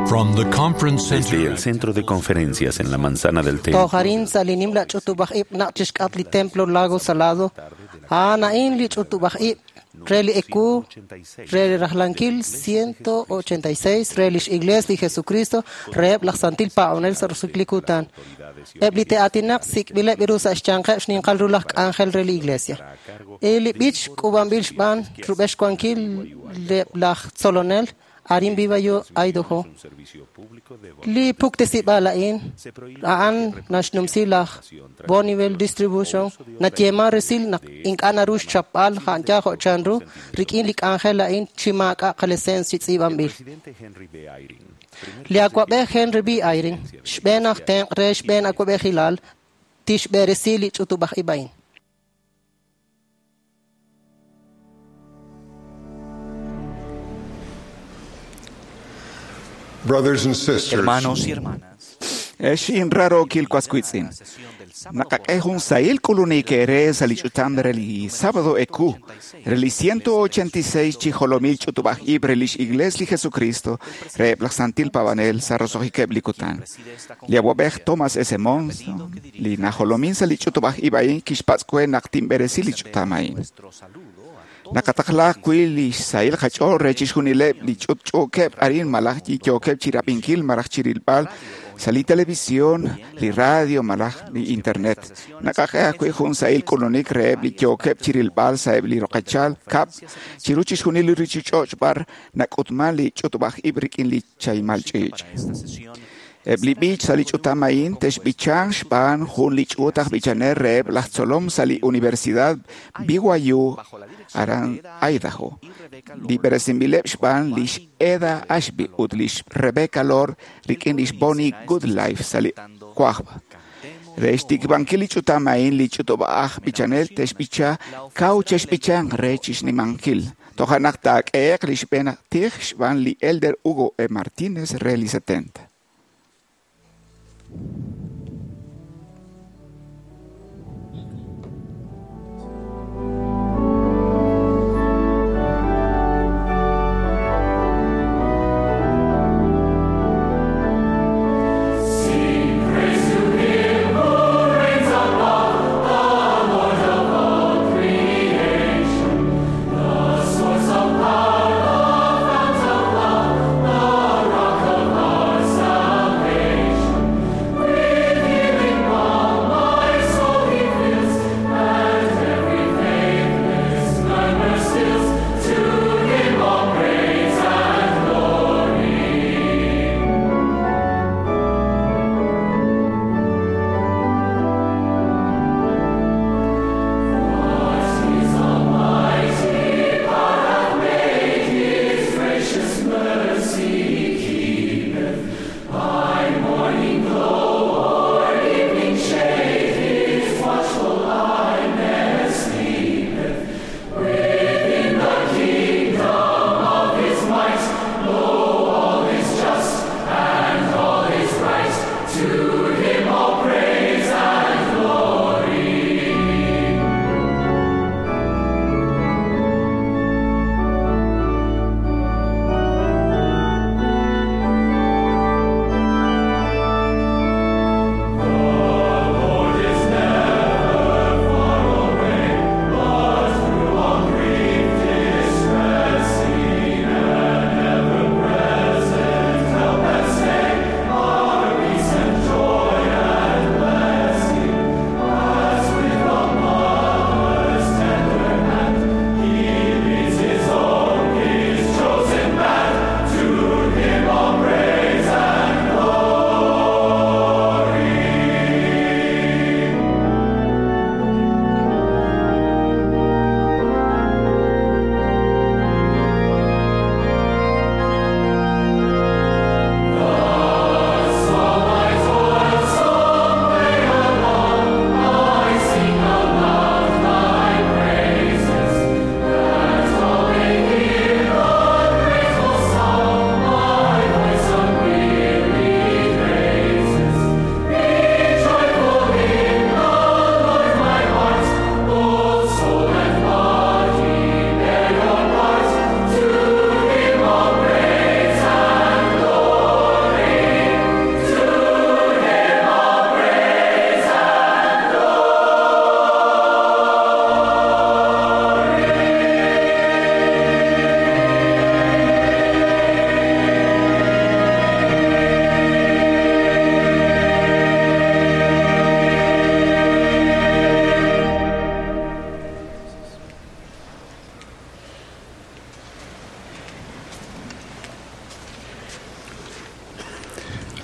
From the conference Desde center el centro de conferencias en la manzana del templo, Tojarin sa li nimla ch'utub'aj ib' naq chixk'at li templo Lago Salado. A'an a'in li ch'utub'aj ib' re li eku re li rajlankil 186 re lix Iglesia li Jesucristo reheb' laj Santil Paab'anel sa' roso'jik li kutan. Eb' li te'aatinaq sik'b'ileb' ru sa' xyanqeb' xninqal ru laj k'anjel re li Iglesia. Li b'ich k'uub'anb'il xb'aan rub'el xwankil laj tzolonel arin BYU Idaho. Li puktesib'al a'in a'an naxnumsi laj Bonneville Distribution nayeeman resil naq ink'a' naru xchapb'al ja'an jo' chanru rik'in li k'anjel a'in chi maak'a' qaleseens chi tz'iib'anb'il. Li awa'b'ej Henry B. Eyring, xb'een aj tenq' re xb'een awa'b'ejilal, tixb'eresi li ch'utub'aj ib' a'in. Brothers and sisters, Hermanos y hermanas, Exin raro kilkuaskuitzin. Naqaq'ej jun sahil k'ulunik ere sa li ch'utam re li sábado eku, re li 186 chi jolomil ch'utub'aj ib' re lix Iglesia li Jesucristo, re laj Santil Pabanel sa roso'jikeb' li kutan. Li awa'b'ej Thomas S. Monson, li najolomin sa li ch'utub'aj ib' a'in kixpatz' we naq tinb'eresi li ch'utam a'in. Naqataqla ajwi' li xsahil qach'ool re chixjunileb' li ch'utch'uukeb' arin malaj yookeb' chirab'inkil malaj chirilb'al sa li televisión, li radio malaj li internet. Naqaq'e ajwi' jun sahil k'ulunik reheb' li yookeb' chirilb'al sa'eb' li roqechal kab' chiru chixjunil li ruuchich'och' b'ar nak'utman li ch'utub'aj ib' rik'in li chaymal ch'iich'. Eb' li b'ich sa' li ch'utam a'in te'xb'ichan xb'aan jun li ch'uut aj b'ichanel reheb' laj tzolom sa' li Universidad BYU aran Idaho. Li b'eresinb'ileb' xb'aan lix Eda Ashby ut lix Rebecca Lord rik'in lix Bonnie Goodlife sa' li Cuajba. Re xtikib'ankil li ch'utam a'in li ch'utub'aj b'ichanel te'xb'icha kaw chexb'ichan re chixnimankil. Toja' naq taak'ehe'q li xb'een tij xb'aan li Elder Hugo E. Martínez re li 70. Salvation.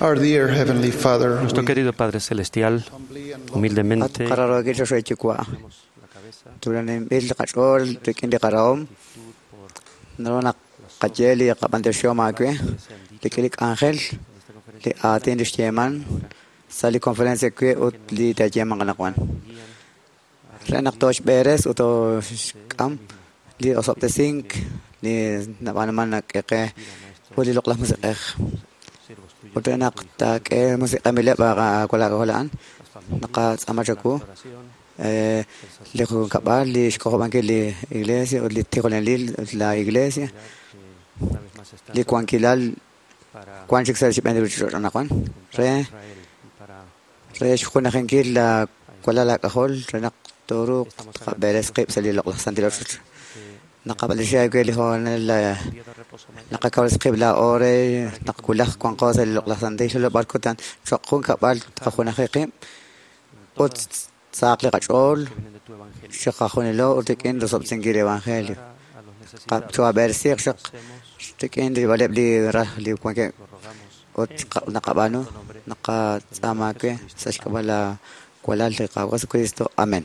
Our dear Heavenly Father, Nuestro querido Padre Celestial, humildemente Sali conferencia que ut li tayeman kanakwan. Renak tosh beres uto kam li osoptesink li nabanaman nakeke uli loklah musikeh. Utenak tak musik amile para kola kolaan naka amachaku li kabal li xkobanke li iglesia li tikolen li la iglesia li kuankilal kuanchik sa xib'en ruch'anaqwan re re xjunajinkil la kuala la kajol renaq toru tqaberes qib sa li loqlaj santiloch naqab'alixay ke li jonel la naqakawres qib la ore naqkulaj kuanqo sa li loqlaj santil barkutan choqjun kab'al tqajunaji qib ut saaq li qach'ool xaqajunilo ut rik'in rosob'sinkil evangelio qab chuabersiq xaq rik'in ribaleb li raj li kuanke ut naqab'anu naqatz'amake sa xk'ab'a la kualal li Qawa Jesucristo. Amén.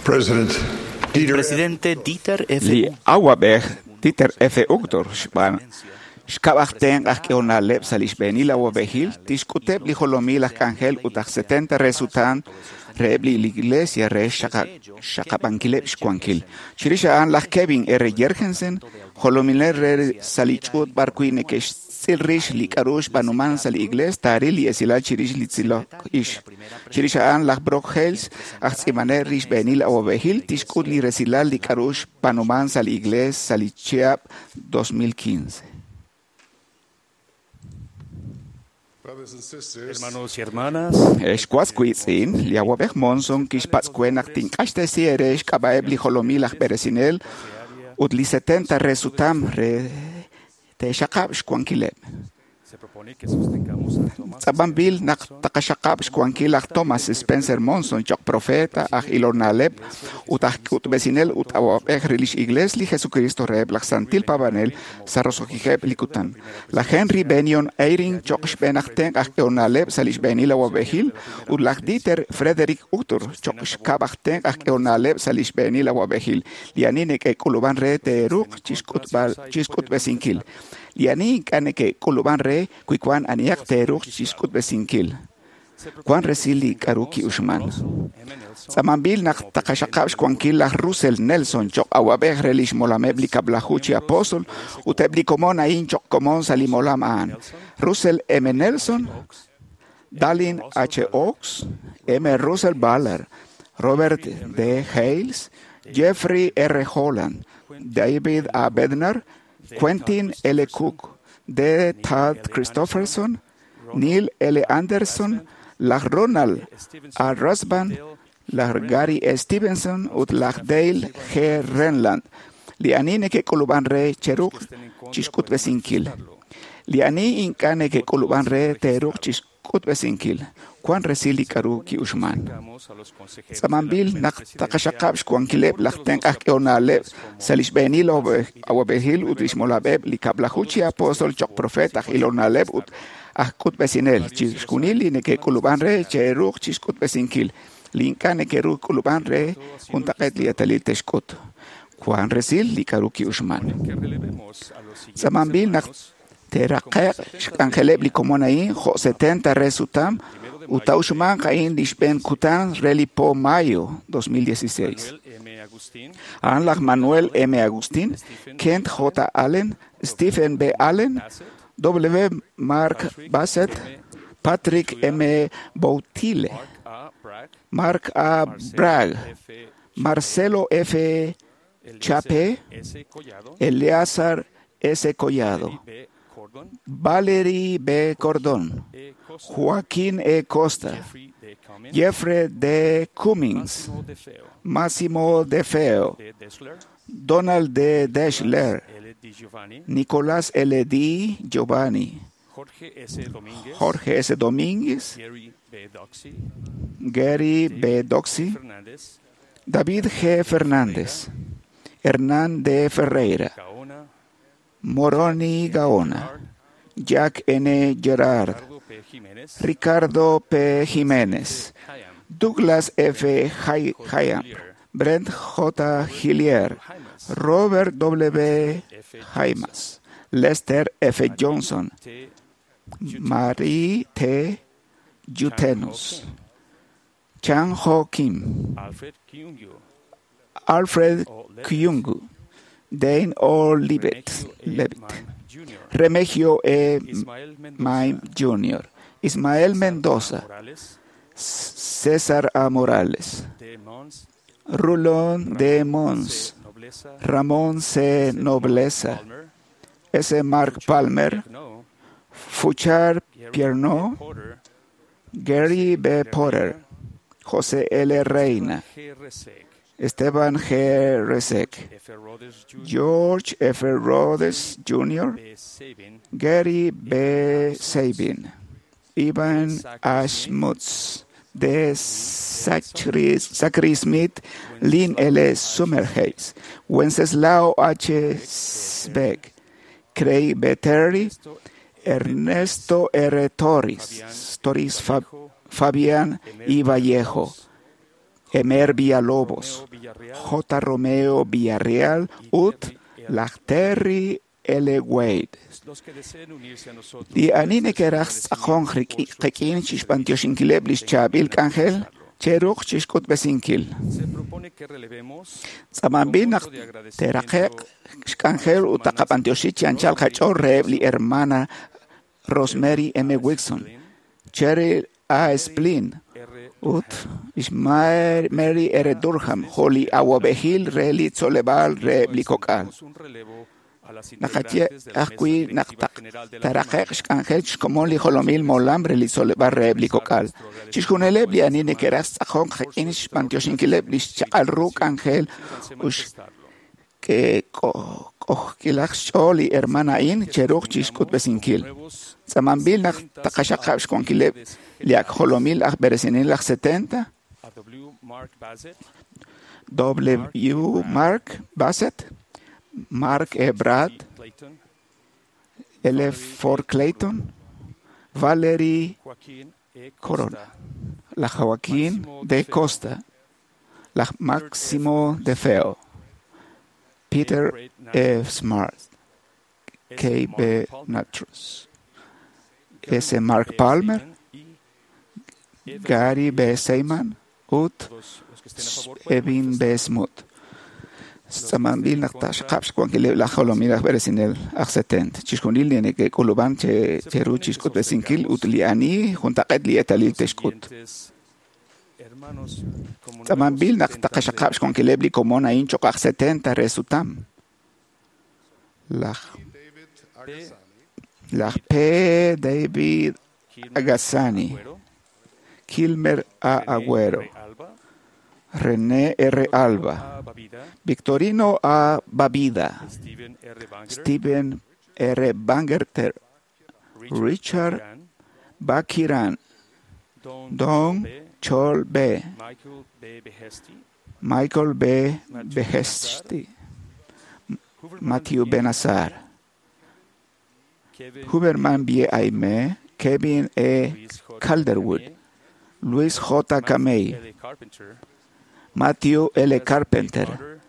President El presidente Dieter F. Li awab'ej Dieter F. Uchtdorf xb'aan xkab'aj tenq aj k'ehonaleb' sa' li xb'eenil awab'ejil tixk'uteb' li jolomil aj k'anjel ut aj 70 re sutan reheb' li iglesia re xaqab'ankileb' xwankil. Chirix a'an laj Kevin R. Jergensen, jolominel re sa' li ch'uut b'ar wi' neke'xtz'il rix li k'a'ru xb'aanuman sa' li iglees taaril li esilal chirix li tz'ilok ix. Chirix a'an laj Brock Hales, aj tz'iib'anel re xb'eenil awab'ejil, tixk'ut li resilal li k'a'ru xb'aanuman sa' li iglees sa' li chihab' 2015. Brothers and sisters, Hermanos y hermanas, Xwas wiitz'in, li awab'ej Monson kixpatz'kue naq tink'axtesi ere xk'ab'a'eb' li jolomil aj b'eresinel ut li 70 re sutam re te'xaqab' xwankileb'. se propone que sostengamos a Thomas Tz'ab'anb'il naq taqaxaqab' xwankil aj Thomas Spencer Monson choq profeta aj ilonaleb' ut aj k'utb'esinel ut awab'ej re lix iglees li Jesucristo reheb' laj Santil Paab'anel sa' roso'jikeb' li kutan. Laj Henry Benyon Eyring choq xb'een aj tenq' aj k'ehonaleb' sa' li xb'eenil awab'ejil ut laj Dieter Frederick Uchtdorf choq xkab' aj tenq' aj k'ehonaleb' sa' li xb'eenil awab'ejil. Li ani neke'k'ulub'an re te'ruuq chixk'utb'esinkil. Li ani ink'a' neke'k'ulub'an re wi wan anihaq te'ruuq chixk'utb'esinkil. Wan resil li k'a'ru ki'uxman. Tz'amanb'il naq taqaxaqab' xwankil laj Russell Nelson choq awab'ej re lix molameb' li kab'laju chi apóstol ut eb' li komon a'in choq komon sa' li molam a'an. Russell M. Nelson, Dallin H. Oaks, M. Russell Ballard, Robert D. Hales, Jeffrey R. Holland, David A. Bednar, Quentin L. Cook, D. Todd Christopherson, Neil L. Anderson, laj Ronald A. Rasband, laj Gary Stevenson ut laj Dale G. Renland. Li ani neke'k'ulub'an re cheruq chixk'utb'esinkil. Li ani ink'a' neke'k'ulub'an re te'ruq chixk'utb'esinkil. Wan resil li k'a'ru ki'uxman. Tz'amanb'il naq taqaxaqab' xwankileb' laj tenq' aj k'ehonaleb' sa' li xb'eenil awab'ejil ut lix molab'eb' li kab'laju chi apóstol choq profeet aj ilonaleb' ut aj k'utb'esinel. Chixjunil li neke'k'ulub'an re che'ruuq chixk'utb'esinkil. Li ink'a' neke'ruuq k'ulub'an re juntaq'eet li eetalil te'xk'ut. Wan resil li k'a'ru ki'uxman. que relevemos a los siguientes Tz'amanb'il naq hermanos te'raqe'q xk'anjeleb' li komon a'in jo' 70 re sutam ut ta'uxmanq a'in li xb'een kutan re li po mayo 2016. Manuel M. Agustín, A'an laj Manuel M. Agustín, Kent J. Allen, Stephen B. Allen, W. Mark Bassett, Patrick M. Boutile, Mark A. Bragg, Mark A. Bragg, F. Marcelo F. Eliezer Chape, S. Collado, Eleazar S. Collado, B. Cordon, Valerie B. Cordón, E. Costa, Joaquín E. Costa, Jeffrey D. Cummings, Jeffrey D. Cummings, Massimo De Feo, Massimo De Feo, D. Dessler, Donald D. Deschler, L. Di Giovanni, Nicolás L. D. Giovanni, Jorge S. Domínguez, Jorge S. Domínguez, Gary B. Doxy, Gary B. Doxy, Fernández, David G. Fernández, Hernán D. Ferreira, Gaona, Moroni Gaona, Jack N. Gerard, Ricardo P. Jiménez, Ricardo P. Jiménez, Hayam, Douglas F. Hayam, Brent J. Hillier, Robert W. Jaimas, Lester F. Johnson, T. Marie T. Jutenus, Chan Ho Kim, Alfred Kyungyu, Alfred Kyungu, Dane O. Levitt, Remigio E. Levitt, Mime Jr., Remigio E. Ismael Mendoza, Mime Jr., Ismael Mendoza, Morales, César A. Morales, D. Mons, Rulon D. Mons, C. Nobleza, Ramón C. Nobleza, Palmer, S. Mark Palmer, No, Fuchar Gary Pierno, Porter, Gary B. Potter, José L. Reina, G. Resek, Esteban G. Resek, F. Rhodes Jr., George F. Rhodes Jr., B. Sabin, Gary B. Sabin, Ivan Ashmutz, D. Zachary Smith, Lynn L. Summerhays, Wenceslao H. Speck, Craig B. Terry, Ernesto R. Torres, Torres Fabián I. Vallejo, Emer Villalobos, Romeo Villarreal, J. Romeo Villarreal, Ut Lachterry L. Wade. los que deseen unirse a nosotros Li ani neke'raj tz'aqonk qik'in chixb'antioxinkileb' lix chaab'il k'anjel cheruq chixk'utb'esinkil. Se propone que relevemos Tz'amanb'il naq te'raqe'q xk'anjel ut taqab'antioxi chi anchal qach'ool reheb' li hermana Rosemary M. Wilson, Cheryl A. Splin, R. ut lix Mary R. Durham, jo' li awab'ejil re li tzoleb'aal reheb' li kok'al. Un relevo a las Naqaye integrantes de la Mesa ajwi' naq Directiva General de la taraqe'q xk'anjel xkomon li jolomil molam re li tzoleb'aal reheb' li kok'al. Chixjunileb' li ani neke'raj tz'aqonk qik'in xb'antioxinkileb' li xchaq'al ru k'anjel Manifestarlo. ut k'ojk'ilaj xch'ool li hermana a'in cheruq chixk'utb'esinkil. Tz'amanb'il naq taqaxaqab' xwankileb' li ak jolomil aj b'eresinel aj 70, A W. Mark Bassett, W. Mark Bassett, Mark E. Brad, T. Clayton, L. Ford Clayton, Valerie Joaquín E. Costa, Corona, la Joaquín de Costa, la Máximo de Feo, Peter F. Smart, S. K. B. Mark Palmer, Natros, S. Mark Palmer, Sagan y Evan Gary B. Seyman, Ut Todos los que estén a favor pueden Evin B. Smut. Tz'amanb'il naq taxaqab' xwankileb' laj jolomil aj b'eresinel aj 70. Chixjunil li neke'k'ulub'an cheru chixk'utb'esinkil ut li ani juntaq'eet li eetalil te'xk'ut. siguientes hermanos como Tz'amanb'il nuevos naq 70 taqaxaqab' xwankileb' li komon a'in cho'q aj 70 re sutam. Laj David Agassani, laj P. David Kilmer Agassani, Agüero, Kilmer A. René Agüero, R. Alba, René R. Alba, A. Babida, Victorino A. Babida, Steven R. Banger, Steven R. Bangerter, Richard Duran, Bakiran, Don, Don B. Chol B., Michael B. Behesti, Michael B. Behesti, Huberman Matthew B. Benazar, Kevin Huberman B. Aime, Kevin E. Luis J. Calderwood, Camille, Luis J. Camey, L. Carpenter, Matthew L. Douglas B. Carpenter, Carter,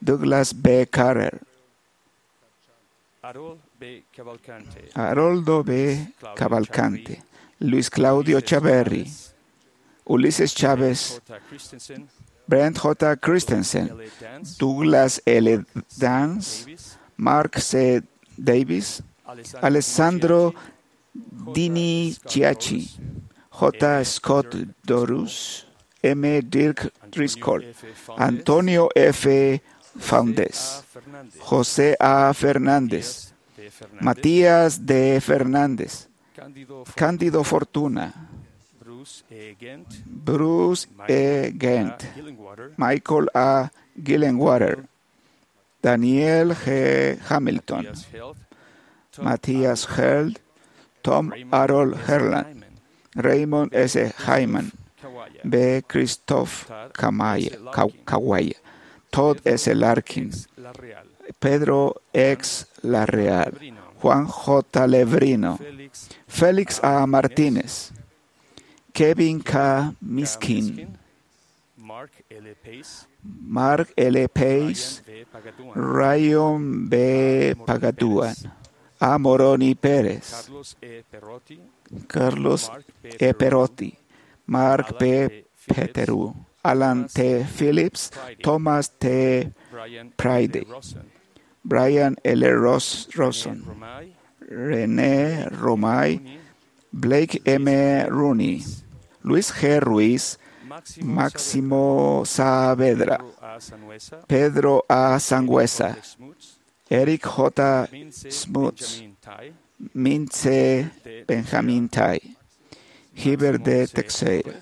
Douglas B. Carter, Harold B. Cavalcante, Haroldo B. Cavalcante, Luis Claudio Ulises Chaverri, Chávez, Ulises Chávez, J. Christensen, Brent J. Christensen, L. Dance, Douglas L. Dance, Davis, Mark C. Davis, Alessandro Dini Chiachi, J. Scott Dorus, M. Dirk Driscoll, Antonio F. Faundes, José A. Fernández, Matías D. Fernández, Cándido Fortuna, Bruce E. Gent, Bruce E. Gent, Gillenwater, Michael A. Gillenwater, Daniel G. Hamilton, Matthias Held, Tom Matthias Held, Tom Raymond Harold S. Herland, Hyman, Raymond S. Hyman, Kawaya, B. Christoph Kawaya, Todd S. Larkin, Pedro X. Larreal, Juan J. Lebrino, Félix A. Martínez, Kevin K. Miskin, Mark L. Pace, Ryan B. Pagaduan, A. Moroni Pérez, Carlos E. Perotti, Mark P. Peteru, Alan T. Phillips, Thomas T. Pride, Brian L. Rosen, René Romay, Blake M. Rooney, Luis G. Ruiz, Máximo Saavedra, Pedro A. Sangüesa, Eric J. Smuts, Mince Benjamin Tai, Giver D. Teixeira,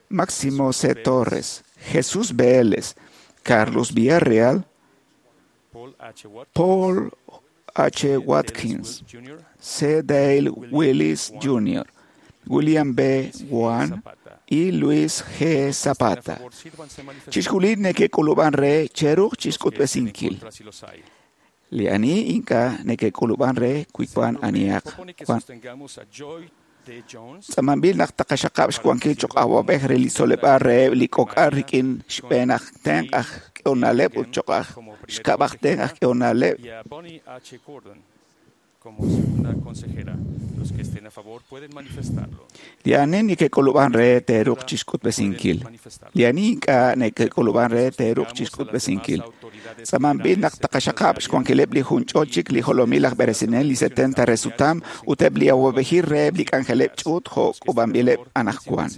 Máximo C. Torres, Jesús Vélez, Carlos Villarreal, Paul H. Watkins, C. Dale Willis Jr., William B. Wan y Luis G. Zapata. Chixjulil nekek'ulub'an re cheruj chixk'utb'esinkil. Li ani ink'a' nekek'ulub'an re kuikuan aniaq. Tz'amanb'il naq taqaxaqab' xwankil choq' awab'ej re li tzoleb'aal reheb' li k'ok'al rik'in xb'een aj tenq' aj k'ehonaleb' ut choq' aj xkab' aj tenq' aj k'ehonaleb'. Como segunda consejera. Los que estén a favor pueden manifestarlo. Li ani nekek'ulub'an re teeruuq chixk'utb'esinkil. Li ani ink'a' nekek'ulub'an re teeruuq chixk'utb'esinkil. Tz'amanb'il naq taqaxaqab' xwankileb' li junch'ol chik li jolomil aj b'eresinel li 70 re sutam ut eb' li awab'ejil reheb' li k'anjeleb' ch'uut jo' k'uub'anb'ileb' anaqwan.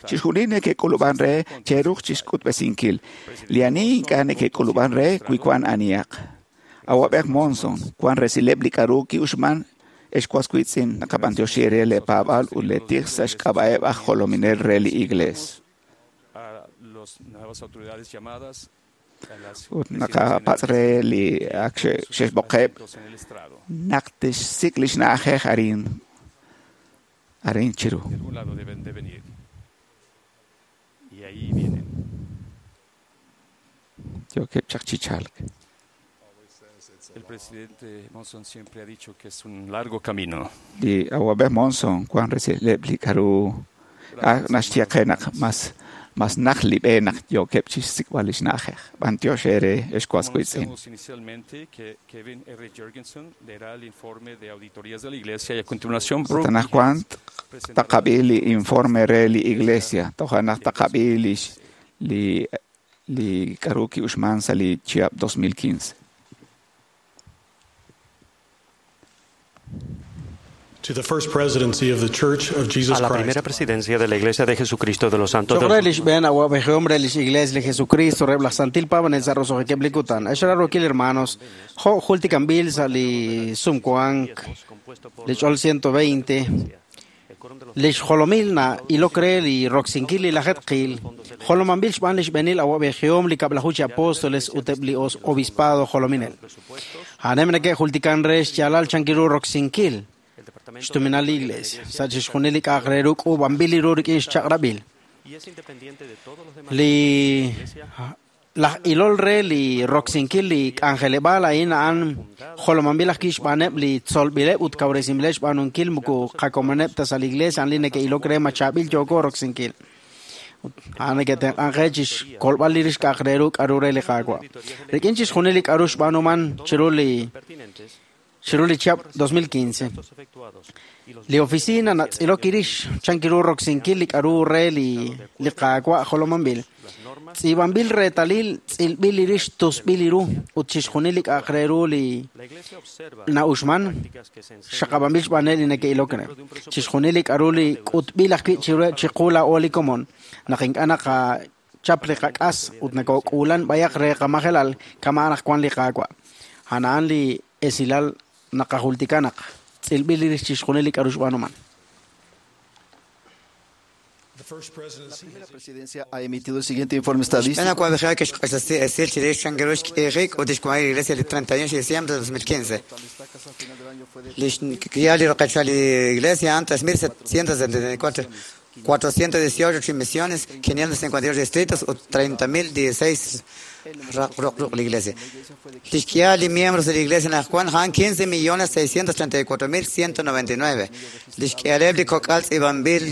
Chixjunil nekek'ulub'an re cheeruuq chixk'utb'esinkil. Li ani ink'a' nekek'ulub'an re wi wan anihaq. Awab'ej Monson, wan resileb' li k'aru ki'uxman ex was wiitz'in naqab'antioxi re le paab'aal ut le tij sa' xk'ab'a'eb' aj jolominel re li Iglees. Ut naqapatz' re li ak xe'xb'oqeb' naq tixsik' li xna'ajej arin arin chiru. Yookeb' chaq chi chalk. El presidente Monson siempre ha dicho que es un largo camino. Li awab'ej Monson wan resileb' li k'aru naxye qe naq mas naj li b'e naq yookeb' chixsik'b'al li xna'ajej. B'antiox eere ex was wiitz'in. Anunciamos inicialmente que Kevin R. Jorgensen leerá el informe de auditorías de la Iglesia y a continuación Ut anaqwan taqab'i li informe re li Iglesia. Toja' naq taqab'i li k'aru ki'uxman sa' li chihab' 2015. To the first presidency of the Church of Jesus A la Christ. primera presidencia de la Iglesia de Jesucristo de los Santos de Choq' re los li xb'een awab'ejihom re lix Iglesia li Jesucristo reheb' laj Santil Paab'anel sa' roso'jikeb' li kutan. Ex rarokil hermanos, jo' jultikanb'il sa' li sumwank li ch'ol 120 lix jolomil na ilok re li roksinkil li lajetqil jolomanb'il xb'aan li xb'eenil awab'ejihom li kab'laju chi apóstoles ut eb' li obispado jolominel. A'anem neke'jultikan re xyaalal chankiru roksinkil xtuminal li Iglesia sa' chixjunil li k'a'aq re ru k'uub'anb'il li ru rik'in xchaq'rab'il. Li laj ilol re li roksinkil li k'anjeleb'aal a'in a'an jolomanb'il ajwi' xb'aaneb' li tzolb'ileb' ut kawresinb'ileb' xb'aanunkil moko qakomoneb' ta sa' li Iglesia a'an li neke'ilok re ma chaab'il yooko roksinkil. A'an neke'tenq'an qe chixkolb'al li rix k'a'aq re ru k'aru re li Qaawa'. Rik'in chixjunil li k'aru xb'aanuman chiru li chihab' 2015. Li oficina natz'ilok irix chankiru roksinkil li k'aru re li Qaawa' jolomanb'il. Tz'iib'anb'il reetalil tz'ilb'il irix tusb'il iru ut chixjunil li k'a'aq re ru li na'uxman xaqab'anb'il xb'aaneb' li neke'ilok re. Chixjunil li k'aru li k'utb'il ajwi' chiqu laa'o li komon naq ink'a' naqachap li qak'as ut nakok'uulan b'ayaq re qamajelal kama' naq wan li Qaawa'. A'an li esilal naqajultika naq tz'ilb'il irix chixjunil li k'aru xb'aanuman. The first presidency La primera presidencia ha emitido el siguiente informe estadístico. Xb'een awab'ejil kixq'axtesi esil chirix chankiru xk'iijik ut xwanjik li Iglesia li 31 de diciembre de 2015. Li xk'ihal li roqechal li Iglesia a'an 3.774 418 misiones, 558 distritos ut 30.016 raq la iglesia. Lixk'ihal li miembros de la iglesia anaqwan a'an 15.634.199. Lixk'ihaleb' li kok'al tz'iib'anb'il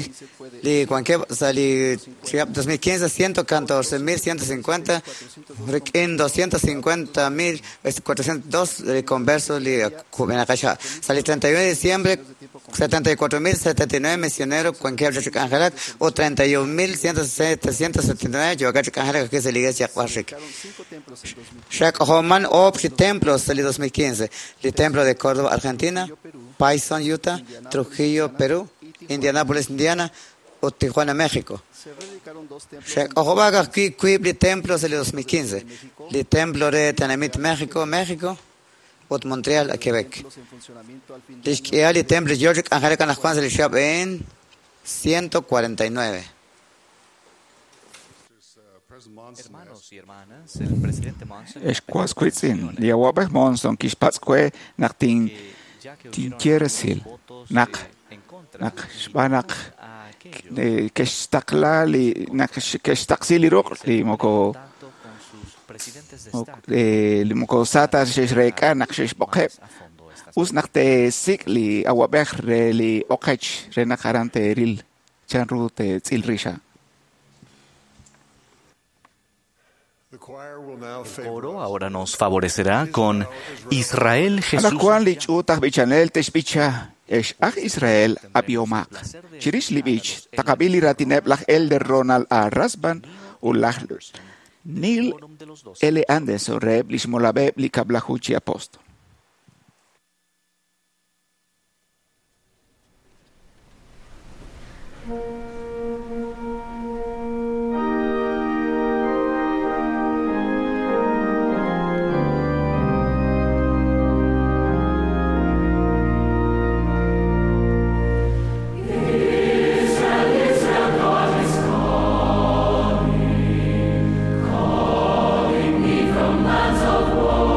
li wankeb' sa' li chihab' 2015 114.150 rik'in 250.402 li conversos li kub'enaqex ha'. Sa' li 31 de diciembre 74.079 misioneros wankeb' chi k'anjelak ut 31.779 yookeb' chi k'anjelak ajwi' sa' li iglesia q'axik. Xak'ojoman oob' chi templos sa' li 2015: li Templo de Córdoba, Argentina, Payson, Utah, Trujillo, Perú, Indianápolis, Indiana ut Tijuana, México. Xak'ojob'ak ajwi' wiib' li templo sa' li 2015: li Templo re Tenamit México, México ut Montreal, a Quebec. Lix k'ihal li templo yoo chi k'anjelak anaqwan sa' li chihab' a'in 149. Ex was wiitz'in, li awab'ej Monson kixpatz' we naq tinye resil naq xb'aan naq ke'xtaqla li naq ke'xtaqsi li ruq' li moko sa ta xe'xreek'a naq xe'xb'oqeb'. Us naq teesik' li awab'ej re li oqech re naq aran teeril chanru teetz'il rix a'an. El coro ahora nos favorecerá con Israel Jesús. Anaqwan li ch'uut aj b'ichanel te'xb'icha ex aj Israel ab'ihomaq. Chirix li b'ich taqab'i li raatineb' laj Elder Ronald A. Rasband ut laj Neil L. Anderson reheb' li xmolab'eb' li kab'laju chi apostol. Calling me from lands of woe.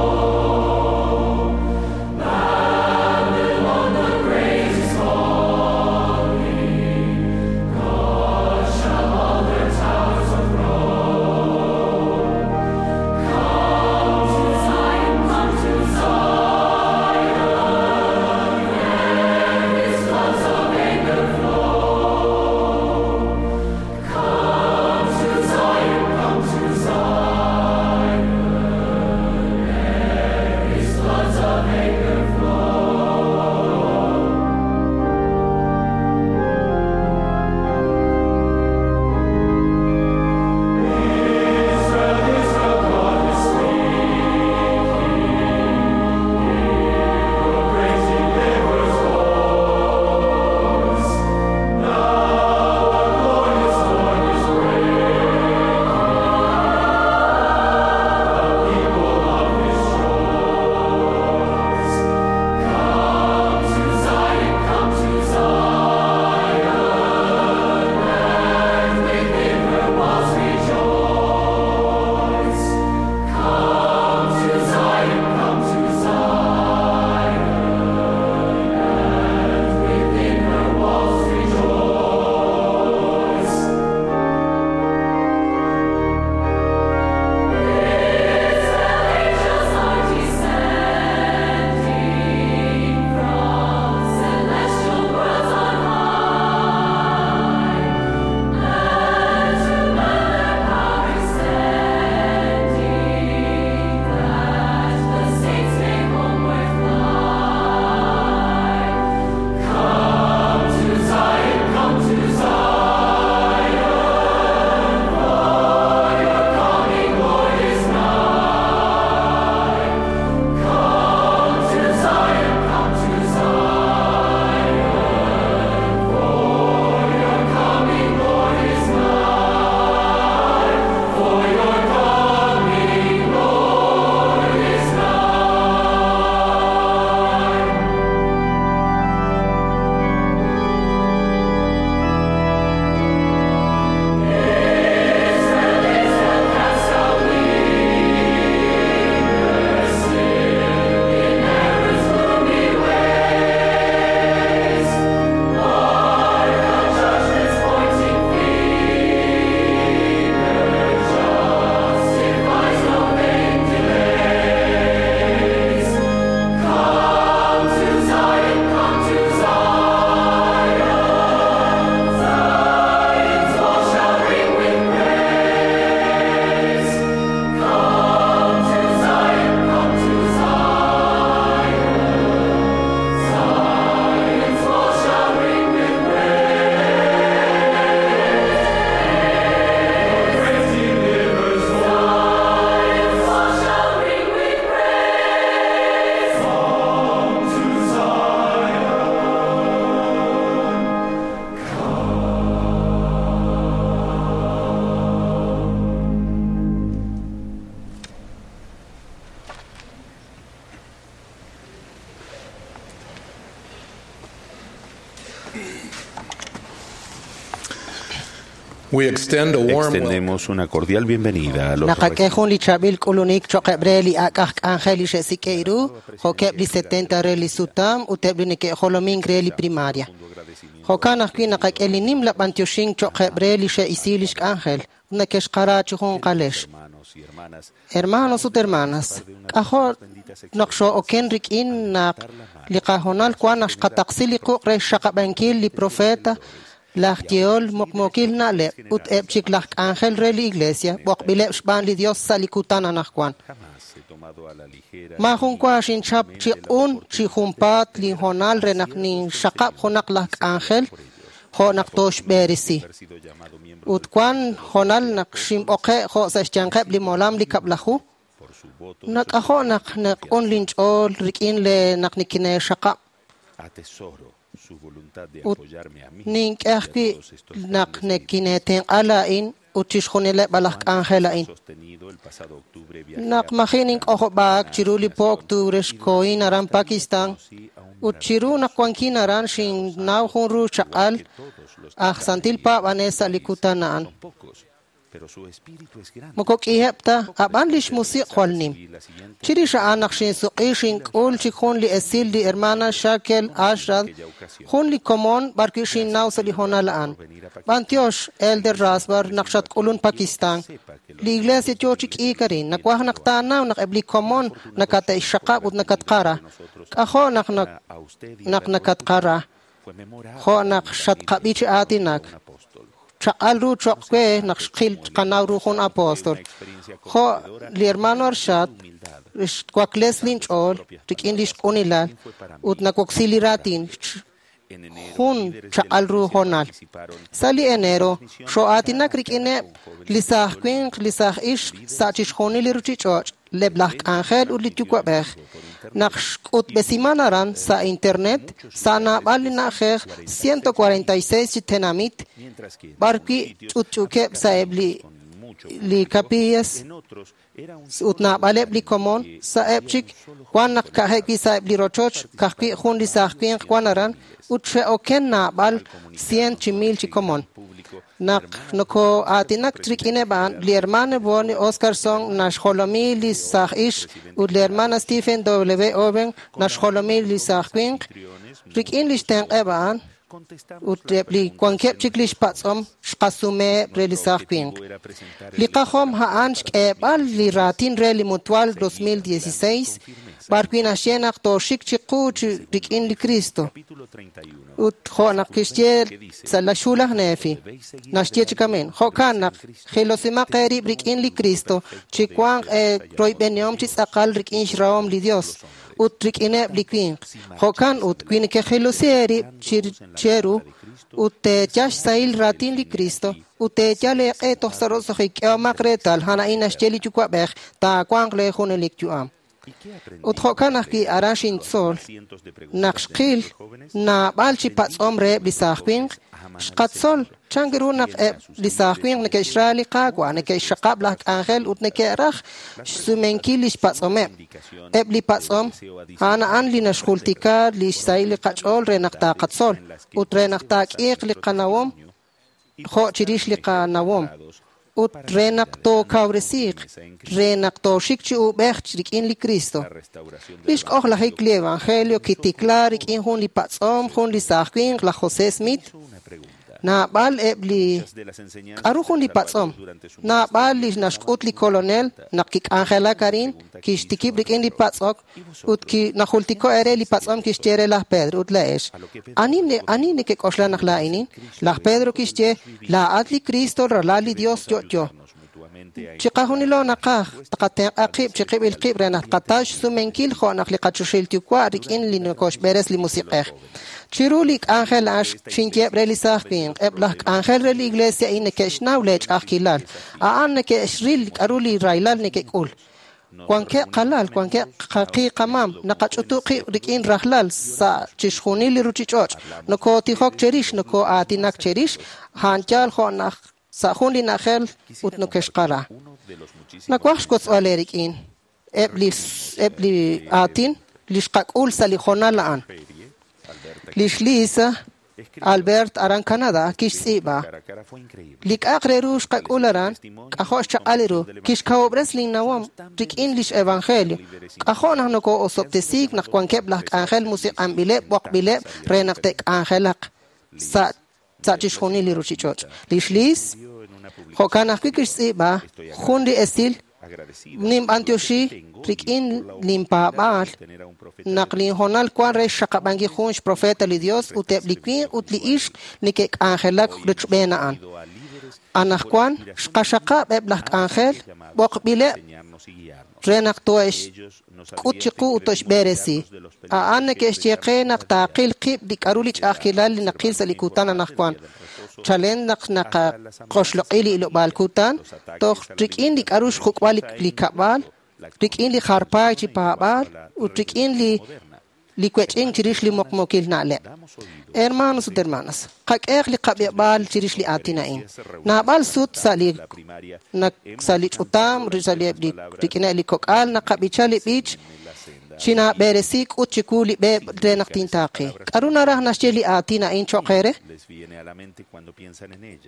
We extend a warm welcome Extendemos una cordial bienvenida a los Naqak'e jun li chaab'il k'ulunik cho'q re li ak' aj k'anjel li xe'sik'e ru, jo'keb' li 70 re li sutam ut eb' li neke'jolomink re li primaria. Jo'kan ajwi' naqak'e li nimla b'antioxink cho'q re li xe'isi lix k'anjel, ut neke'xqara chi junqalex. hermanos y hermanas. Hermanos ut hermanas, k'ajo' naq xoo'oken rik'in naq li qahoonal wan naq xqataqsi li quq' re xxaqab'ankil li profeta, laj yehol muqmuukil na'leb' ut eb' chik laj k'anjel re li iglesia b'oqb'ileb' xb'aan li Dios sa' li kutan anaqwan. Jamás he tomado a la ligera Maajun wa xinchap chi q'un chi junpaat linhoonal re naq ninxaqab' junaq laj k'anjel jo' naq tooxb'eresi. haber sido llamado miembro Ut wan hoonal naq xinb'oqe' jo' sa' xyanqeb' li molam li kab'laju, por su voto. nak'ajo' naq naq'un linch'ool rik'in le naq nikine'xaqab'. Atesoro su voluntad de Ut apoyarme a mí nink'e y a ajwi' todos estos naq grandes nekine'tenq'a laa'in ut chixjunileb' laj k'anjel a'in. sostenido el pasado octubre viajé Naq a maji' nink'ojob'aak chiru li po octubre xkohin aran Pakistán ut chiru naq wankin aran xinnaw jun ru chaq'al aj santil paab'anel sa' li kutan a'an. Son pocos, pero su espíritu es grande. Moko k'iheb' ta, a'b'an lix musiq' jwal nim. Y la siguiente Chirix a'an naq xinsuq'i xink'ul chik jun li esil li hermana Shakel Ashrad, jun li komon b'arwi' xinnaw sa' li hoonal a'an. B'antiox, Elder Rasbar, naq xatk'ulun Pakistán. Li iglesia yo chi k'iik arin. Nawaj naq taanaw naq eb' li komon nakate'xxaqab' ut nakatqara. K'ajo' naq a usted y naq nakatqara, fue memorable jo' naq xatqab'i chi aatinak. un apóstol. Chaq'al ru choq' we naq xqil qanaw ru jun apóstol. Jo' li hermano Arshad, xwakles linch'ool rik'in lix q'unilal ut nawoksi li raatin En enero, jun líderes de la chaq'al ru iglesia hoonal. participaron Sa' li enero, xoo'aatinak rik'ineb' li saaj winq, li saaj ixq sa' chixjunil li ruchich'och', leb' laj k'anjel ut li yuwa'b'ej. Naq xk'utb'esiman aran sa' internet, sa' naab'al li na'ajej 146 chi tenamit, mientras que en b'arwi' algunos sitios ch'utch'uukeb' sa' eb' li con mucho li capillas en otros era un ut naab'aleb' li komon sa'eb' chik wan naq ka'ajeb' wi' sa'eb' li rochoch ka'ajwi' jun li saaj winq wan aran ut xe'oken naab'al cien chi mil chi komon. Naq nokoo'aatinak rik'ineb' a'an, li hermano Bonnie Oscarson naxjolomi li saaj ixq ut li hermana Stephen W. Owen naxjolomi li saaj winq. Rik'in lix tenq'eb' a'an ut eb' li wankeb' chik lix patz'om xqasumeheb' re li saaj winq. era presentar Li qajom a'an xk'eeb'al li raatin re li Mutual 2016 b'arwi' naxye naq tooxik chiqu chi rik'in li Cristo. capítulo 31 Ut jo' naq kixye sa' la xhu laj Nefi, naxye chi kamin, jo'kan naq jilosimaq eerib' rik'in li Cristo, chi wanq royb'enihom chi tz'aqal rik'in xrahom li Dios ut rik'ineb' li winq. Jo'kan ut wi nekejilosi eerib' cheru ut teeyal xsahil raatin li Cristo ut teeyal eeq'e toj sa' roso'jik k'ehomaq reetal a'an a'in naxye li Yuwa'b'ej taawanq lee junelik yu'am. ¿Y qué aprendí Ut jo'kan ajwi' aran xintzol cientos de preguntas naq de xqil nuestros jóvenes? naab'al chi patz'om reheb' li saaj winq, xqatzol chan ru naq eb' li saaj winq neke'xra li Qaawa', neke'xxaqab' laj k'anjel ut neke'raj xsumenkil lix patz'omeb'. Eb' li patz'om a'an a'an li naxjultika li xsahil li qach'ool re naq taaqatzol ut re naq taak'iiq li qanawom jo' chirix li qanawom ut re naq tookawresiiq, re naq tooxik chi uub'ej rik'in li Cristo. La restauración del Lix k'ojlajik li Evangelio kitikla rik'in jun li patz'om, jun li saaj winq, laj José Smith. hizo una pregunta. Naab'al eb' li Muchas de las enseñanzas k'aru jun li del Salvador patz'om. durante su Naab'al li ministerio naxk'ut li kolonel naq kik'anjelak arin, kixtikib' rik'in li patz'ok ut najultiko ere li patz'om kixye re laj Pedro ut la'ex. Ani ani nekek'oxla naq laa'inin? Laj Pedro kixye, laa'at li Cristo, ralal li Dios yo'yo. ayudarnos mutuamente a Chiqajunilo naqaj tqatenq'a qib' chiqib'il qib' re naq tqataw xsumenkil jo' naq li qachoxil yuwa' rik'in li nokoxb'eres li musiq'ej. Chiru li k'anjel a'an xinyeb' re li saaj winq, eb' laj k'anjel re li iglesia a'in neke'xnaw leech'ajkilal. A'an neke'xril k'aru li rahilal neke'k'ul. Wankeb' qalal, wankeb' qaqi qamam, naqach'utu qib' rik'in rajlal sa' chixjunil li ruchich'och'. Nokootijok cherix, nokoo'aatinak cherix, a'an yaal jo' naq sa' jun li na'ajej ut nokexqara. uno de los muchísimos Nawaj xwotzb'al eerik'in eb' li eb' li aatin li xqak'ul sa' li hoonal a'an. ferie Lix Lisa Albert aran Canadá kixtz'iib'a li k'a'aq re ru xqak'ul aran k'ajo' xchaq'al ru kixkawob'res linnawom rik'in lix evangelio k'ajo' naq nokoo'osob'tesiik naq wankeb' laj k'anjel musiq'anb'ileb' b'oqb'ileb' re naq te'k'anjelaq sa' chixjunil li ruchich'och'. Lix Liz jo'kan ajwi' kixtz'iib'a jun li esil ninb'antioxi rik'in linpaab'aal naq linhoonal wan re xxaqab'ankil jun xprofeta li Dios ut eb' li winq ut li ixq neke'k'anjelak rochb'een a'an. Anaqwan xqaxaqab' eb' laj k'anjel b'oqb'ileb' re naq tohe'xk'ut chiqu ut tohe'xb'eresi. A'an neke'xye qe naq taaqil qib' li k'a'ru li ch'a'ajkilal li naqil sa' li kutan anaqwan. Chalen naq naqaqoxloq'i li ilob'aal kutan, toj rik'in li k'a'ru xjuk'b'al li kab'al, rik'in li jarpaay chi paab'aal ut rik'in li wech'ink chirix li muqmuukil na'leb'. Hermanos ut hermanas, qak'ehaq li qab'eb'aal chirix li aatin a'in. Naab'al sut sa' li ch'utam, rik'ineb' li kok'al, naqab'icha li b'ich chinaab'eresi k'ut chiwu li b'e re naq tintaaqi. K'a'ru naraj naxye li aatin a'in cho'q eere?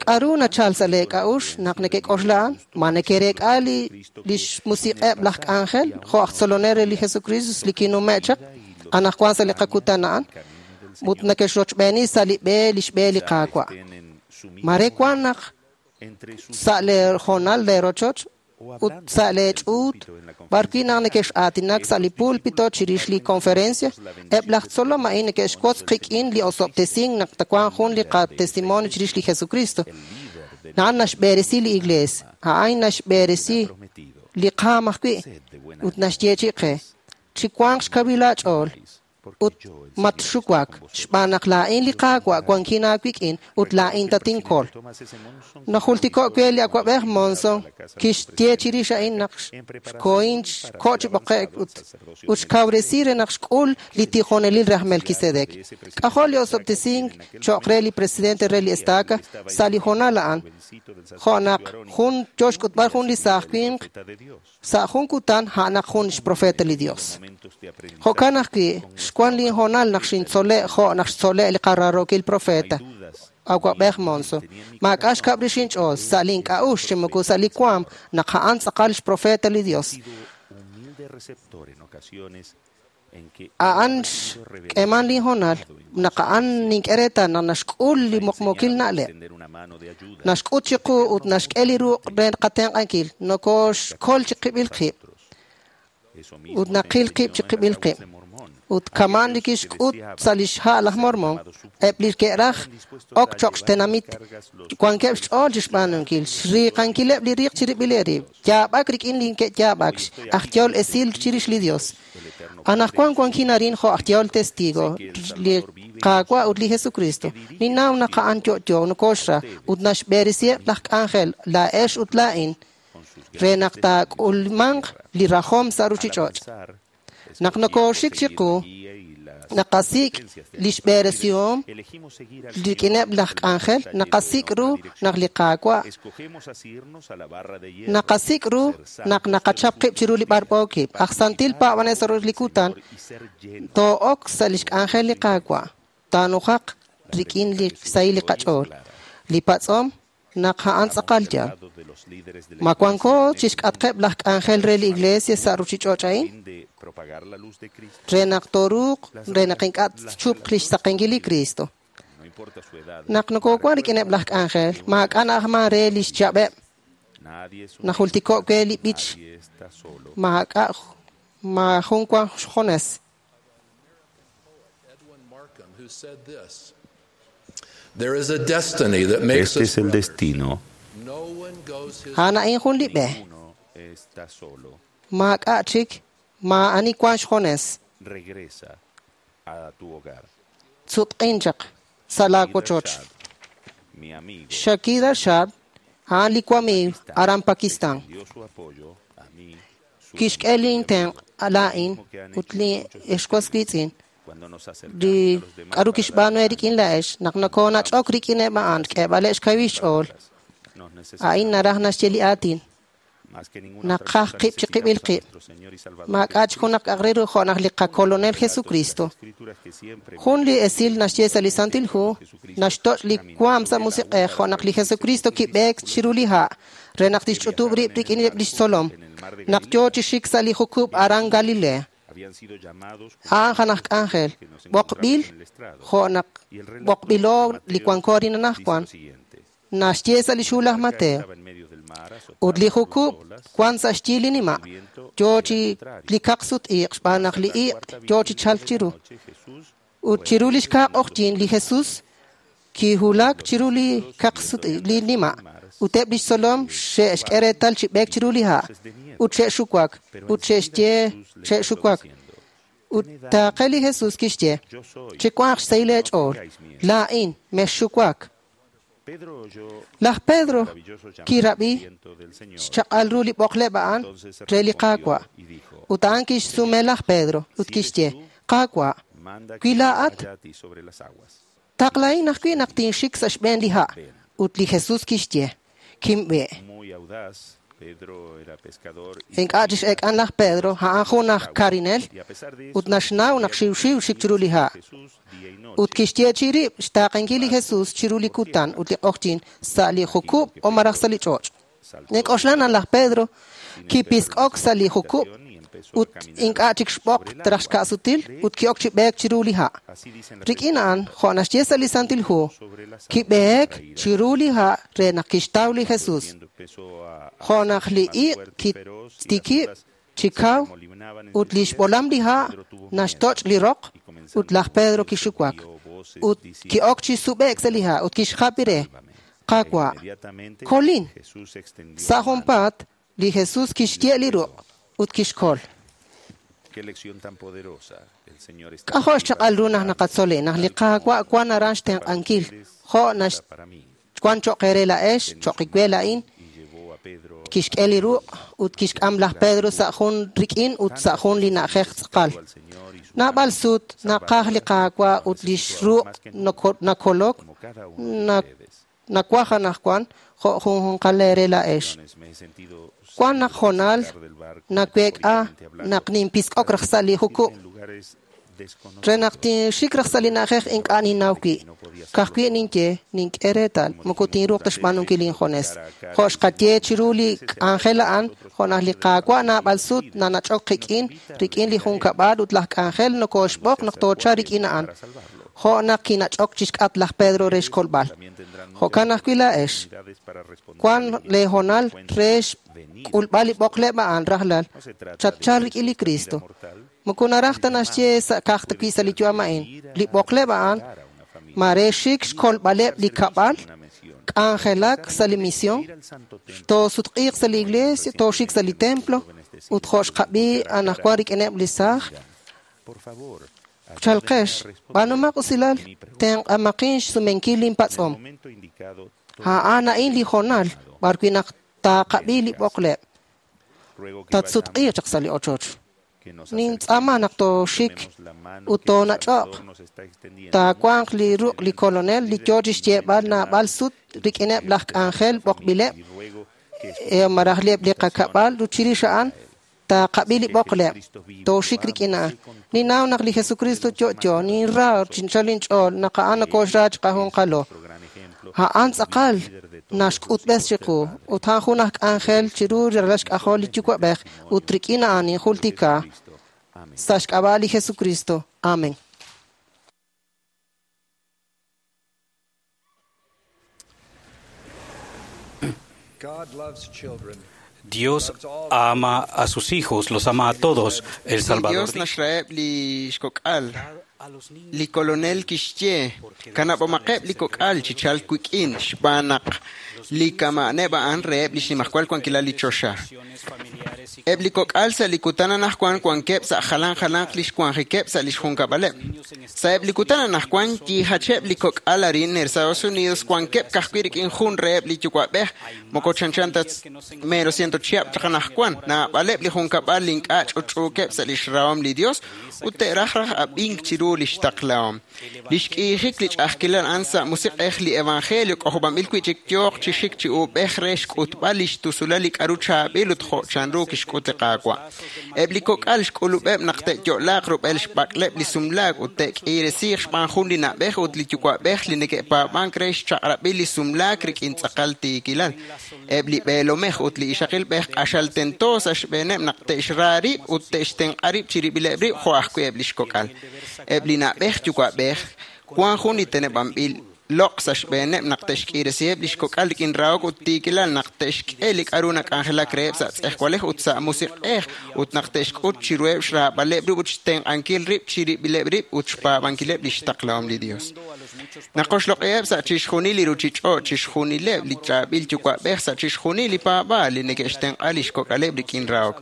K'a'ru nachal sa' lee k'a'uxl naq nekek'oxla a'an? Ma nekereek'a lix musiq'eb' laj k'anjel jo' aj tzolonel re li Jesucristo li kinume' chaq anaqwan sa' li qakutan a'an ut nekexrochb'eeni sa' li b'e lix b'e li Qaawa'. Mare wan naq sa' lee hoonal lee rochoch ut sa' lee ch'uut b'arwi' naq nekex'aatinak sa' li púlpito chirix li conferencia, eb' laj tzolom a'in neke'xwotz qik'in li osob'tesink naq tawanq jun li qatestimonio chirix li Jesucristo. A'an naxb'eresi li Iglees, a'an naxb'eresi li qaam ajwi' ut naxyeechi' qe chiwanq xkawil aach'ool ut matxuwak xb'aan naq laa'in li Qaawa' wankin aawik'in ut laa'in tatinkol. Najultiko' we li awab'ej Monson kixye chirix a'in naq xkohin xko' chi b'oqe'k ut xkawresi re naq xk'ul li tijonelil re aj Melquisedec. K'ajo' li osob'tesink cho'q re li presidente re li estaca sa' li hoonal a'an jo' naq jun yo xk'utb'al jun li saaj winq sa' jun kutan a'anaq jun xprofeta li Dios. Jo'kan ajwi' xwan linhoonal naq xintzole' jo' naq xtzole' li qaraarookil profeta awab'ej Monson. Maak'a' xkab' rix inch'ool sa' link'a'uxl chi moko sa' li waam naq a'an tz'aqal xprofeta li Dios. A'an xk'eeman linhoonal naq a'an nink'e reetal naq naxk'ul li muqmuukil na'leb'. Naxk'ut chiqu ut naxk'e li ruq' re qatenq'ankil nokooxkol chiqib'il qib' ut naqil qib' chiqib'il qib'. Ut kaman li kixk'ut sa' lix ha' laj Mormon, eb' li ke'raj ok cho'q xtenamit wankeb' xch'ool chixb'aanunkil, xriiqankileb' li riiq chirib'il eerib', yaab'ak rik'in li ke'yaab'ak, aj yehol esil chirix li Dios. Anaqwan wankin arin jo' aj yehol testigo li Qaawa' ut li Jesucristo. Ninnaw naq a'an yo'yo nokooxra ut naxb'eresiheb' laj k'anjel laa'ex ut laa'in re naq taak'ulmanq li rajom sa' ruchich'och'. Naq nokooxik chiqu, naqasik' lix b'eresihom rik'ineb' laj k'anjel, naqasik' ru naq li Qaawa', naqasik' ru naq naqachap qib' chiru li b'arb'ookib'. Aj santil paab'anel sa' li kutan, too'ok sa' lix k'anjel li Qaawa', taanujaq rik'in li xsahil li qach'ool. Li patz'om naq a'an tz'aqal yaal. Ma wanko chixk'atqeb' laj k'anjel re li Iglesia sa' ruchich'och' a'in? Re naq tooruuq, re naq ink'a' tchupq lix saqenkil li Cristo. Naq nokowan rik'ineb' laj k'anjel, maak'a' na'ajman re lix chab'eb'. Najultiko' we li b'ich maak'a' maajun wan xjunes. There is a destiny that makes Este es el destino. A'an a'in jun li b'e. Está solo. Maak'a' chik, maa'ani wan xjunes. Regresa a tu hogar. Sutq'in chaq sa' laawochoch. Mi amigo Shakira Shad, a'an li wamiiw aran Pakistán. dio su apoyo a mí su Kixk'e lintenq' laa'in ut li exwas wiitz'in. cuando nos acercamos Li a los demás k'aru kixb'aanu rik'in laa'ex naq nokoonach'ok rik'ineb' a'an k'eeb'aleb' xkawil xch'ool. nos necesitamos. A'in naraj naxye li aatin. Naqaj qib' chiqib'il qib'. Maak'a' chik junaq k'a'aq re ru jo' naq li qakolonel Jesucristo. Jun li esil naxye sa' li Santil Hu naxtoch' li waam sa' musiq'ej jo' naq li Jesucristo kib'eek chiru li ha' re naq tixch'utub' rib' rik'ineb' lix tzolom naq yoo chi xik sa' li jukub' aran Galilea. A'an janaj k'anjel b'oqb'il jo' naq b'oqb'ilo li wanko arin anaqwan naxye sa' li xhu laj Mateo. Ut li jukub' wan sa' xyi li nima' yoo chi li kaqsut-iq' xb'aan naq li iq' yoo chi chalk chiru. Ut chiru li xkaa q'oqyink li Jesus kiwulak chiru li kaqsut-iq' li nima' ut eb' lix tzolom xe'xk'e reetal chi b'eek chiru li ha' ut xe'xuwak ut xe'xye xe'xuwak. Ut taaqe li Jesus kixye, chiwanq xsahil eech'ool, laa'in mexxuwak. Laj Pedro kirab'i xchaq'al ru li b'oqleb' a'an re li Qaawa'. Ut a'an kixsume laj Pedro ut kixye, Qaawa', wi laa'at taqlahin ajwi' naq tinxik sa' xb'een li ha'. Ut li Jesus kixye, kinb'e. Ink'a' chix'eek'an laj Pedro, a'an jun aj karinel ut naxnaw naq xiwxiw xik chiru li ha'. Ut kixyeechi rib' xtaaqenkil li Jesus chiru li kutan ut li q'oqyink sa' li jukub' o malaj sa' li ch'och'. Nink'oxla naq laj Pedro kipisk'ok sa' li jukub' ut ink'a' chik xb'oq traj xka'sutil ut ki'ok chi b'eek chiru li ha'. Rik'in a'an, jo' naxye sa' li Santil Hu, kib'eek chiru li ha' re naq kixtaw li Jesus. Jo' naq li iq' kitikib' chi kaw ut li xb'olam li ha' naxtoch' li roq ut laj Pedro kixuwak. Ut ki'ok chi sub'e'k sa' li ha' ut kixjapi re, Qaawa', kolin. Sa' junpaat, li Jesus kixye' li ruq' ut kixkol. K'ajo' xchaq'al ru naq naqatzol naq li Qaawa' wan aran xtenq'ankil jo' wan cho'q eere laa'ex, cho'q we laa'in. Kixk'e li ruq' ut kixk'am laj Pedro sa' jun rik'in ut sa' jun li na'ajej tz'aqal. Naab'al sut naqaj li Qaawa' ut lix ruq' nakolok nawaj anaqwan jo' junjunqal eere laa'ex. Wan naq honal naweek'a naq ninpisk'ok raj sa' li jukub' re naq tinxik raj sa' li na'ajej ink'a' ninnaw wi'. Ka'ajwi' ninye nink'e reetal moko tinruuq ta xb'aanunkil injunes. Jo' xqaye chiru li k'anjel a'an jo' naq li Qaawa' naab'al sut nanach'ok qik'in rik'in li junkab'al ut laj k'anjel nokooxb'oq naq toochalq rik'in a'an. Jo' naq kinach'ok chixk'atq laj Pedro re xkolb'al. Jo'kan ajwi' laa'ex. Wan lee honal re xk'ulb'al li b'oqleb' a'an rajlal chatchal rik'in li Cristo. Moko naraj ta naxye sa' ka'aj ta wi' sa' li yu'am a'in. Li b'oqleb' a'an mare xik xkolb'aleb' li kab'al, k'anjelak sa' li misión, toosutq'iiq sa' li iglesia, tooxik sa' li templo, ut jo' xqab'i anaqwan rik'ineb' li saaj. Chalqex, b'aanumaq usilal, tenq'amaqin xsumenkil linpatz'om. A'an a'in li honal b'arwi' naq taaqab'i li b'oqleb'. Tatsutq'iiq chaq sa' li ochoch. Nintz'aama naq tooxik ut toonach'oq. Taawanq li ruq' li kolonel li yoo chi xyeeb'al naab'al sut rik'ineb' laj k'anjel b'oqb'ileb' malaj eb' li qakab'al ut chirix a'an taaqab'i li b'oqleb', tooxik rik'in a'an. Ninnaw naq li Jesucristo yo'yo, ninra chinchal inch'ool naq a'an nokoxra chiqajunqalo. A'an tz'aqal naxk'utb'es chiqu ut a'an jun aj k'anjel chiru ralal xk'ajol li Yuwa'b'ej ut rik'in a'an ninjultika sa' xk'ab'a' li Jesucristo. Amen. Dios ama a sus hijos, los ama a todos. El Salvador Dios naxraheb' li xkok'al. Li kolonel kixye, kanab'omaqeb' li kok'al chi chalk wik'in xb'aan naq li kama'aneb' a'an reheb' li xnimajwal wankilal li choxa. Eb' li kok'al sa' li kutan anaqwan wankeb' sa' jalan jalanq li xwanjikeb' sa' li xjunkab'aleb'. Sa'eb' li kutan anaqwan yiijacheb' li kok'al arin Estados Unidos wankeb' ka'ajwi' rik'in jun reheb' li yuwa'b'ej moko chanchan ta mero ciento chihab' chaq anaqwan. Naab'aleb' li junkab'al li ink'a' ch'utch'uukeb' sa' lix rahom li Dios ut te'raj raj ab'ink chiru lix taqlahom. Li xk'iijik li ch'a'ajkilal a'an sa' musiq'ej li evangelio k'ojob'anb'il wi'chik yooq chi xik chi uub'ej re xk'utb'al lix tusulal li k'a'ru chaab'il ut jo' chanru kixk'ut li Qaawa'. Eb' li kok'al xk'ulub'eb' naq te'yo'laaq rub'el xb'ak'leb' li sumlaak ut te'k'iiresiiq xb'aan jun li na'b'ej ut li yuwa'b'ej li neke'paab'ank re xchaq'rab'il li sumlaak rik'in tz'aqal tiikilal. Eb' li b'eelomej ut li ixaqilb'ej q'axal tento sa' xb'eeneb' naq te'xra rib' ut te'xtenq'a rib' chirib'ileb' rib' jo' ajwi' eb' lix kok'al. Eb' li na'b'ej yuwa'b'ej wan jun li teneb'anb'il loq' sa' xb'eeneb' naq te'xk'iiresiheb' lix kok'al rik'in rahok ut tiikilal, naq te'xk'e li k'a'ru nak'anjelak reheb' sa' tz'ejwalej ut sa' musiq'ej, ut naq te'xk'ut chiruheb' xraab'aleb' rib' ut xtenq'ankil rib' chirib'ileb' rib' ut xpaab'ankileb' lix taqlahom li Dios. Naqoxloq'iheb' sa' chixjunil li ruchich'och', chixjunileb' li chaab'il yuwa'b'ej sa' chixjunil li paab'aal li neke'xtenq'a lix kok'aleb' rik'in rahok.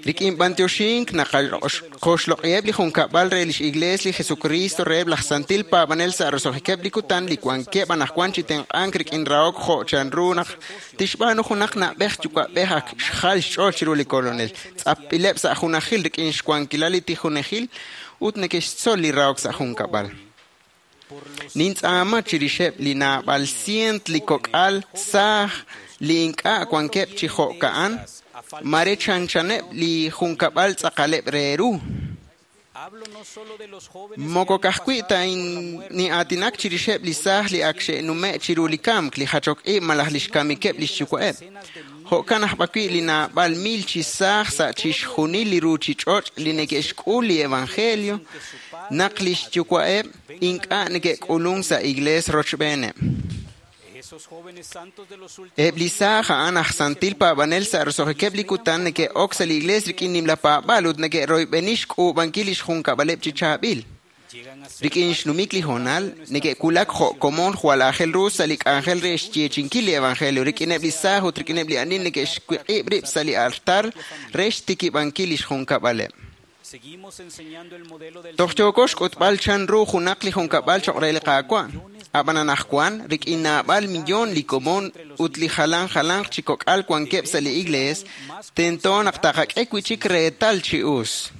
Rik'in b'antioxink naqoxloq'iheb' li junkab'al re lix Iglees li Jesucristo reheb' laj santil paab'anel sa' roso'jikeb' li kutan li wankeb' anaqwan chi tenq'ank rik'in rahok jo' chanru naq tixb'aanu junaq na'b'ej yuwa'b'ej ak xjal xch'ool chiru li Kolonel. Tz'apb'ileb' sa' junajil rik'in xwankilal li tijonejil ut neke'xtzol li rahok sa' junkab'al. Nintz'aama chirixeb' li naab'al sient li kok'al saaj li ink'a' wankeb' chi jo'ka'an, mare chanchaneb' li junkab'al tz'aqaleb' re ru. Moko ka'ajwi' ta nin'aatinak chirixeb' li saaj li ak xe'nume' chiru li kamk, li jachok ib' malaj lix kamikeb' lix yuwa'eb'. Jo'kan aj b'awi' li naab'al mil chi saaj sa' chixjunil li ruchich'och' li neke'xk'ul li evangelio naq lix yuwa'eb' ink'a' neke'k'ulunk sa' iglees rochb'eeneb'. Eb' li saaj a'an aj santil paab'anel sa' roso'jikeb' li kutan neke'ok sa' li iglees rik'in nimla paab'aal ut neke'royb'eni xk'uub'ankil lix junkab'aleb' chi chaab'il. Rik'in xnumik li hoonal, neke'wulak jo' komon jwal aajel ru sa' li k'anjel re xyeechinkil li evangelio rik'ineb' li saaj ut rik'ineb' li ani neke'xwiq'ib' rib' sa' li altar re xtikib'ankil lix junkab'aleb'. Toj yooko xk'utb'al chanru junaq li junkab'al choq' re li Qaawa'. Ab'an anaqwan, rik'in naab'al millón li komon ut li jalan jalanq chi kok'al wankeb' sa' li iglees, tento naq taqak'e wi'chik reetal chi us.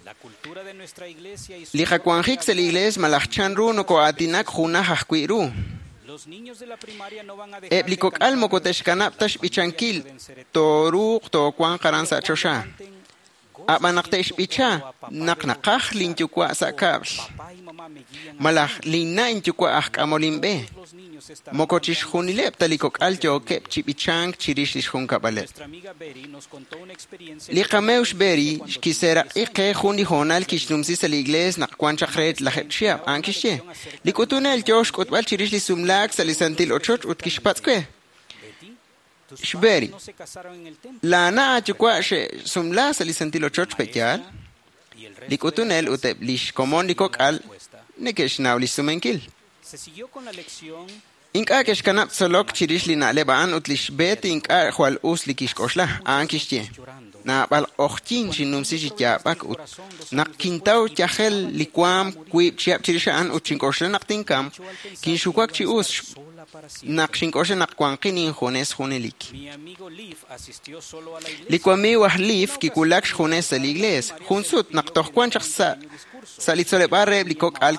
Li qawanjik sa' li iglees malaj chanru noko'aatinak junaj ajwi' ru. Eb' li kok'al moko te'xkanab' ta xb'ichankil, tooruuq toowanq aran sa' choxa. Ab'an naq te'xb'icha naq naqaj linyuwa' sa' kab'l, malaj linna' inyuwa' aj k'amol inb'e. Moko chixjunileb' ta li kok'al yookeb' chi b'ichank chirix lix junkab'aleb'. Li qameew xBerry kiseeraq'i qe jun li hoonal kixnumsi sa' li iglees naq wan chaq re 10 chihab'. A'an kixye: Li k'utunel yoo xk'utb'al chirix li sumlaak sa' li santil ochoch ut kixpatz' we: XBerry, laana' aayuwa' xe'sumla sa' li santil ochoch pe'yaal? Li k'utunel ut eb' lix komon li kok'al neke'xnaw lix sumenkil. Ink'a' ke'xkanab' tzolok chirix li na'leb' a'an ut lix Betty ink'a' jwal us li kixk'oxla. A'an kixye: Naab'al q'ojyin xinnumsi chi yaab'ak ut naq kintaw yajel li waam wiib' chihab' chirix a'an ut xink'oxla naq tinkamq, kinxuwak chi us naq xink'oxla naq wanqin injunes junelik. Li wamiiw aj Leif kiwulak xjunes sa' li iglees. Jun sut naq toj wan chaq sa' li tzoleb'aal reheb' li kok'al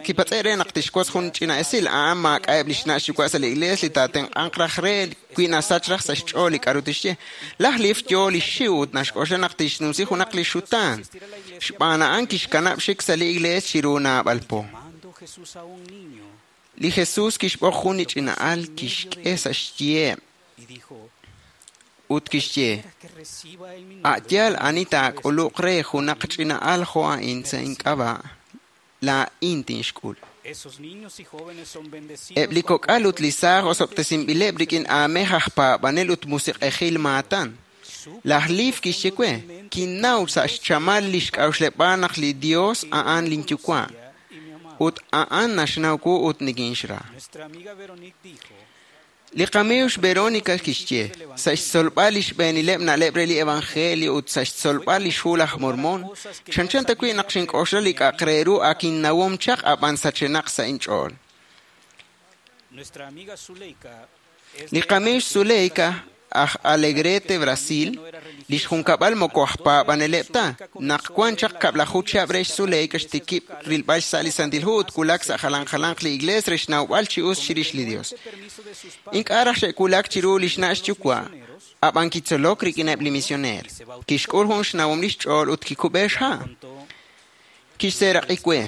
kipatz'e' re naq tixwotz jun ch'ina esil. A'an maak'a'eb' lix na' xyuwa' sa' li iglees li taatenq'anq raj re wi nasach raj sa' xch'ool li k'a'ru tixye. Laj Leif yoo li xxiw ut naxk'oxla naq tixnumsi junaq li xutaan. Xb'aan a'an kixkanab' xik sa' li iglees chiru naab'al po. Li Jesús kixb'oq jun li ch'ina al kixk'e sa' xyiheb' ut kixye: A' yaal ani taak'uluq re junaq ch'ina al jo' a'in sa' ink'ab'a', laa'in tinxk'ul. Eb' li kok'al ut li saaj osob'tesinb'ileb' rik'in aamej aj paab'anel ut musiq'ejil maatan. Laj Leif kixye we: Kinnaw sa' xchamal li xk'a'uxleb'aal naq li Dios a'an linyuwa' ut a'an naxnaw wu ut nikinxra. Li qamiiw xVeronica kixye, sa' xtzolb'al li xb'eenileb' na'leb' re li Evangelio ut sa' xtzolb'al li xhu laj Mormon, chanchan ta wi' naq xink'oxla li k'a'aq re ru ak innawom chaq ab'an sachenaq sa' inch'ool. Li qamiiw xZuleika aj Alegrete, Brasil, li xjunkab'al moko aj paab'aneleb' ta. Naq wan chaq 10 chihab' re xZuleika xtikib' rilb'al xsa' li Santil Hu ut wulak sa' jalan jalanq li iglees re xnawb'al chi us chirix li Dios. Ink'a' raj xe'wulak chiru li xna' xyuwa', ab'an kitzolok rik'ineb' li misioneer. Kixk'ul jun xnawom li xch'ool ut kikub'e xha'. Kixseeraq'i we.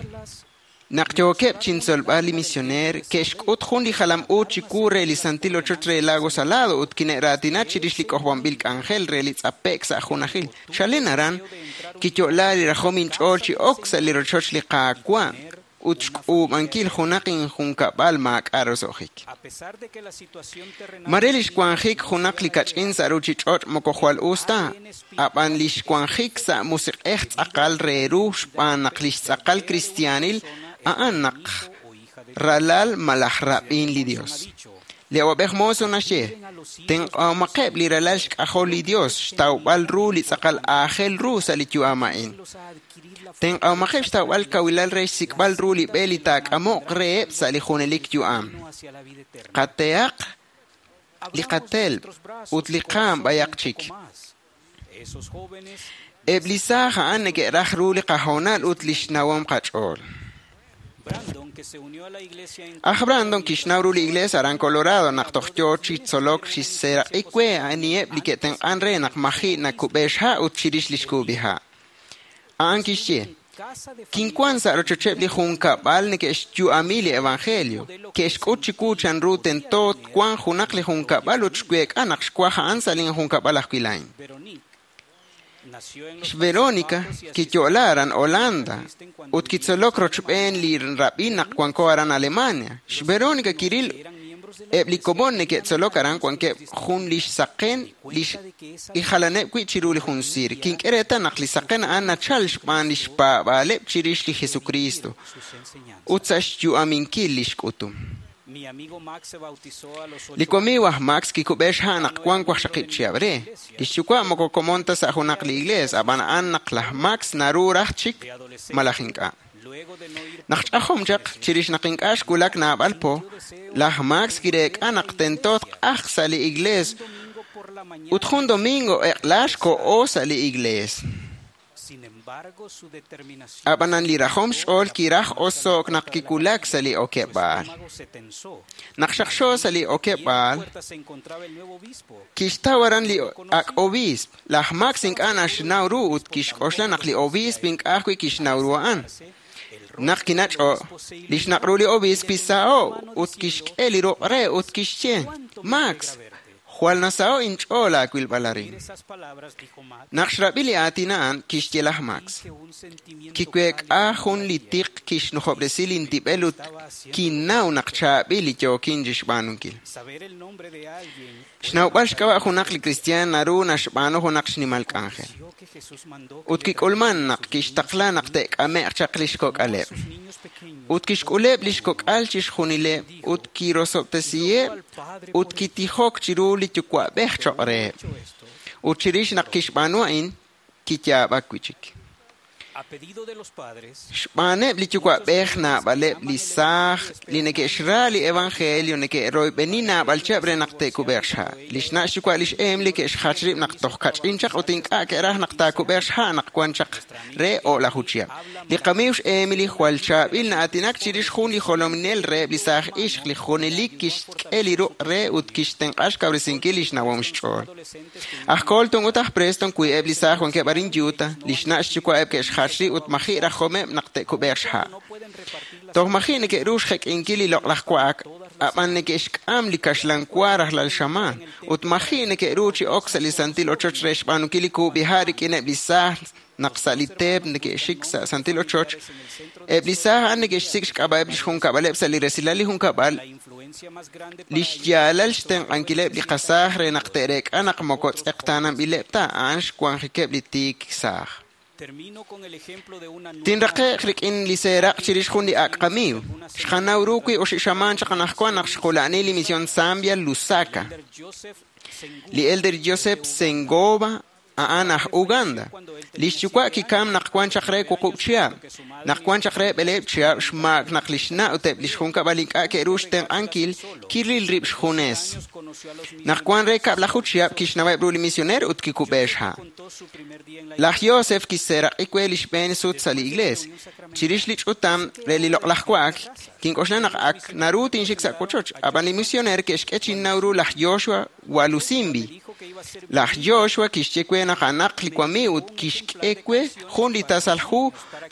Naq yookeb' chintzolb'al li misioneer, ke'xk'ut jun li jalam u chiwu re li santil ochoch re Lago Salado ut kine'raatina chirix li k'ojob'anb'il k'anjel re li tz'ape'k sa' junajil. Chalen aran, kiyo'la li rajom inch'ool chi ok sa' li rochoch li Qaawa' ut xk'uub'ankil junaq injunkab'al maak'a' roso'jik. Mare li xwanjik junaq li kach'in sa' ruuchich'och' moko jwal us ta, ab'an li xwanjik sa' musiq'ej tz'aqal re ru xb'aan naq li xtz'aqal kristiaanil a'an naq ralal malaj rab'in li Dios. Li awab'ej Monson naxye, tenq'ahomaqeb' li ralal xk'ajol li Dios xtawb'al ru li tz'aqal aajel ru sa' li yu'am a'in. Tenq'ahomaqeb' xtawb'al kawilal re xsik'b'al ru li b'e li taak'amoq reheb' sa' li junelik yu'am. Qatehaq li qatelb' ut li qaam b'ayaq chik. Eb' li saaj a'an neke'raj ru li qahoonal ut li xnawom qach'ool. Aj Brandon kixnaw ru li iglees aran Colorado naq toj yoo chi tzolok xseeraq'i we aniheb' li ke'tenq'an re naq maji' nakub'e xha' ut chirix li xkub'iha'. A'an kixye, kinwan sa' rochocheb' li junkab'al neke'xyu'ami li Evangelio. Ke'xk'ut chiwu chanru tento twanq junaq li junkab'al ut xweek'a naq xwaj a'an sa' linjunkab'al ajwi' laa'in. XVeronica kiyo'la aran Holanda ut kitzolok rochb'een li rab'in naq wanko aran Alemania. XVeronica kiril eb' li komon neke'tzolok aran wankeb' jun li xsaqen li jalaneb' wi' chiru li jun siir. Kink'e reetal naq li saqen a'an nachal xb'aan li xpaab'aaleb' chirix li Jesucristo ut sa' xyu'aminkil li xk'utum. Li wamiiw aj Max kikub'e xha' naq wan 8 chihab' re. Li xyuwa' moko komon ta sa' junaq li iglees, ab'an a'an naq laj Max naru raj chik malaj ink'a'. Naq ch'ajom chaq, chirix naq ink'a' xwulak naab'al po, laj Max kireek'a naq tento tq'ajq sa' li iglees ut jun domingo eq'la xko'o sa' li iglees. Ab'anan li rajom xch'ool kiraj oso'k naq kiwulak sa' li okeb'aal. Naq xaqxo sa' li okeb'aal, kixtaw aran li ak' obiisp. Laj Max ink'a' naxnaw ru ut kixk'oxla naq li obiisp ink'a' ajwi' kixnaw ru a'an. Naq kinach'o', li xnaq' ru li obiisp kisaho' ut kixk'e li ruq' re ut kixye, Max, jwal nasaho' inch'ool aawilb'al arin. Naq xrab'i li aatin a'an, kixye laj Max. Kiweek'a jun li tiq kixnujob'resi lintib'el ut kinnaw naq chaab'il li yookin chixb'aanunkil. Xnawb'al xk'ab'a' junaq li kristiaan naru naxb'aanu junaq xnimal k'anjel. Ut kik'ulman naq kixtaqla naq te'k'ame'q chaq li xkok'aleb'. Ut kixk'uleb' li xkok'al chixjunileb' ut kirosob'tesiheb' ut kitijok chiru li yuwa'b'ej choq' reheb'. Ut chirix naq kixb'aanu a'in, kiyaab'ak wi' chik. Xb'aaneb' li yuwa'b'ej naab'aleb' li saaj li neke'xra li Evangelio neke'royb'eni naab'al chihab' re naq te'kub'eeq xha'. Li xna' xyuwa' li xEmily ke'xjach rib' naq toj kach'in chaq ut ink'a' ke'raj naq taakub'eeq xha' naq wan chaq re 10 chihab'. Li qamiiw xEmily jwal chaab'il na'aatinak chirix jun li jolominel reheb' li saaj ixq li junelik kixk'e li ruq' re ut kixtenq'a xkawresinkil li xnawom xch'ool. Aj Colton ut aj Preston wi eb' li saaj wankeb' arin Utah, li xna' xyuwa'eb' ke'xjach rib' ut maji' rajomeb' naq te'kub'eeq xha'. Toj maji' neke'ru xjek'inkil li loq'laj wa'ak, ab'an neke'xk'am li kaxlan wa rajlal xamaan, ut maji' neke'ru chi ok sa' li santil ochoch re xb'aanunkil li kub'iha' rik'ineb' li saaj naq sa' li teep neke'xik sa' santil ochoch. Eb' li saaj a'an neke'xsik' xk'ab'a'eb' li xjunkab'aleb' sa' li resilal li junkab'al, li xyaalal xtenq'ankileb' li qasaaj re naq te'reek'a naq moko tz'eqtaananb'ileb' ta a'an xwanjikeb' li tiik saaj. Tinraqe'q rik'in li seeraq' chirix jun li ak' qamiiw. Xqanaw ru wi oxib' xamaan chaq anaqwan naq xqula'ani li misión Zambia Lusaka. Li elder Joseph Sengoba a'an aj Uganda. Li xyuwa' kikam naq wan chaq re 8 chihab'. Naq wan chaq re 7 chihab' xmaak naq li xna' ut eb' li xjunkab'al ink'a' ke'ru xtenq'ankil kiril rib' xjunes. Naq wan re 12 chihab' kixnaweb' ru li misioneer ut kikub'e xha'. Laj Joseph kiseeraq'i we li xb'een sut sa' li iglees. Chirix li ch'utam re li loq'laj wa'ak, kink'oxla naq ak naru tinxik sa' wochoch, ab'an li misioneer ke'xk'e chinnaw ru laj Joshua Walusimbi. Laj Joshua kixye we naq a'anaq li wamiiw ut kixk'e we jun li tasal hu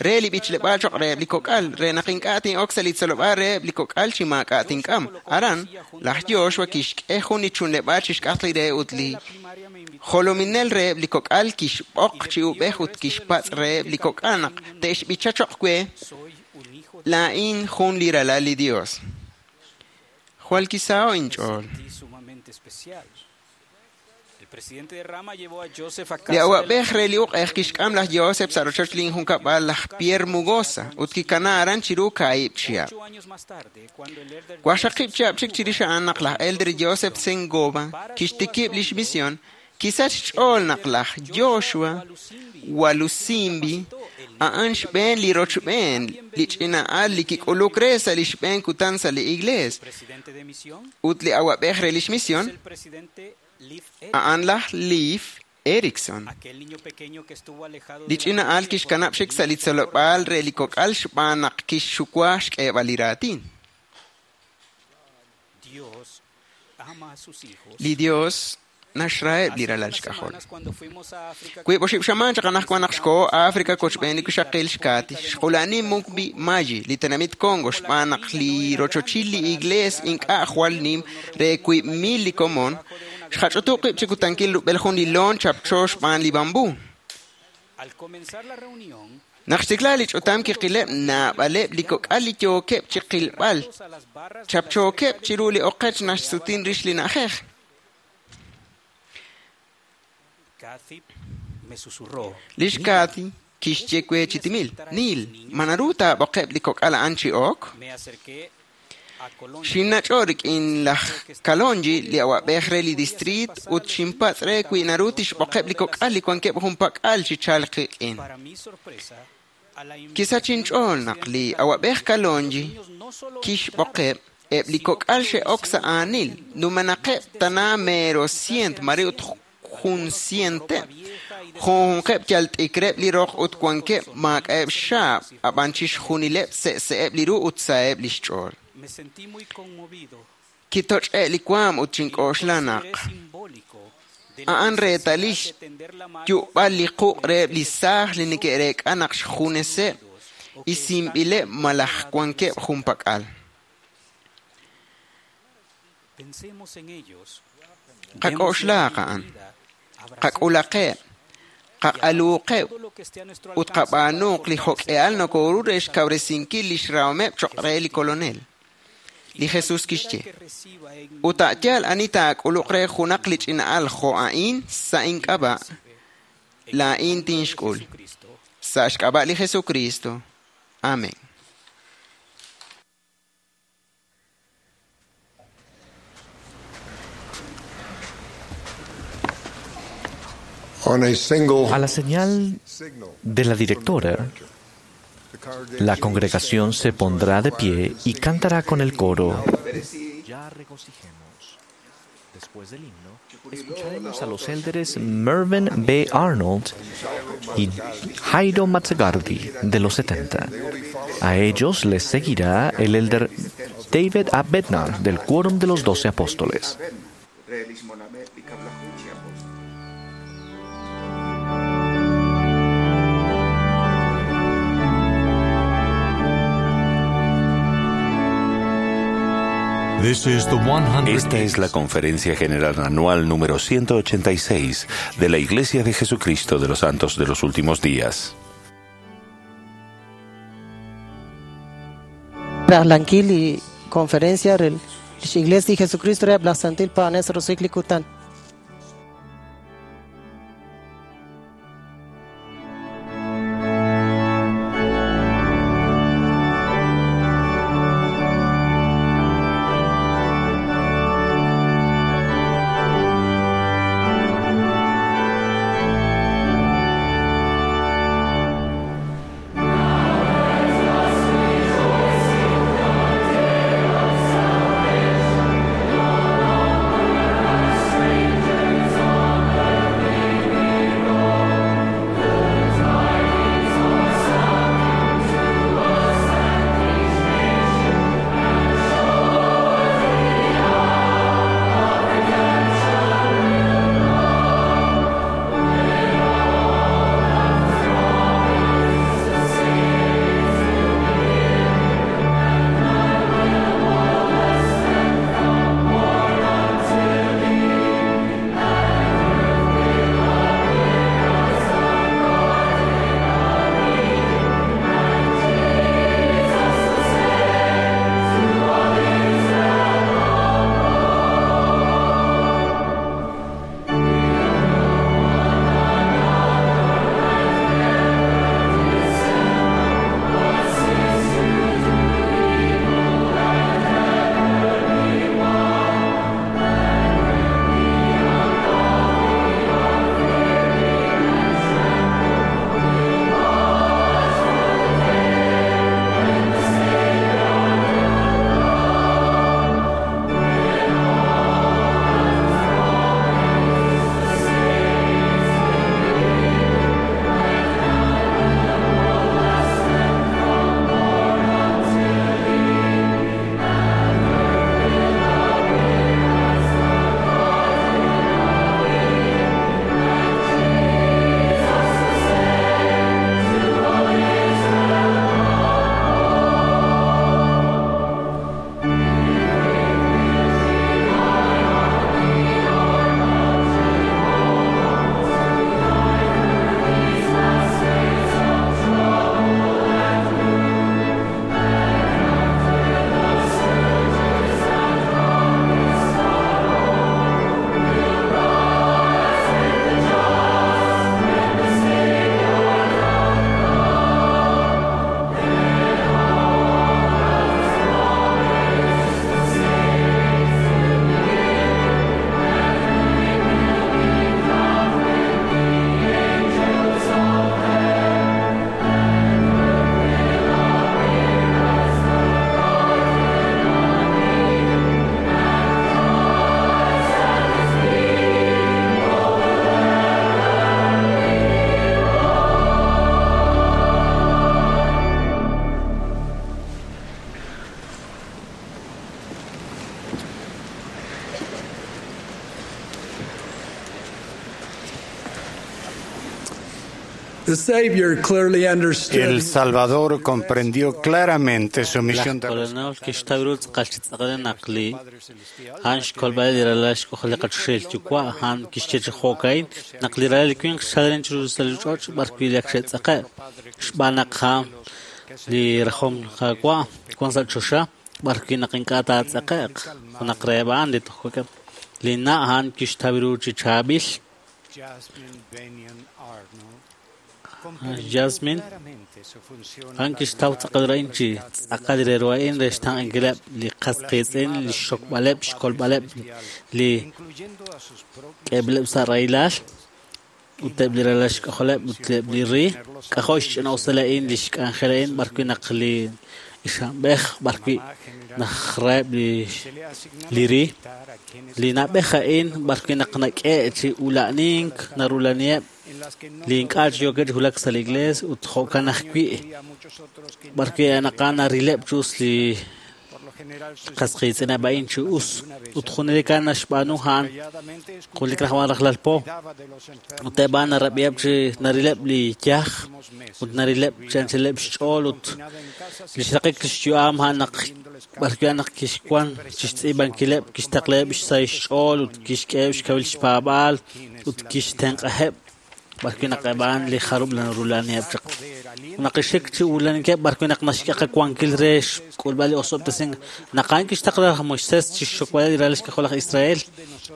re li b'ichleb'aal cho'q reheb' li kok'al, re naq ink'a' tin'ok sa' li tzolob'aal reheb' li kok'al chi maak'a' tink'am. Aran, laj Joshua kixk'e jun li chunleb'aal chixk'atq li re ut li jolominel reheb' li kok'al kixb'oq chi ub'ej ut kixpatz' reheb' li kok'al naq te'xb'icha cho'q we laa'in jun li ralal li Dios. Jwal kisaho' inch'ool. Li awab'ej re li uq'ej kixk'am laj Joseph sa' rochoch lin junkab'al laj Pierre Mugosa ut kikana aran chiru 2 chihab'. 8 chihab' chik chirix a'an naq laj elder Joseph Sengoba kixtikib' lix misión, kisach xch'ool naq laj Joshua Walusimbi a'an xb'een li rochb'een li ch'ina'al li kik'uluk re sa' li xb'een kutan sa' li iglees. Ut li awab'ej re lix misión a'an laj Leif Erikson. Li ch'ina'al kixkanab' xik sa' li tzolob'aal re li kok'al xb'aan naq kixxuwa xk'eeb'al li raatin. Li Dios naxraheb' li ralal xk'ajol. Wiib' oxib' xamaan chaq anaqwan naq xkoho África kochb'een li wixaqil xKaty, xqula'ani Mukbi Mayi, li tenamit Congo, xb'aan naq li rochochil li iglees ink'a' jwal nim re 2,000 li komon, xqach'utub' qib' chi kutankil rub'el jun li loon chapcho xb'aan li bambú. Naq xtikla li ch'utam kiqileb' naab'aleb' li kok'al li yookeb' chi qilb'al, chapchookeb' chiru li oqech naxsutin rix li na'ajej. Lix Katy kixye we chi timil, Neil, ma naru taab'oqeb' li kok'al a'an chi ok? Xinnach'o rik'in laj Kalonji, li awab'ej re li distriit, ut xinpatz' re wi naru tixb'oqeb' li kok'al li wankeb' junpak'al chi chalk qik'in. Kisach inch'ool naq li awab'ej Kalonji kixb'oqeb' eb' li kok'al xe'ok sa' aanil, numenaqeb' tana mero 100 mare ut jun cienteb'. Junjunqeb' yal t'ikreb' li roq ut wankeb' maak'a'eb' xxaab', ab'an chixjunileb' se'se'eb' li ru ut saheb' li xch'ool. Kitoch'e' li waam ut xink'oxla naq a'an reetalil xyu'b'al li quq' reheb' li saaj li neke'reek'a naq xjuneseb' isinb'ileb' malaj wankeb' junpak'al. Qak'oxlaaq a'an, qak'ulaqeb', qaq'aluuqeb' ut qab'aanuuq li jo'k'ehal nokoru re xkawresinkil lix rahomeb' choq' re li Kolonel. Li Jesús kixye, ut a' yaal ani taak'uluq re junaq li ch'ina'al jo' a'in sa' ink'ab'a', laa'in tinxk'ul. Sa' xk'ab'a' li Jesucristo. Amén. A la señal de la directora, la congregación se pondrá de pie y cantará con el coro. Ya regocijemos. Después del himno, escucharemos a los élderes Mervyn B. Arnold y Jairo Matsugardi de los 70. A ellos les seguirá el elder David A. Bednar del Quórum de los 12 Apóstoles. Esta es la Conferencia General Anual número 186 de la Iglesia de Jesucristo de los Santos de los Últimos Días. Rajlankil li conferencia re lix Iglesia de Jesucristo re laj Santil Paones Rosik li kutan. The Savior clearly understood. El Salvador comprendió claramente su misión de Laj Kolonel kixtaw ru tz'aqal chi tz'aqal naq li a'an xkolb'al li ralal xk'ojol li qachoxahil yuwa' a'an kixye chi jo'ka'in naq li ralal li winq xchalen chiru sa' li ch'och' b'arwi' li ak xe'tz'aqe' xb'aan naq a'an li rajom Qaawa' wan sa' choxa b'arwi' naq ink'a' taatz'aqe'q junaq reheb' a'an li toj kok'eb' li na' a'an kixtaw ru chi chaab'il Jasmine a'an kixtaw tz'aqal a'in chi tz'aqal re ru a'in re xtenq'ankileb' li qas qiitz'in li xxokb'aleb' xkolb'aleb' li k'eeb'ileb' sa' rahilal ut eb' li ralal xk'ajoleb' ut eb' li ri k'ajo' xch'ina'usal a'in li xk'anjel a'in b'arwi' naq li ixamb'ej b'arwi' najraheb' li ri li na'b'ej a'in b'arwi' naq nak'e' chi ula'nink narulaniheb' li ink'a' chi yookeb' chi wulak sa' li iglees ut jo'kan ajwi' b'arwi' naq a'an narileb' chi us li qas qiitz'ineb' a'in chi us ut junelik a'an naxb'aanu a'an junelik raj a'an rajlal po ut eb' a'an narab'iheb' chi narileb' li yaj ut narileb' chi anchaleb' xch'ool ut li xraqik li xyu'am a'an naq b'arwi' a'an naq kixwan chi xtz'iib'ankileb' kixtaqlaheb' xsahil xch'ool ut kixk'eheb' xkawil xpaab'aal ut kixtenq'aheb' b'arwi' naq eb' a'an li jarub' narulaniheb' chaq naq ixik chi ulanikeb' b'arwi' naq naxk'e qawankil re xk'ulb'al li osob'tesink naq a'an kixtaqla laj Moisés chi xxokb'aleb' li ralal xk'ajol laj Israel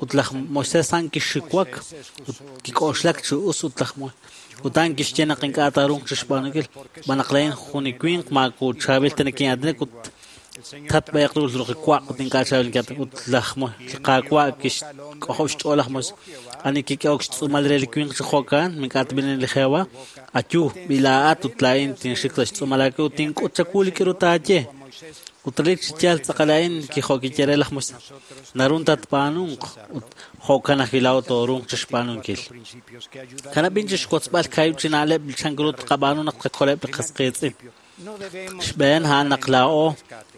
ut laj Moisés a'an kixiwak ut kik'oxlak chi us ut laj ut a'an kixye naq ink'a' taaruuq chi xb'aanunkil xb'aan naq laa'in jun li winq maaku chaab'il ta nikin'aatinak ut tatb'eeq ru ruqiwaq ut ink'a' chaab'il nikin'aatinak ut laj li Qaawa' kixk'ojob' xch'ool laj Moisés ani kik'ehok xtz'uumal re li winq chi jo'kan mink'a' tb'ilin li Jehova ayu b'ilaa'at ut laa'in tinxik sa' xtz'uumal aawe ut tink'ut chawu li k'aru taaye ut relik chi yaal tz'aqal a'in jo' kiye re laj Moisés narun tatb'aanunq ut jo'kan ajwi' laa'o tooruuq chi xb'aanunkil kanab'in chi xwotzb'al kaahib' chi na'leb' chan ru tqab'aanu naq tqakoleb' li qas qiitz'in xb'een a'an naq laa'o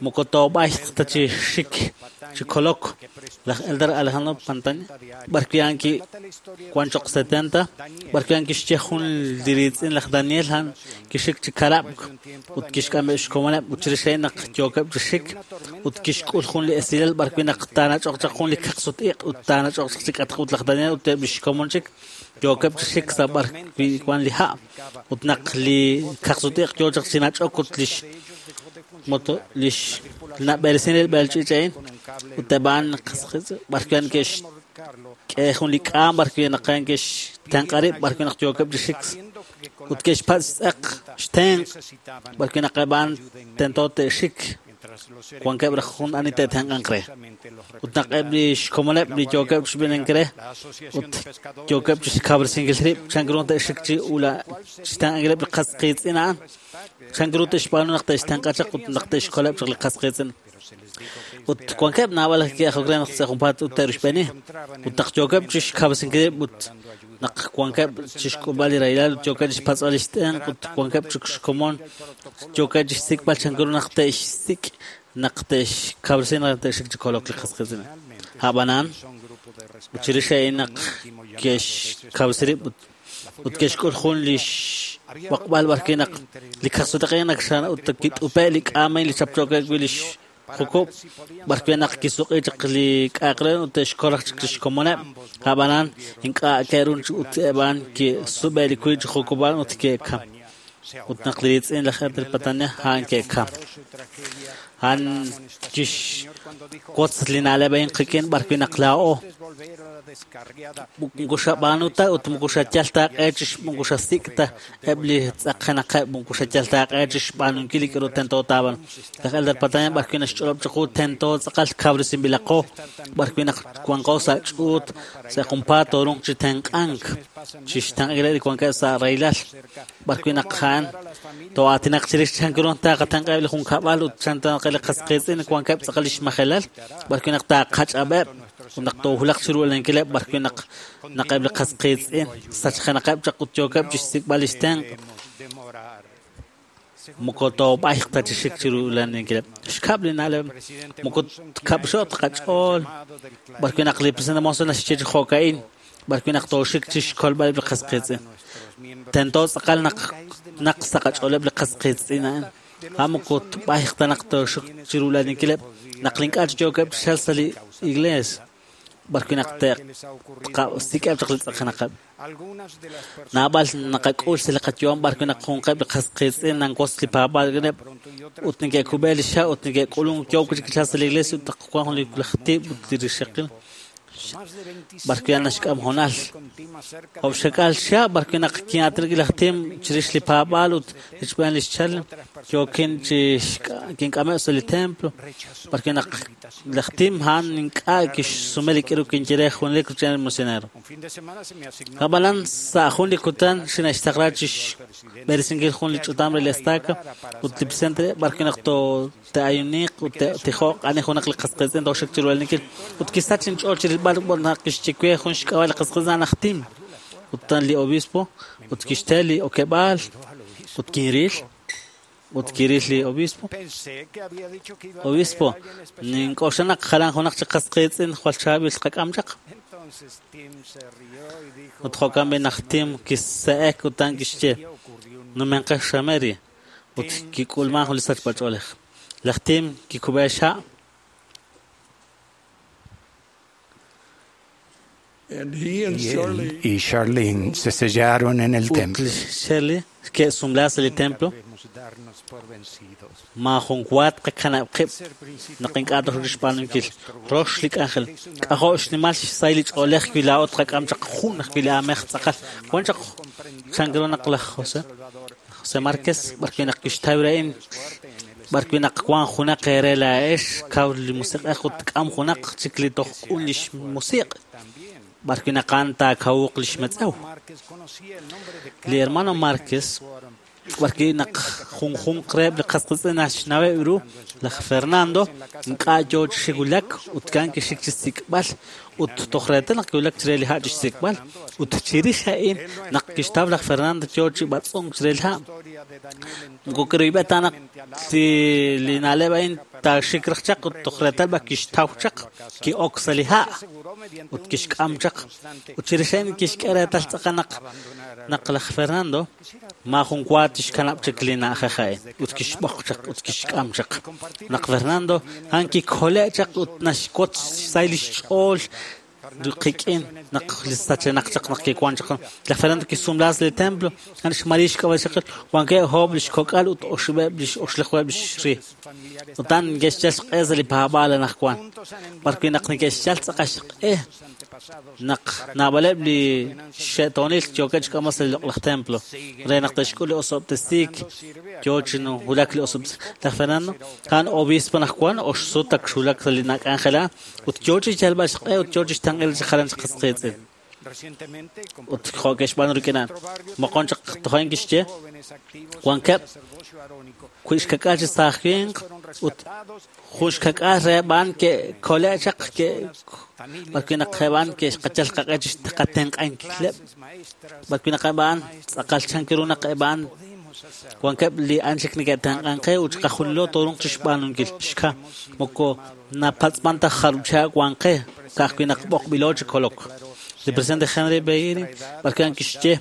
moko toob'ayq ta chi xik chi kolok laj Elder Alejandro Pantani b'arwi' a'an kiwan choq 70 b'arwi' a'an kixye jun li riitz'in laj Daniel a'an kixik chi karab'k ut kixk'ameb' xkomoneb' ut chirix a'in naq yookeb' chi xik ut kixk'ul jun li esilal b'arwi' naq taanach'oq chaq jun li kaqsut-iq' ut taanach'oq chaq chi k'atq ut laj Daniel ut eb' li xkomon chik yookeb' chi xik sa' b'arwi' wan li ha' ut naq li kaqsut-iq' yoo chaq chi nach'ok ut lix moto lix nab'eresin li b'eel ch'iich' a'in ut eb' a'an b'arwi' a'an ke'xk'e jun li k'aam b'arwi' naq a'an ke'xtenq'a rib' b'arwi' naq yookeb' chi xik ut ke'xpatz' xtz'eq xtenq' b'arwi' naq eb' a'an tento te'xik wankeb' raj jun ani te'tenq'anq re ut naq eb' li xkomoneb' li yookeb' chi xb'eenink re ut yookeb' chi xkawresinkil rib' chan ru te'xik chi ula xtenq'ankileb' li qas qiitz'in a'an chan ru te'xb'aanu naq te'xtenq'a chaq ut naq te'xkoleb' chaq li qas qiitz'in ut wankeb' naab'al ke'ajok re naq sa' junpaat ut te'ruxb'eeni ut naq yookeb' chi xkawresinkil rib' ut naq wankeb' chi xk'ulb'al li rahilal ut yookeb' chi xpatz'b'al li xtenq' ut wankeb' chi xkomon yookeb' chi xsik'b'al chan ru naq te'xsik' naq te'xkawresi naq te'xik chi kolok li qas qiitz'in a'b'anan ut chirix a'in naq ke'xkawresi rib' ut ke'xk'ul jun li xb'oqb'al b'arwi' naq li kaqsut-iq' naq ut kit'upe' li k'aam a'in li chapchookeb' wi' li xjukub' b'arwi' naq kisuq'i chaq li k'a'aq re ut te'xkol raj chik li xkomoneb' a'b'anan ink'a' ke'run ut eb' a'an ke'sub'e' li wiib' chi jukub' ut ke'kam ut naq li riitz'in laj Elder Patania a'an ke'kam a'an kixwotz li na'leb' a'in qik'in b'arwi' naq laa'o moko xab'aanu ta ut moko xayal ta aq'e chi moko xasik' ta eb' li tz'aqjenaqeb' moko xayal ta aq'e chi xb'aanunkil li k'aru tento taab'aanu laj Elder Patania b'arwi' naxch'olob' chiqu tento tz'aqal kawresinb'ilaqo b'arwi' naq wanqo sa' ch'uut sa' junpaat tooruuq chi tenq'ank chi xtenq'ankileb' li wankeb' sa' rahilal b'arwi' naq a'an too'aatinaq chirix chan ru taqatenq'aheb' li junkab'al ut chan taqe li qas qiitz'in wankeb' tz'aqal li xmajelal b'arwi' naq taqach'ab'eb' ut naq toowulaq chi ru'lankileb' b'arwi' naq naq eb' li qas qiitz'in sachjenaqeb' chaq ut yookeb' chi xsik'b'al li xtenq' moko toob'ayq ta chi xik chi ru'laninkileb' xkab' li na'leb' moko tkab'xo'q qach'ool b'arwi' naq li presidente Monson naxye chi jo'ka'in b'arwi' naq tooxik chi xkolb'aleb' li qas qiitz'in. Tento tz'aqal naq sa' qach'ooleb' li qas qiitz'in a'in. Moko tb'ayq ta naq tooxik chirulaninkileb' naq ink'a' chi yookeb' chi chalk sa' li iglees b'arwi' naq tqasik'eb' chaq li tz'aqenaqeb'. Naab'al naqak'ul sa' li qayu'am b'arwi' naq junqeb' li qas qiitz'in nanwotz li paab'aal rik'ineb' ut neke'kub'e li xa' ut neke'k'ulunk yook chi chalk sa' li iglees ut naq wank jun li laj tib' ut li rixaqil b'arwi' naxk'am hoonal. Jo'xka'k'aal chihab' b'arwi' naq kin'aatinak laj Tim chirix li paab'aal ut richb'een lix chal yookin chi kink'ameb' sa' li templo b'arwi' naq laj Tim a'an ink'a' kixsume li k'aru kinye re junelik rochb'een li misionero. Ab'anan sa' jun li kutan xine'xtaqla chi xb'eresinkil jun li ch'utam re li estaca ut li presidente b'arwi' naq te'ayuniq ut te'tijoq ani junaq li qas qiitz'in tooxik chirulaninkil ut kisach inch'ool chi rilb'al naq kixye we jun xk'ab'a' li qas qiitz'in a'an aj Tim ut li obispo ut kixte li okeb'aal ut kinril ut kiril li obispo. Obispo, nink'oxla naq jalan junaq chi qas qiitz'in jwal chaab'il qak'am chaq. Ut jo'kan b'i naj Tim kise'ek ut a'an kixye numenqex xameri ut kik'ulman jun li sachb'ach'oolej. Laj Tim kikub'e xha'. Y él y Charlene se sellaron en el templo. Ut Shirley ke'sumla sa' li templo. Maajun wa tqakanab' qib' naq ink'a' toxik xb'aanunkil. Rox li k'anjel. K'ajo' xnimal xsahil li ch'oolej wi laa'o tqak'am chaq jun ajwi' li aamej tz'aqal. Wan chaq chan ru naq laj José Márquez b'arwi' naq kixtaw ra'in b'arwi' naq wank junaq eere laa'ex kaw li musiq'ej ut k'am junaq chik li toj q'un li xmusiq' b'arwi' naq a'an taakawuq li xmetz'ew. Li hermano Márquez b'arwi' naq junjunq reheb' li qas qiitz'in naxnaweb' ru laj Fernando ink'a' yoo chi xik wulak ut a'an kixik chi xsik'b'al ut toj reetal naq kiwulak chire li ha' chi xsik'b'al ut chirix a'in naq kixtaw laj Fernando yoo chi b'atz'unk chire li ha'. Moko kiroyb'e ta naq li na'leb' a'in taaxik raj chaq ut toj reetal b'ar kixtaw chaq ki'ok sa' li ha' ut kixk'am chaq ut chirix a'in kixk'e reetal tz'aqal naq laj Fernando maajun wa tixkanab' chik li na'ajej a'in ut kixb'oq chaq ut kixk'am chaq. Naq Fernando a'an kikole' chaq ut naxwotz xsahil li xch'ool qik'in naq li sachenaq chaq naq kiwan chaq. Laj Fernando kisumla sa' li templo a'an xMaria xk'ab'a' xaqil wankeb' oob' li xkok'al ut oxib'eb' li oxlajuheb' li xri. Ut a'an neke'xyal xq'e sa' li paab'aal anaqwan b'arwi' naq neke'xyal tz'aqal xq'e naq naab'aleb' li xe'toonil yookeb' xk'amb'al sa' li loq'laj templo re naq te'xk'ul li osob'tesiik yoo chi wulak li osob'tesiik. Laj Fernando a'an obispo anaqwan oxsut ak xwulak sa' li nak'anjel ut yoo chi xyalb'al xq'e ut yoo chi xtenq'il chi jalan chi qas qiitz'in. Ut jo' ke'xb'aanu rik'in a'an. Moqon chaq toj a'in kixye wankeb' wi' xkak'al chi saaj winq ut jun xkak'al reheb' a'an ke'kole' chaq b'arwi' naq eb' a'an ke'xqachal qaq'e chi qatenq'ankileb' b'arwi' naq eb' a'an tz'aqal chan ru naq eb' a'an wankeb' li a'an chik neke'tenq'an qe ut chiqajunilo tooruuq chi xb'aanunkil xka moko napatz'man ta jarub' chihab' wan qe ka'ajwi' naq b'oqb'ilo chi kolok. Li presidente Henry B. Eyring b'arwi' a'an kixye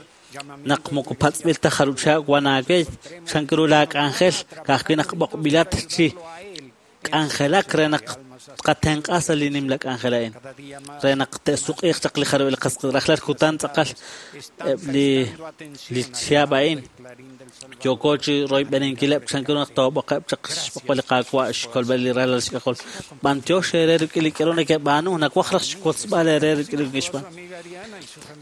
naq moko patz'b'il ta jarub' chihab' wan aawe chan ru laak'anjel ka'ajwi' naq b'oqb'ilat chi k'anjelak re naq tqatenq'a sa' li nimla k'anjel a'in re naq te'suq'iiq chaq li jarub' li qas rajlal kutan tz'aqal eb' li chihab' a'in yooko chi royb'eninkileb' chan ru naq toob'oqeb' chaq xb'oqb'al li Qaawa' xkolb'al li ralal xk'ajol. B'antiox eere rik'in li k'aru nekeb'aanu nawaj raj xwotzb'al eere rik'in li kixb'aanu.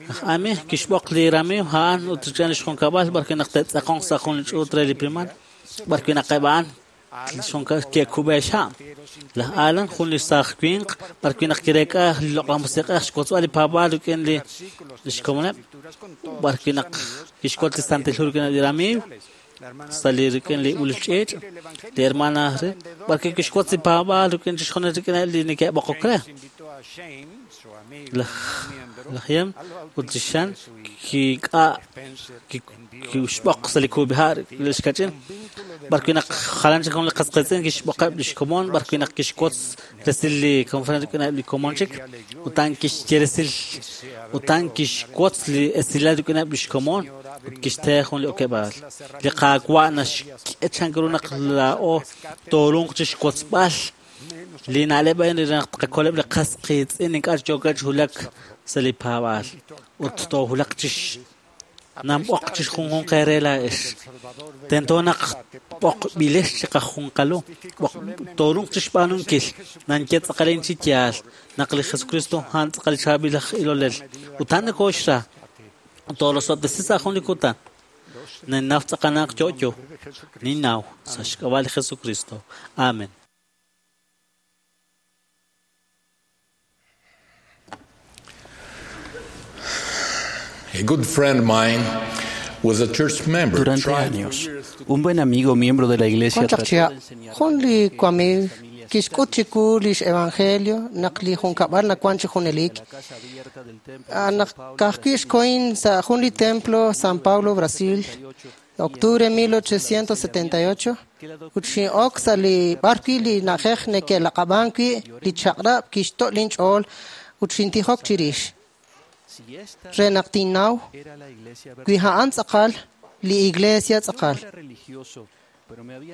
Laj Ami kixb'oq li ramiiw a'an ut rik'in li xjunkab'al b'arwi' naq te'tz'aqonq sa' jun li ch'uut re li primaria b'arwi' naq eb' a'an ke'kub'e xha'. Laj Alan jun li saaj winq b'arwi' naq kireek'a li loq'laj musiq'ej xwotzb'al li paab'aal rik'in li xkomoneb' b'arwi' naq kixwotz li Santil Hu rik'in li ramiiw sa' li rik'in li ulul ch'iich' li hermana re b'arwi' kixwotz li paab'aal rik'in chixjunil rik'in li neke'b'oqok re. Laj Yem ut li Xan kixb'oq sa' li kub'iha' li xkach'in, b'arwi' naq jalan chik jun li qas qiitz'in kixb'oqeb' li xkomon, b'arwi' naq kixwotz resil li conferencia rik'ineb' li komon chik, ut a'an kixye resil, ut a'an kixwotz li esilal rik'ineb' li xkomon ut kixte jun li okeb'aal. Li Qaawa' naxk'e chan ru naq laa'o tooruuq chixwotzb'al li na'leb' a'in re naq tqakoleb' li qas qiitz'in ink'a' yookeb' chi wulak sa' li paab'aal ut toowulaq chix namb'oq chixjunjunq eere laa'ex. Tento naq b'oqb'ilex chiqajunqalu, tooruuq chixb'aanunkil. Nanye tz'aqalin chi yaal naq li Jesucristo a'an tz'aqal chaab'il aj ilolel ut a'an nokooxra. Toorosob'tesi sa' jun li kutan. Ninnaw tz'aqal naq yo'yo. Ninnaw sa' xk'ab'a' li Jesucristo. Amen. A good friend of mine was a church member. Durante tried años, un buen amigo miembro de la iglesia Jun chaq trató chihab', de enseñar jun li wamiiw kixk'ut chiwu lix evangelio naq li junkab'al nawan chi junelik. Naq ka'ajwi' xkohin sa' jun li templo San Paulo, Brasil, octubre 1878, ut xin'ok sa' li b'arwi' li na'ajej neke'laq'ab'an wi' li chaq'rab' kixto' linch'ool ut xintijok chirix. Re naq tinnaw wi a'an tz'aqal li iglesia tz'aqal.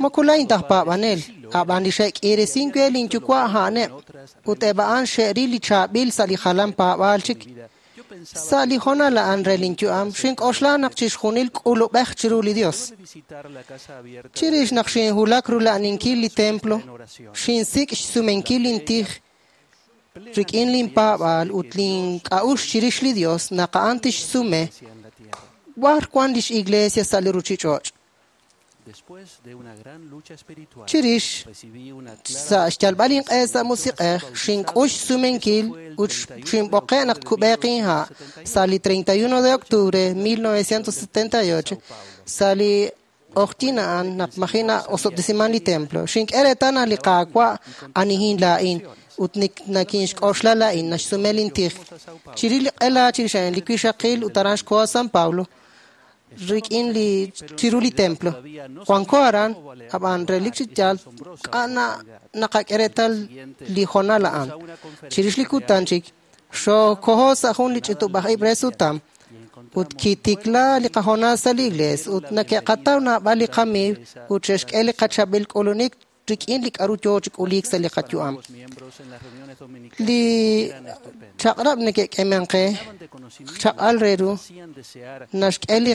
Moko laa'in taj paab'anel, ab'an li xe'k'iiresink we linyuwa' a'aneb', ut eb' a'an xe'ril li chaab'il sa' li jalan paab'aal chik. Sa' li hoonal a'an re linyu'am, xink'oxla naq chixjunil k'ulub'ej chiru li Dios. Chirix naq xinwulak rula'aninkil li templo, xinsik' xsumenkil lintij rik'in linpaab'aal ut link'a'uxl chirix li Dios naq a'an tixsume b'ar wan lix iglesia sa' li ruchich'och'. Chirix sa' xyalb'al inq'e sa' musiq'ej, xink'ux xsumenkil ut xinb'oqe' naq tkub'eeq inha' sa' li 31 de octubre 1978 sa' li q'oqyink a'an naq maji' na'osob'tesiman li templo. Xink'e reetal naq li Qaawa' anihin laa'in ut nakinxk'oxla laa'in naxsume lintij. Chirix li q'ela chirix a'in li wixaqil ut aran xkoho San Paulo rik'in li chiru li templo. Wanko aran, ab'an relik chi yaal k'a' naqak'e reetal li hoonal a'an. Chirix li kutan chik, xookoho sa' jun li ch'utub'aj ib' re sutam ut kitikla li qahoonal sa' li iglees ut nake'qataw naab'al li qamiiw ut xe'xk'e li qachaab'il k'ulunik rik'in li k'a'ru yoo chi k'uliik sa' li qayu'am. Li chaq'rab' neke'k'eman qe chaq'al re ru naxk'e li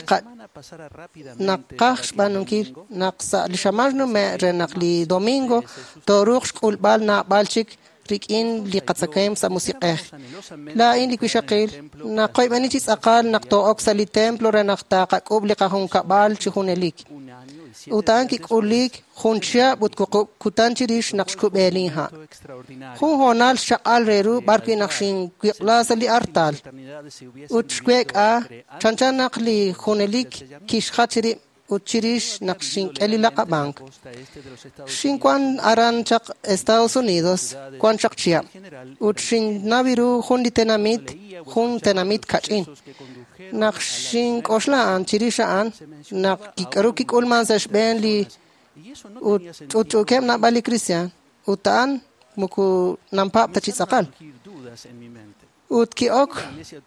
naqaj xb'aanunkil naq sa' li xamaan xnume' re naq li domingo tooruuq xk'ulb'al naab'al chik rik'in li qatzakemq sa' musiq'ej. Laa'in li wixaqil naqoyb'eni chi tz'aqal naq too'ok sa' li templo re naq taqak'ub' li qajunkab'al chi junelik. Ut a'an kik'ulik jun chihab' ut wuqub' kutan chirix naq xkub'e linha'. Jun hoonal xchaq'al re ru b'arwi' naq xinwiq'la sa' li artal ut xweek'a chanchan naq li junelik kixjach rib' ut chirix naq xink'e li laq'ab'ank. Xinwan aran chaq Estados Unidos wan chaq chihab' ut xinnaw ru jun li tenamit, jun tenamit kach'in. Naq xink'oxla a'an chirix a'an naq k'aru kik'ulman sa' xb'een li ut ch'utch'uukeb' naab'al li kristiaan ut a'an moko nampaab' ta chi tz'aqal. Ut ki'ok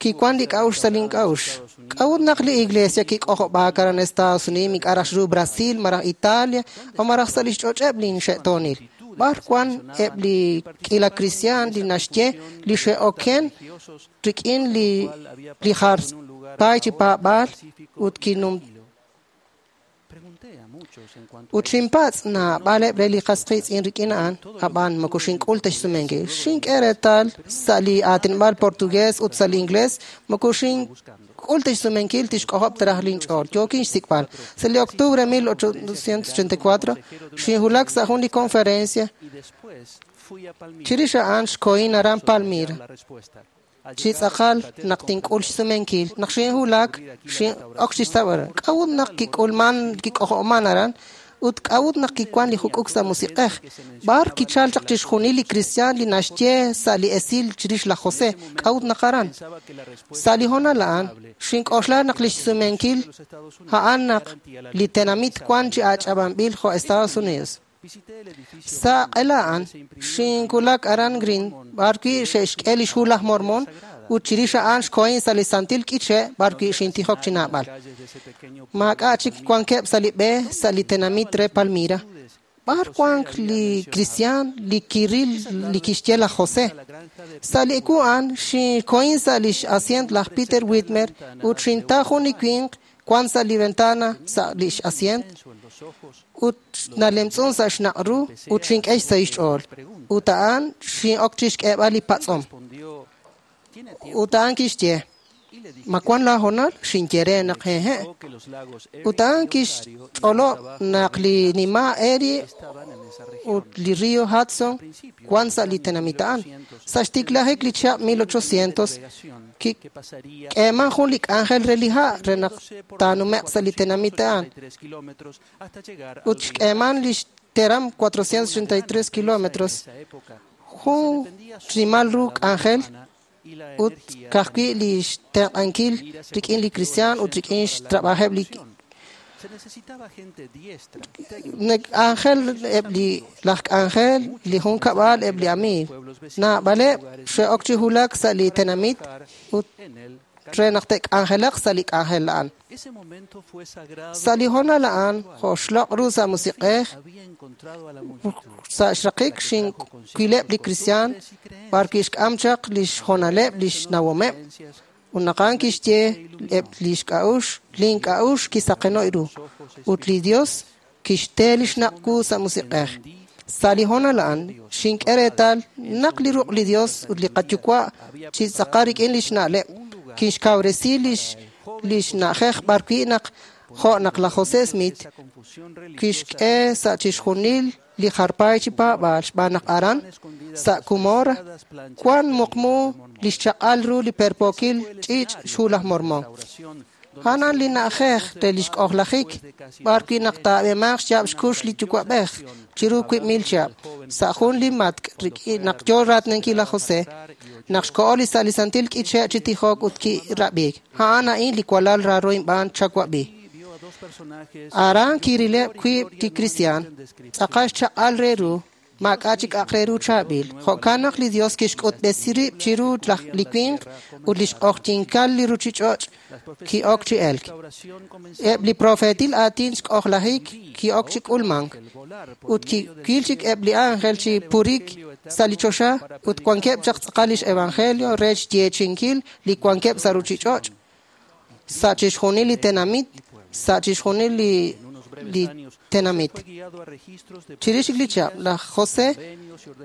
kiwan li k'a'uxl sa' link'a'uxl. K'a'ut naq li iglesia kik'ojob'aak aran Estados Unidos ink'a' raj ru Brasil malaj Italia o malaj sa' lix ch'och'eb' linxe'toonil. B'ar wan eb' li k'ila kristiaan li naxye li xe'oken rik'in li jar paay chi paab'aal ut kinum ut xinpatz' naab'aleb' re li qas qiitz'in rik'in a'an, ab'an moko xink'ul ta xsumenkil. Xink'e reetal sa' li aatinob'aal portugués ut sa' li inglés, moko xink'ul ta xsumenkil tixk'ojob' ta raj linch'ool. Yookin xsik'b'al. Sa' li octubre 1884, xinwulak sa' jun li conferencia. Chirix a'an xkohin aran Palmira. Chi tz'aqal naq tink'ul xsumenkil, naq xinwulak, xin'ok chixtawb'al. K'a'ut naq kik'ulman kik'ojo'man aran Ut k'a'ut naq kiwan li juk'uk sa' musiq'ej? B'ar kichal chaq chixjunil li kristiaan li naxye sa' li esil chirix laj José? K'a'ut naq aran? Sa' li hoonal a'an, xink'oxla naq lix sumenkil a'an naq li tenamit wan chi ach'ab'anb'il jo' Estados Unidos. Sa' q'ela a'an, xinwulak aran Green, b'arwi' xe'xk'e lix hu laj Mormon, ut chirix a'an xkohin sa' li santil k'iche' b'arwi' xintijok chi naab'al. Maak'a' chik wankeb' sa' li b'e sa' li tenamit re Palmyra. B'ar wank li kristiaan li kiril li kixye laj José? Sa' li ewu a'an, xinkohin sa' lix asyent laj Peter Whitmer ut xintaw jun li winq wan sa' li ventana sa' lix asyent ut nalemtz'un sa' xnaq' ru ut xink'e xsahil xch'ool. Ut a'an xin'ok chixk'eeb'al li patz'om. Ut a'an kixye, ma wan laa hoonal? Xinye re naq hehe'. Ut a'an kixch'olob' naq li nima' Erie ut li río Hudson wan sa' li tenamit a'an. Sa' xtiklajik li chihab' 1800 kik'eeman jun li k'anjel re li ha' re naq taanume'q sa' li tenamit a'an. Ut xk'eeman lix teram 483 kilómetros. Jun xnimal ru k'anjel ut ka'ajwi' li xtenq'ankil rik'in li kristiaan ut rik'in xtrab'ajeb' li k'anjel eb' li laj k'anjel li junkab'al eb' li amiiw. Naab'aleb' xe'ok chi wulak sa' li tenamit ut re naq te'k'anjelaq sa' li k'anjel a'an. Sa' li hoonal a'an, jo' xloq' ru sa' musiq'ej, sa' xraqik xinwileb' li kristiaan b'arwi' xk'am chaq lix hoonaleb' lix nawomeb'. Ut naq a'an kixye eb' lix k'a'uxl, lin k'a'uxl kisaqeno' ru. Ut li Dios kixte lix naq' wu sa' musiq'ej. Sa' li hoonal a'an, xink'e reetal naq li ruq' li Dios ut li qayuwa' chi tz'aqal rik'in lix na'leb' kixkawresi lix na'ajej b'arwi' naq jo' naq laj José Smith kixk'e sa' chixjunil li jarpay chi paab'aal xb'aan naq aran sa' Cumorah wan muqmu lix chaq'al ru li perpookil ch'iich' xhu laj Mormon. A'an li na'ajej re lix k'ojlajik b'arwi' naq taab'eemaq xyaab' xkux li yuwa'b'ej chiru 2,000 chihab' sa' jun li matk' rik'in naq yo raatinankil laj José naq xko'o li sa' li santil k'iche' chi tijok ut kirab'iik. A'an a'in li walal raaro inb'aan chawab'i. Aran kirileb' wiib' li kristiaan tz'aqal xchaq'al re ru maak'a' chik aq re ru chaab'il. Jo'kan naq li Dios kixk'utb'esi rib' chiru li winq ut lix q'ojyinkal li ruchich'och' ki'ok chi elk. Eb' li profeetil aatin xk'ojlajik ki'ok chi k'ulmank. Ut kiwil chik eb' li ángel chi purik sa' li choxa ut wankeb' chaq tz'aqal lix evangelio re xyeechi'inkil li wankeb' sa' ruchich'och', sa' chixjunil li tenamit, sa' chixjunil li tenamit. Chirix li chihab', laj José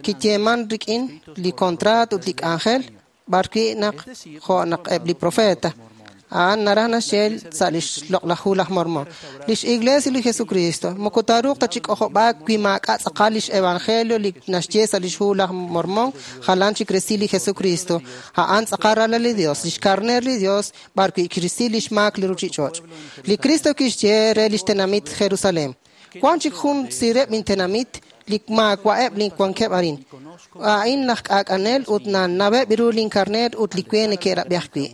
kiyeeman rik'in li kontraat ut li k'anjel b'arwi' naq jo' naq eb' li profeta. A'an naraj naxye sa' lix loq'laj hu laj Mormon. Lix Iglesia li Jesucristo moko taaruuq ta chi k'ojob'aak wi maak'a' tz'aqal lix evangelio li naxye sa' lix hu laj Mormon jalan chik resil li Jesucristo. A'an tz'aqal ralal li Dios, lix karner li Dios b'arwi' kirisi lix maak li ruchich'och'. Li Cristo kixye re lix tenamit Jerusalén. Wan chik jun sireb' intenamit li maawa'eb' lin wankeb' arin. A'in laj k'aak'anel ut nanaweb' ru lin karner ut li we neke'rab'i ajwi'.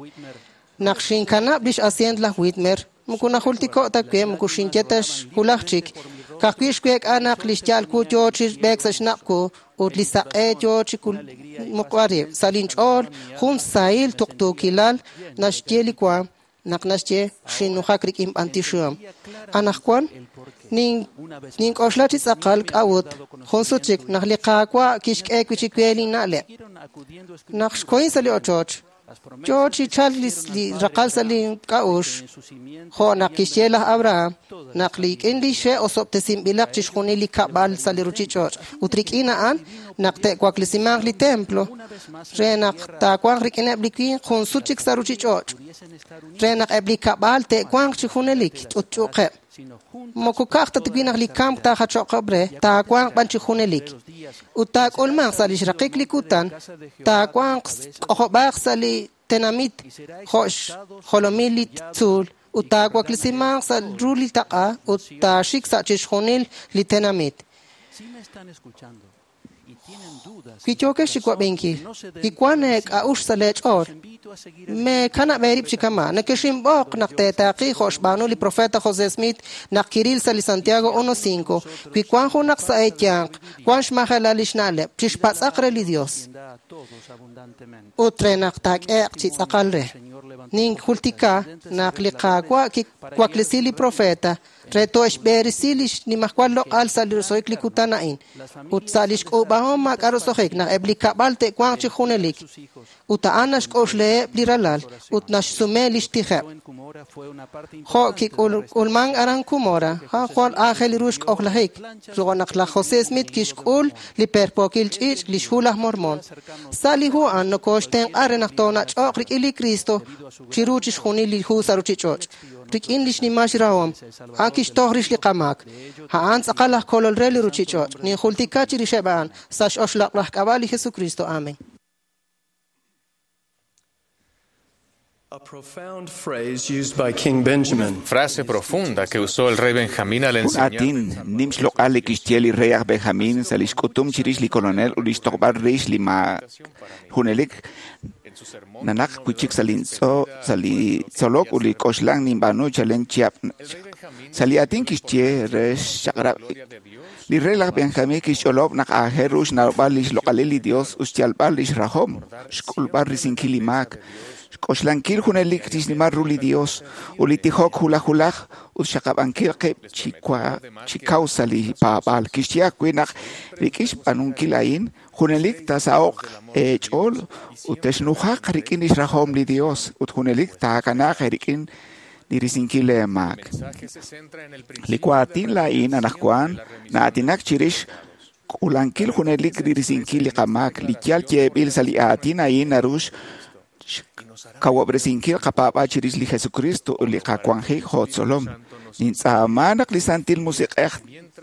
Naq xinkanab' lix asyent laj Whitmer, moko najultiko' ta we moko xinye ta xwulaj chik. Ka'ajwi' xweek'a naq lix ya'al wu yo chi b'eek sa' xnaq' wu ut li saq'e yo chi muqb'al rib'. Sa' linch'ool jun sahil tuqtuukilal naxye li waam naq naxye xinnujak rik'in b'antioxihom. Anaqwan nink'oxla chi tz'aqal k'a'ut jun sut chik naq li Qaawa' kixk'e wi' chik we linna'leb'. Naq xkohin sa' li ochoch, yo chi chalk li raqal sa' li k'a'uxl jo' naq kixye laj Abraham naq rik'in li xe' osob'tesinb'ilaq chixjunil li kab'al sa' li ruchich'och' ut rik'in a'an naq te'waklesimanq li templo re naq taawanq rik'ineb' li winq jun sut chik sa' ruchich'och' re naq eb' li kab'al te'wanq chi junelik ch'utch'uuqeb'. Moko ka'aj ta wi' naq li kamk taajacho'qeb' re, taawanq b'an chi junelik. Ut taak'ulmanq sa' lix raqik li kutan, taawanq k'ojob'aaq sa' li tenamit jo' xjolomil li tzuul Ut taawaklesimanq sa' ru li taq'a ut taaxik sa' chixjunil li tenamit. Wi yookex chi wab'inkil, wi wank eek'a'uxl sa' leech'ool, meekanab' eerib' chi kama'. Nekexinb'oq naq teetaaqi jo' xb'aanu li profeta José Smith naq kiril sa' li Santiago 1.5. Wi wank junaq sa' eeyanq, wank xmajelal li xna'leb', chixpatz'aq re li Dios. Ut re naq taak'ehe'q chi tz'aqal re. Ninjultika naq li Qaawa' kiwaklesi li profeta re to'xb'eresi li xnimajwal loq'al sa' li roso'jik li kutan a'in ut sa' li xk'uub'ahom maak'a' roso'jik naq eb' li kab'al te'wanq chi junelik. Ut a'an naxk'oxlaheb' li ralal ut naxsume li xtijeb'. Jo' kik'ulmank aran Cumora, a'an jwal aajel ru xk'ojlajik, jo' naq laj José Smith kixk'ul li perpookil ch'iich' li xhu laj Mormon. Sa' li hu a'an nokooxtenq'a re naq toonach'oq rik'in li Cristo chiru chixjunil li hu sa' ruchich'och'. Rik'in li xnimal xrahom, a'an kixtoj rix li qamaak. A'an tz'aqal aj kolol re li ruchich'och'. Ninjultika chirixeb' a'an sa' x'oxloq' k'ab'a' li Jesucristo. Amen. A profound phrase used by King Benjamin. Frase profunda que usó el rey Benjamín al Jun enseñar. aatin nim xloq'al li kixye li rey aj Benjamín sa' li xk'utum chirix li kolonel ut li xtoqb'al rix li ma junelik nanaq wi'chik sa' li tzolok ut li k'oxlan ninb'aanu chalen chihab' sa' li aatin kixye re xchaq'rab' li rey laj Benjamín kixch'olob' naq aajel ru xnawb'al li xloq'alil li Dios ut xyalb'al li xrahom, xk'ulb'al risinkil li maak, xk'oxlankil junelik li xnimal ru li Dios ut li tijok hulaj hulaj ut xaqab'ankil qib' chi kaw sa' li paab'aal. Kixye ajwi' naq rik'in xb'aanunkil a'in junelik taasaho'q eech'ool ut texnujaq rik'in li xrahom li Dios ut junelik taakanaaq eerik'in li risinkil eemaak. Li waatin laa'in anaqwan na'aatinak chirix k'uulankil junelik li risinkil li qamaak. Li yal yeeb'il sa' li aatin a'in naru xkawob'resinkil qapaab'aal chirix li Jesucristo ut li qawanjik jo' tzolom. Nintz'aama naq li Santil Musiq'ej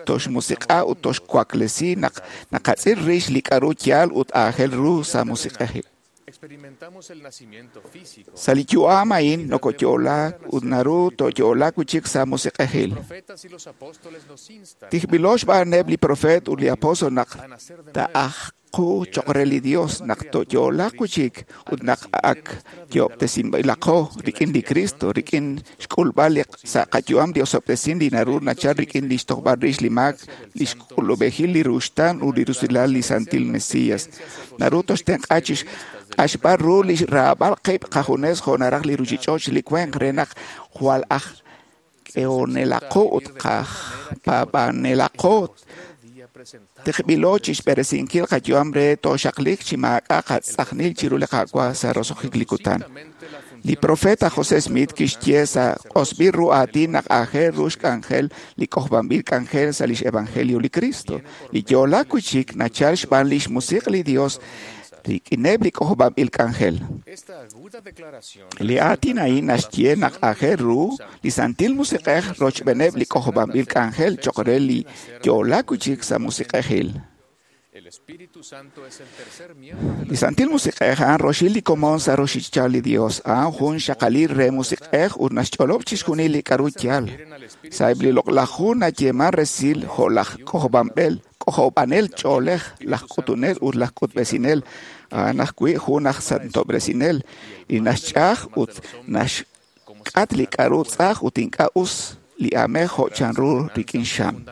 toxmusiq'a ut toxwaklesi naq naqatz'il rix li k'a'ru yaal ut aajel ru sa' musiq'ejil. Sa' li yu'am a'in nokoyo'laak ut naru tooyo'laak wi'chik sa' musiq'ejil. Tijb'ilo xb'aaneb' li profeet ut li apóstol naq taa'ajqu choq' re li Dios naq tooyo'laaq wi'chik ut naq ak yo'ob'tesinb'ilaqo rik'in li Cristo, rik'in xk'ulb'al sa' qayu'am li osob'tesin li naru nachal rik'in li xtojb'al rix li maak, li xk'ulub'ejil li ruxtaan ut li rusilal li Santil Mesías. Naru toxtenq'a chi q'axb'al ru li xraab'al qib' qajunes jo' naraj li ruchich'och' li wank re naq jwal aj k'ehonelaqo ut qajpaab'anelaqo tiqb'ilo chi xb'eresinkil qayu'am re tooxaqliq chi maak'a' qatz'ajnil chiru li Qaawa' sa' roso'jik li kutan. Li profeta José Smith kixye sa' q'osb'il ru aatin naq aajel ru xk'anjel li k'ojob'anb'il k'anjel sa' lix evangelio li Cristo. Li yo'laak wi'chik nachal xb'aan lix musiq' li Dios rik'ineb' li k'ojob'anb'il k'anjel. Li aatin a'in naxye naq aajel ru li Santil Musiq'ej rochb'eeneb' li k'ojob'anb'il k'anjel choq' re li yo'laak wi'chik sa' musiq'ejil. Li Santil Musiq'ej a'an roxil li komon sa' roxichal li Dios, a'an jun xaqalil re musiq'ej ut naxch'olob' chixjunil li k'a'ru yaal. Sa'eb' li loq'laj hu nayeeman resil jo' laj k'ojob'anb'el, k'ojob'anel ch'oolej, laj k'utunel ut laj k'utb'esinel, a'an ajwi' jun aj santob'resinel li naxch'aj ut naxk'at li k'a'ru tz'aj ut ink'a' us li aamej jo' chanru rik'in xam.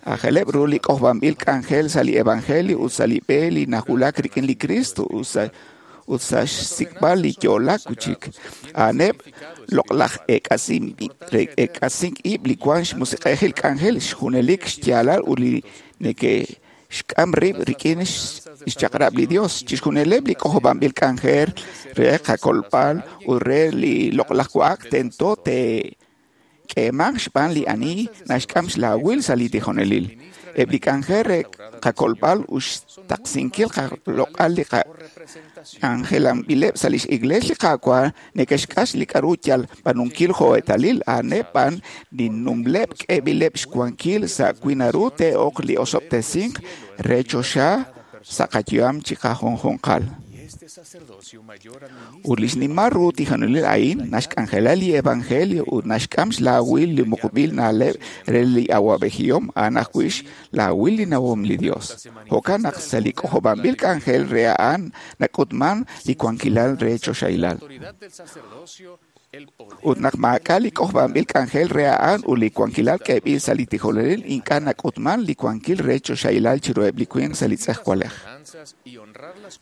Ajeleb' ru li k'ojob'anb'il k'anjel sa' li evangelio ut sa' li b'e li nawulak rik'in li Cristo ut sa' xsik'b'al li yo'laak wi'chik. A'aneb' loq'laj eek'asink ib' li wank xmusiq'ejil k'anjel xjunelik xyaalal ut li neke'xk'am rib' rik'in xchaq'rab' li Dios. Chixjunileb' li k'ojob'anb'il k'anjel re qakolb'al ut re li loq'laj wa'ak tento te'k'eemanq xb'aan li ani naxk'am xlaawil sa' li tijonelil. Eb' li k'anjel re qakolb'al ut xtaqsinkil qaloq'al li qak'anjelanb'ileb' sa' lix iglees li Qaawa' neke'xk'ax li k'a'ru yal b'aanunkil jo' eetalil, a'aneb' b'an li numleb' k'eeb'ileb' xwankil sa' wi naru te'ok li osob'tesink re choxa sa' qayu'am chi qajunjunqal. Ut li xnimal ru tijonelil a'in naxk'anjela li evangelio ut naxk'am xlaawil li muqb'il na'leb' re li awa'b'ejihom a'an ajwi' xlaawil li nawom li Dios. Jo'kan naq sa' li k'ojob'anb'il k'anjel re a'an nak'utman li wankilal re choxahilal. Ut naq maak'a' li k'ojob'anb'il k'anjel re a'an ut li wankilal k'eeb'il sa' li tijonelil ink'a' nak'utman li wankil re choxahilal chiruheb' li winq sa' li tz'ejwalej.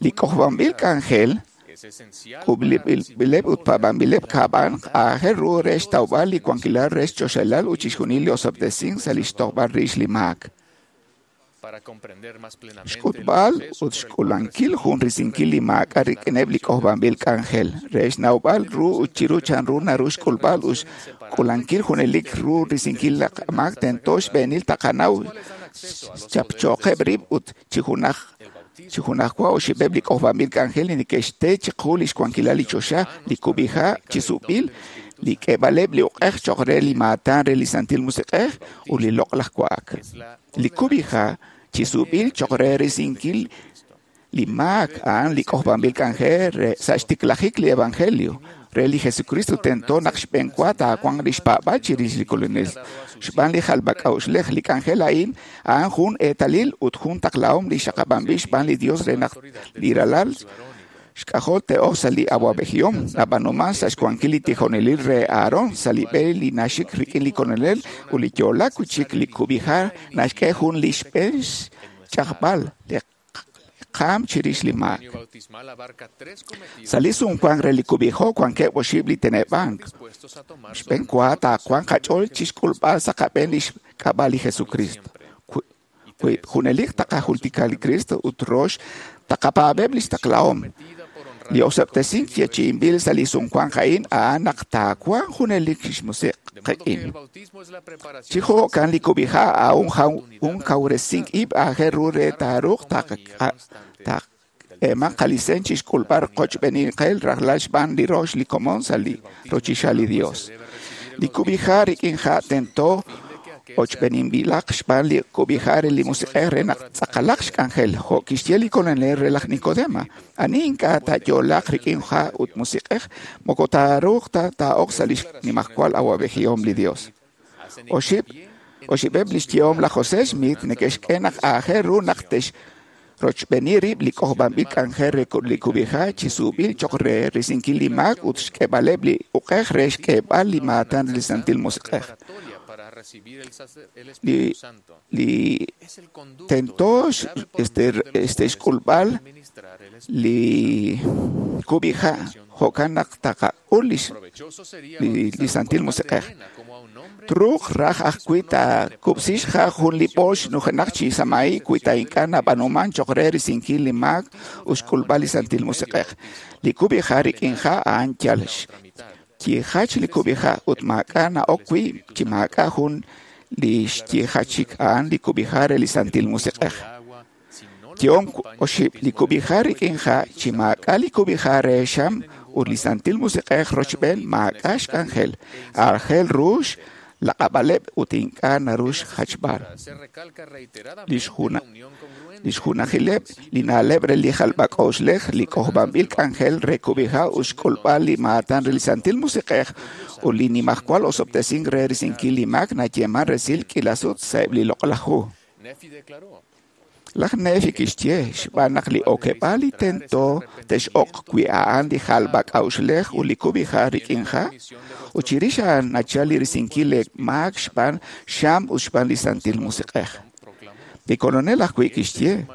Li k'ojob'anb'il k'anjel k'ub'ileb' ut paab'anb'ileb' kab'an aajel ru re xtawb'al li wankilal re xchoxahilal ut chixjunil li osob'tesink sa' li xtojb'al rix li maak. Xk'utb'al ut xk'ulankil jun risinkil li maak'a' rik'ineb' li k'ojob'anb'il k'anjel re xnawb'al ru ut chiru chanru naru xk'ulb'al ut xk'ulankil junelik ru risinkil li maak tento xb'eenil taqanaw xchapchoqeb' rib' ut chi junajwa oxib'eb' li k'ojob'anb'il k'anjel li neke'xte chiqu li xwankilal li choxa, li kub'iha' chi sub'il, li k'eeb'aleb' li uq'ej cho'q re li maatan re li Santil Musiq'ej ut li loq'laj wa'ak. Li kub'iha' chi sub'il cho'q re risinkil li maak a'an li k'ojob'anb'il k'anjel re sa' xtiklajik li evangelio re li Jesucristo tento naq xb'eenwa taawanq li xpaab'al chirix li Kolonel. Xb'aan li jalb'ak'a'uxlej li k'anjel a'in a'an jun eetalil ut jun taqlahom li xaqab'anb'il xb'aan li Dios re naq li ralal xk'ajol te'ok sa' li awa'b'ejihom nab'aanuman sa' xwankil li tijonelil re Aarón sa' li b'e li naxik rik'in li Kolonel ut li yo'laak wi'chik li kub'iha' naxk'e jun li xb'een xch'ajb'al li qaam chirix li maak. Sa' li sumwank re li kub'iha' wankeb' oxib' li teneb'ank. Xb'eenwa taawanq qach'ool chixk'ulb'al sa' qab'een li xk'ab'a' li Jesucristo. Wi junelik taqajultika li Cristo ut rox taqapaab'eb' li xtaqlahom. Li osob'tesink yeechi'inb'il sa' li sumwank a'in a'an naq taawanq junelik xmusiq' qik'in. Chi jo'kan li kub'iha' a'an jun kawresink ib' aajel ru re taaruuq taqeeman qalisen chixk'ulb'al qochb'eninqel rajlal xb'aan li rox li komon sa' li rochixal li Dios. Li kub'iha' rik'in ha' tento ochb'eninb'ilaq xb'aan li kub'iha' re li Musiq'ej re naq tz'aqalaq xk'anjel, jo' kixye li Kolonel re laj Nicodemo. Ani ink'a' taayo'laaq rik'in ha' ut Musiq'ej, moko taaruuq ta taa'ok sa' li xnimajwal awa'b'ejihom li Dios. Oxib'eb' li xyehom laj José Smith neke'xk'e naq aajel ru naq te'xrochb'eeni rib' li k'ojob'anb'il k'anjel re li kub'iha' chi suub'il cho'q re risinkil li maak ut xk'eeb'aleb' li uq'ej re xk'eeb'al li maatan re li Santil Musiq'ej. Li tento xk'ulb'al li kub'iha' jo'kan naq taqak'ul li Santil Musiq'ej. Truuq raj ajwi' taakub'si xha' jun li b'oox nujenaq chi samahi' wi ta ink'a' nab'aanuman cho'q re risinkil li maak ut xk'ulb'al li Santil Musiq'ej. Li kub'iha' rik'in ha' a'an yal xyijach li kub'iha' ut maak'a' na'ok wi' chi maak'a' jun li xyijachik a'an li kub'iha' re li Santil Musiq'ej. Yehom oxib' li kub'iha' rik'in ha' chi maak'a' li kub'iha' re xam ut li Santil Musiq'ej rochb'een maak'a' xk'anjel. Aajel ru xlaq'ab'aleb' ut ink'a' naru xjachb'al. Li xjunajileb' li na'leb' re li jalb'ak'a'uxlej li k'ojob'anb'il k'anjel re kub'iha' ut xk'ulb'al li maatan re li Santil Musiq'ej ut li nimajwal osob'tesink re risinkil li maak nayeeman resil k'iila sut sa'eb' li loq'laj hu. Laj Nefi kixye xb'aan naq li okeb'aal li tento te'x'oq wi' a'an li jalb'ak'a'uxlej ut li kub'iha' rik'in ha', ut chirix a'an nachal li risinkil li maak xb'aan xam ut xb'aan li Santil Musiq'ej. Li Kolonel ajwi' kixye,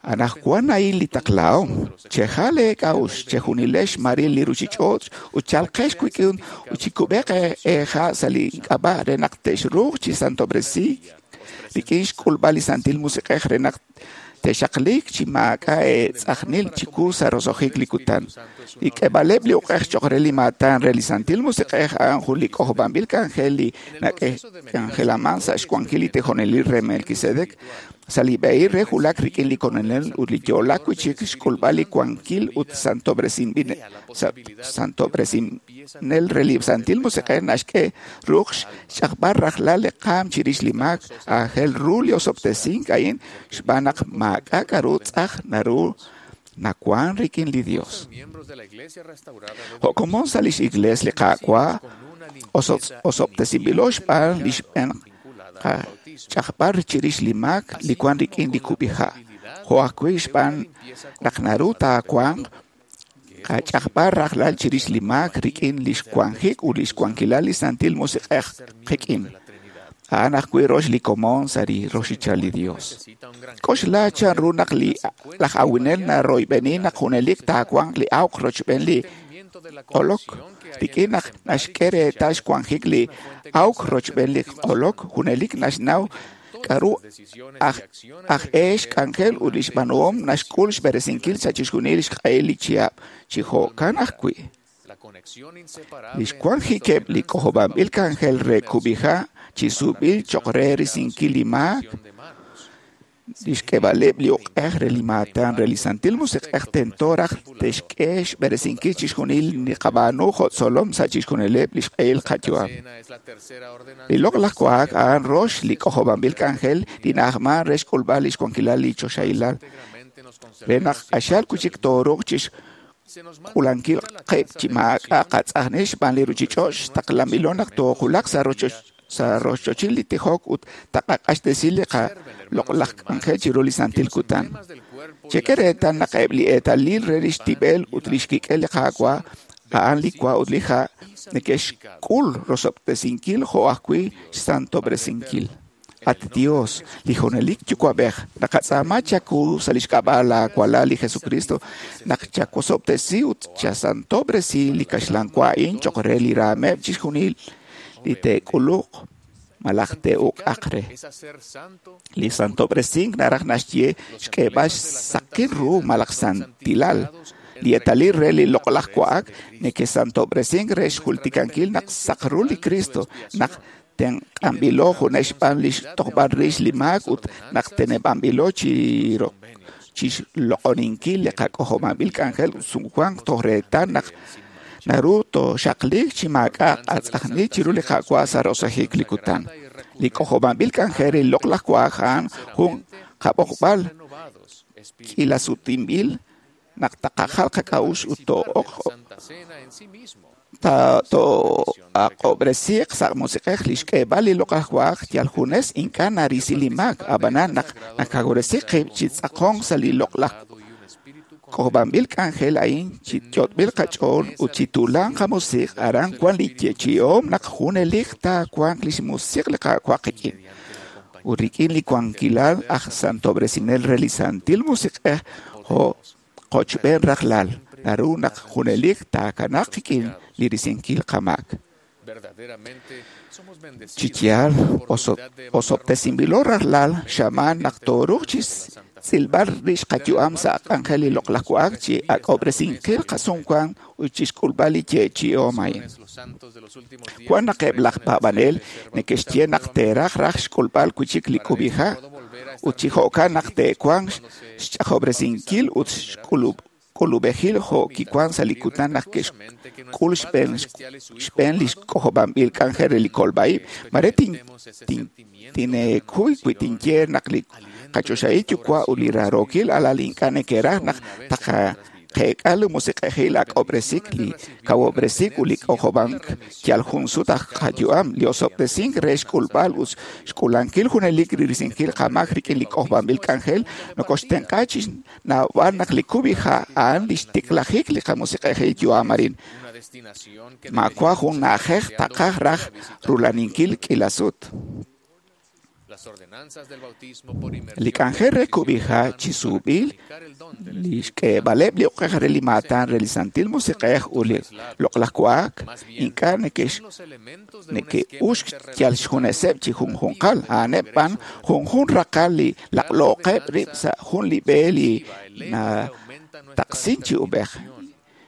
Anaqwan a'in li taqlahom, chejal eek'a'uxl, chejunilex xmaril li ruuchich'och' ut chalqex wik'in ut chikub'eq eeha' sa' li k'ab'a' re naq te'xruuq chi santob'resiik rik'in xk'ulb'al li Santil Musiq'ej re naq te'xaqliik chi maak'a' eetz'ajnil chiwu sa' roso'jik li kutan. Li k'eeb'aleb' li uq'ej cho'q re li maatan re li Santil Musiq'ej a'an jun li k'ojob'anb'il k'anjel li nak'anjelaman sa' xwankil li tijonelil re Melquisedec sa' li b'ehil re wulak rik'in li Kolonel ut li yo'laak wi'chik xk'ulb'al li wankil ut santob'resinb'il re li Santil Musiq'ej naxk'e ruuq xch'ajb'al rajlal li qaam chirix li maak. Aajel ru li osob'tesink a'in xb'aan naq maak'a' k'aru tz'aj naru Nawank rik'in li Dios. Jo' komon sa' lix Iglees li Qaawa', osob'tesinb'ilo xb'aan li xb'een qach'ajb'al chirix li maak li wank rik'in li kub'iha', jo' ajwi' xb'aan naq naru taawanq qach'ajb'al rajlal chirix li maak rik'in lix wanjik ut lix wankilal li Santil Musiq'ej qik'in. A'an ajwi' rox li komon sa' li roxichal li Dios. K'oxla chanru naq laj awinel naroyb'eni naq junelik taawanq li awq rochb'een li q'olok. Rik'in naq naxk'e reetal xwanjik li awk rochb'een li q'olok, junelik naxnaw k'a'ru aj e xk'anjel ut lix b'aanuhom naxk'ul xb'eresinkil sa' chixjunil xq'ehil li chihab'. Chi jo'kan ajwi', lix wanjikeb' li k'ojob'anb'il k'anjel re kub'iha' chi sub'b'il choq' re risinkil li maak, lix k'eeb'aleb' li uq'ej re li maatan re li Santil Musiq'ej tento raj te'xk'e xb'eresinkil chixjunil li qab'aanu jo' tzolom sa' chixjunileb' lix q'ehil qayu'am. Li loq'laj wa'ak a'an rox li k'ojob'anb'il k'anjel li na'ajman re xk'ulb'al lix wankilal li choxahilal, re naq q'axal wi'chik tooruuq chixk'uulankil qib' chi maak'a' qatz'ajnil xb'aan li ruchich'och' xtaqlanb'ilo naq toowulaq sa' rochochil li tijok ut taqaq'axtesi li qaloq'laj k'anjel chiru li santil kutan. Chek'e reetal naq eb' li eetalil re lix tib'el ut lix kik'el li Qaawa', a'an li wa ut li ha', neke'xk'ul rosob'tesinkil jo' ajwi' xsantob'resinkil. At Dios, li junelik Yuwa'b'ej, naqatz'aama chawu sa' lix k'ab'a' laawalal li Jesucristo naq chawosob'tesi ut chasantob'resi li kaxlan wa a'in choq' re li raameb' chixjunil li te'k'uluq malaj te'uk'aq re. Li santob'resink naraj naxye xk'eeb'al xsaqil ru malaj santilal. Li eetalil re li loq'laj wa'ak neke'santob'resink re xjultikankil naq saq ru li Cristo, naq tenq'anb'ilo junes xb'aan lix tojb'al rix li maak ut naq teneb'anb'ilo chixloq'oninkil li qak'ojob'anb'il k'anjel ut sumwank toj reetal naq naru tooxaqliiq chi maak'a' qatz'ajnil chiru li Qaawa' sa' roso'jik li kutan. Li k'ojob'anb'il k'anjel re li loq'laj wa'ak a'an jun qab'oqb'al k'iilasutinb'il naq taqajal qak'a'uxl ut too'aq'ob'resiiq sa' musiq'ej. Li xk'eeb'al li loq'laj wa'ak yal junes ink'a' narisi li maak, ab'anan naq nakawresi qib' chi tz'aqonk sa' li loq'laj k'ojob'anb'il k'anjel a'in chi yot'b'il qach'ool ut chi tuulan qamusiq', aran wan li yeechi'ihom naq junelik taawanq lix musiq' li Qaawa' qik'in. Ut rik'in li wankilal aj santob'resinel re li Santil Musiq'ej jo' qochb'een rajlal, naru naq junelik taakanaaq qik'in li risinkil qamaak. Chi yaal, osob'tesinb'ilo rajlal xamaan naq tooruuq chi tz'ilb'al rix qayu'am sa' k'anjel li loq'laj wa'ak chi ak'ob'resinkil qasumwank ut chixk'ulb'al li yeechi'ihom a'in. Wan naq eb' laj paab'anel neke'xye naq te'raj raj xk'ulb'al wi'chik li kub'iha' ut chi jo'kan naq te'wanq xch'ajob'resinkil ut xk'ulub'ejil jo' kiwan sa' li kutan naq ke'xk'ul xb'een li k'ojob'anb'il k'anjel re li kolb'a-ib'. Mare tineekuy wi tinye naq li qachoxahil Yuwa' ut li raarookil alal ink'a' neke'raj naq taqaqeek'a li musiq'ejil ak'ob'resik, li kawob'resik ut li k'ojob'ank yal jun sut aj qayu'am. Li osob'tesink re xk'ulb'al ut xk'uulankil junelik li risinkil qamaak rik'in li k'ojob'anb'il k'anjel nokoxtenq'a chi xnawb'al naq li kub'iha' a'an lix tiklajik li qamusiq'ejil yu'am arin. Maawa' jun na'ajej taqaj raj rulaninkil k'iila sut. Li k'anjel re kub'iha' chi sub'b'il, li xk'eeb'aleb' li uq'ej re li maatan re li Santil Musiq'ej ut li loq'laj wa'ak ink'a' neke'uxk yal xjuneseb' chi junjunqal, a'aneb' b'an junjun raqal li laq'looqeb' rib' sa' jun li b'e li nataqsin chi ub'ej.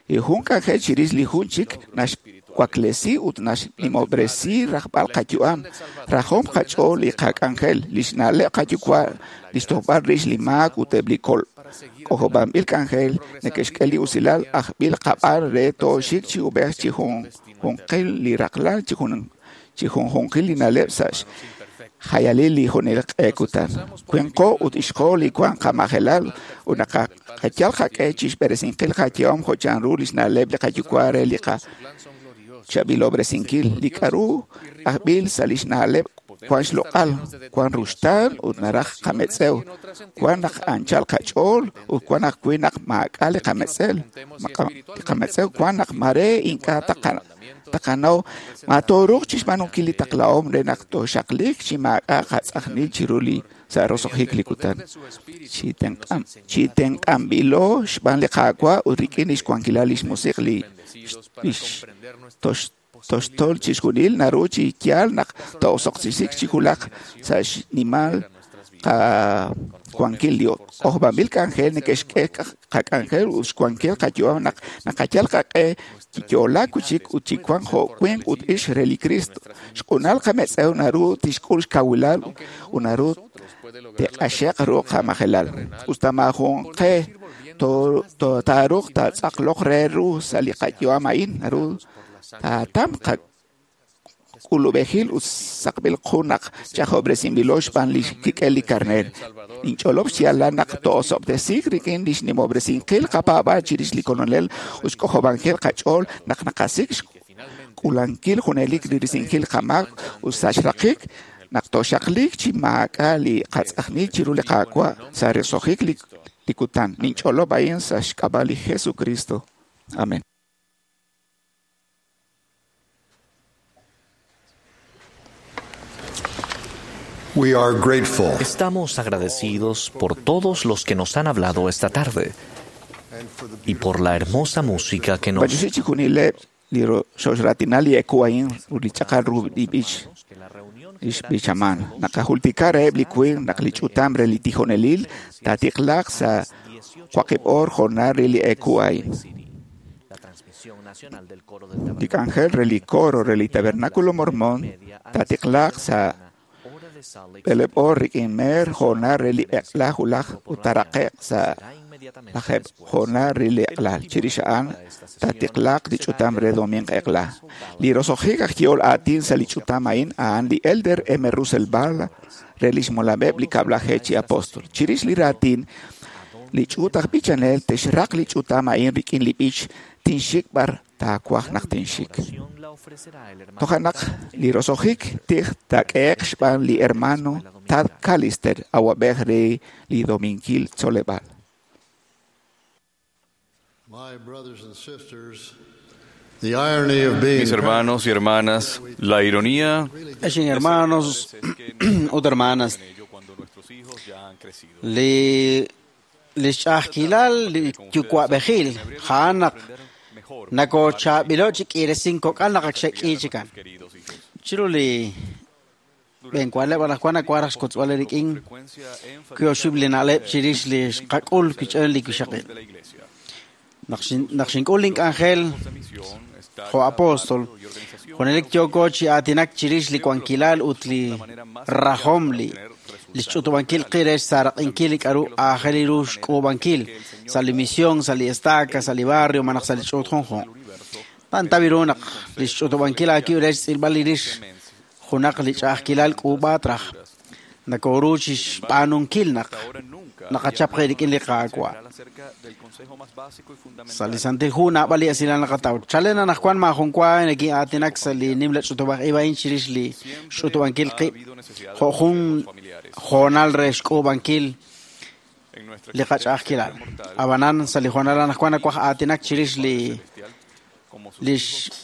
Li jun k'anjel chirix li jun chik naxwaklesi ut naxnimob'resi rajb'al qayu'am, rajom qach'ool li qak'anjel, lix na'leb' qayuwa', lix tojb'al rix li maak ut eb' li k'ojob'anb'il k'anjel neke'xk'e li usilal ajb'il qab'aan re tooxik chi ub'ej chi junjunqil li raqlal chi junjunqil li na'leb' sa' xjayalil li junelik q'e kutan. Winqo ut ixqo li wan qamajelal ut Naqayal qaq'e chixb'eresinkil qayehom jo' chanru lix na'leb' li qayuwa' re li qachaab'ilob'resinkil. Li k'a'ru ajb'il sa' lix na'leb' wan xloq'al, wan ruxtaan ut naraj qametz'ew. Wan naq anchal qach'ool ut wan ajwi' naq maak'a' li qametz'ew. Wan naq maare ink'a' taqanaw ma tooruuq chixb'aanunkil li taqlahom re naq tooxaqliq chi maak'a' qatz'ajnil chiru li sa' roso'jik li kutan. Chi tenq'anb'ilo xb'aan li Qaawa' ut rik'in lix wankilal lix musiq' li toxtol chixjunil naru chi yaal naq to'osoqsisik chi wulak sa' xnimal qawankil. Li k'ojob'anb'il k'anjel neke'xk'e qak'anjel ut xwankil qayu'am naq naqayal qaq'e chi yo'laak wi'chik ut chi wank jo' winq ut ixq re li Kristo. Xq'unal qametz'ew naru tixk'ul xkawilal ut naru te'q'axe'q ru qamajelal. Us ta maajun qe taaruuq taatz'aqloq re ru sa' li qayu'am a'in, naru taatamq qak'ulub'ejil ut saqb'il qu naq ch'ajob'resinb'ilo xb'aan lix kik'el li karneer. Ninch'olob' xyaalal naq to'osob'tesiik rik'in lix nimob'resinkil qapaab'aal chirix li Kolonel ut xk'ojob'ankil qach'ool naq naqasik' xk'ulankil junelik li risinkil qamaak ut sa' xraqik naq tooxaqliq chi maak'a' li qatz'ajnil chiru li Qaawa' sa' roso'jik li kutan. Ninch'olob' a'in sa' xk'ab'a' li Jesucristo. Amén. We are grateful. Estamos agradecidos por todos los que nos han hablado esta tarde y por la hermosa música que nos B'antioxi chixjunileb' li xoxratinal li eku a'in ut li chaqal ru li b'ich lix b'ichaman. Naqajultika reheb' li winq naq li ch'utam re li tijonelil taatiqlaq sa' waqib' oor jo'nal re li eku a'in. Li k'anjel re li coro re li Tabernáculo Mormón taatiqlaq sa' b'eleb' oor rik'in meer jo'nal re li eq'la wulaj ut taaraqe'q sa' lajeb' jo'nal re li eq'la. Chirix a'an taatiqlaq li ch'utam re domingo eq'la. Li roso'jik aj yehol aatin sa' li ch'utam a'in a'an li Elder M. Russell Ballard re lix molameb' li kab'laje chi apóstol. Chirix li raatin, li ch'uut aj b'ichanel te'xraq li ch'utam a'in rik'in li b'ich tinxik b'ar taawaj naq tinxik. Toja' naq li roso'jik tij taak'ehe'q xb'aan li hermano Tad Callister, awab'ej re li Dominkil Tzoleb'aal. My brothers and sisters, the irony of being Mis hermanos y hermanas, la ironía Ex hermanos ut hermanas, li xch'a'ajkilal li yuwa'b'ejil a'an naq nakochaab'ilo chi k'iiresin kok'al naq ak xe'k'i chikan. Chiru li b'enwa'leb' anaqwan nawanq xkotzb'al rik'in kioxib' li na'leb' chirix li xqak'ul kich'en li kixaqil. Naq xink'ul link'anjel jo' apóstol, junelik yooko chi aatinak chirix li wankilal ut li rajom li xch'utub'ankil qi re xsaaraq'inkil li k'a'ru aajel ru xk'uub'ankil sa' li misión, sa' li estaca, sa' li barrio, malaj sa' li ch'uut junjunq. Tantawi ru naq li xch'utub'ankil aakib' re xtz'ilb'al li rix junaq li ch'a'ajkilal k'uub'aat raj. Nakoru chi xb'aanunkil naq naqachap qe rik'in li Qaawa'. Sa' li Santil Hu naab'al li esilal naqataw. Chalen anaqwan maajun wa nekin'aatinak sa' li nimla ch'utub'aj ib' a'in chirix li xch'utub'ankil qib' jo' jun hoonal re xk'uub'ankil li qach'a'ajkilal. Ab'anan sa' li hoonal anaqwan nawaj aatinak chirix li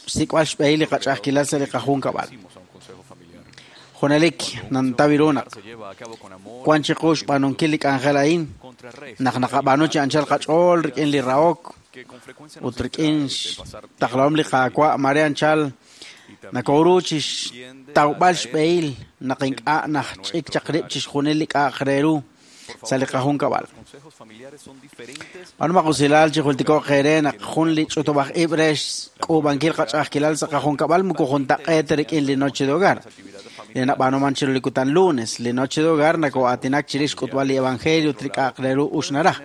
xsik'b'al xb'ehil li qach'a'ajkilal sa' li qajunkab'al. Junelik nantawi ru naq wan chiqu xb'aanunkil li k'anjel a'in naq naqab'aanu chi anchal qach'ool rik'in li rahok ut rik'in xtaqlahom li Qaawa' mare anchal nakoru chi xtawb'al xb'ehil naq ink'a' najch'ik chaq rib' chixjunil li k'a'aq re ru sa' li qajunkab'al. B'aanu usilal chi jultiko'q eere naq jun li ch'utub'aj ib' re xk'uub'ankil qach'a'ajkilal sa' qajunkab'al moko juntaq'eet rik'in li noche de hogar. Li nab'aanuman chiru li kutan lunes, li noche de hogar nako'aatinak chirix xk'utb'al li evangelio ut li k'a'aq re ru uxnaraj.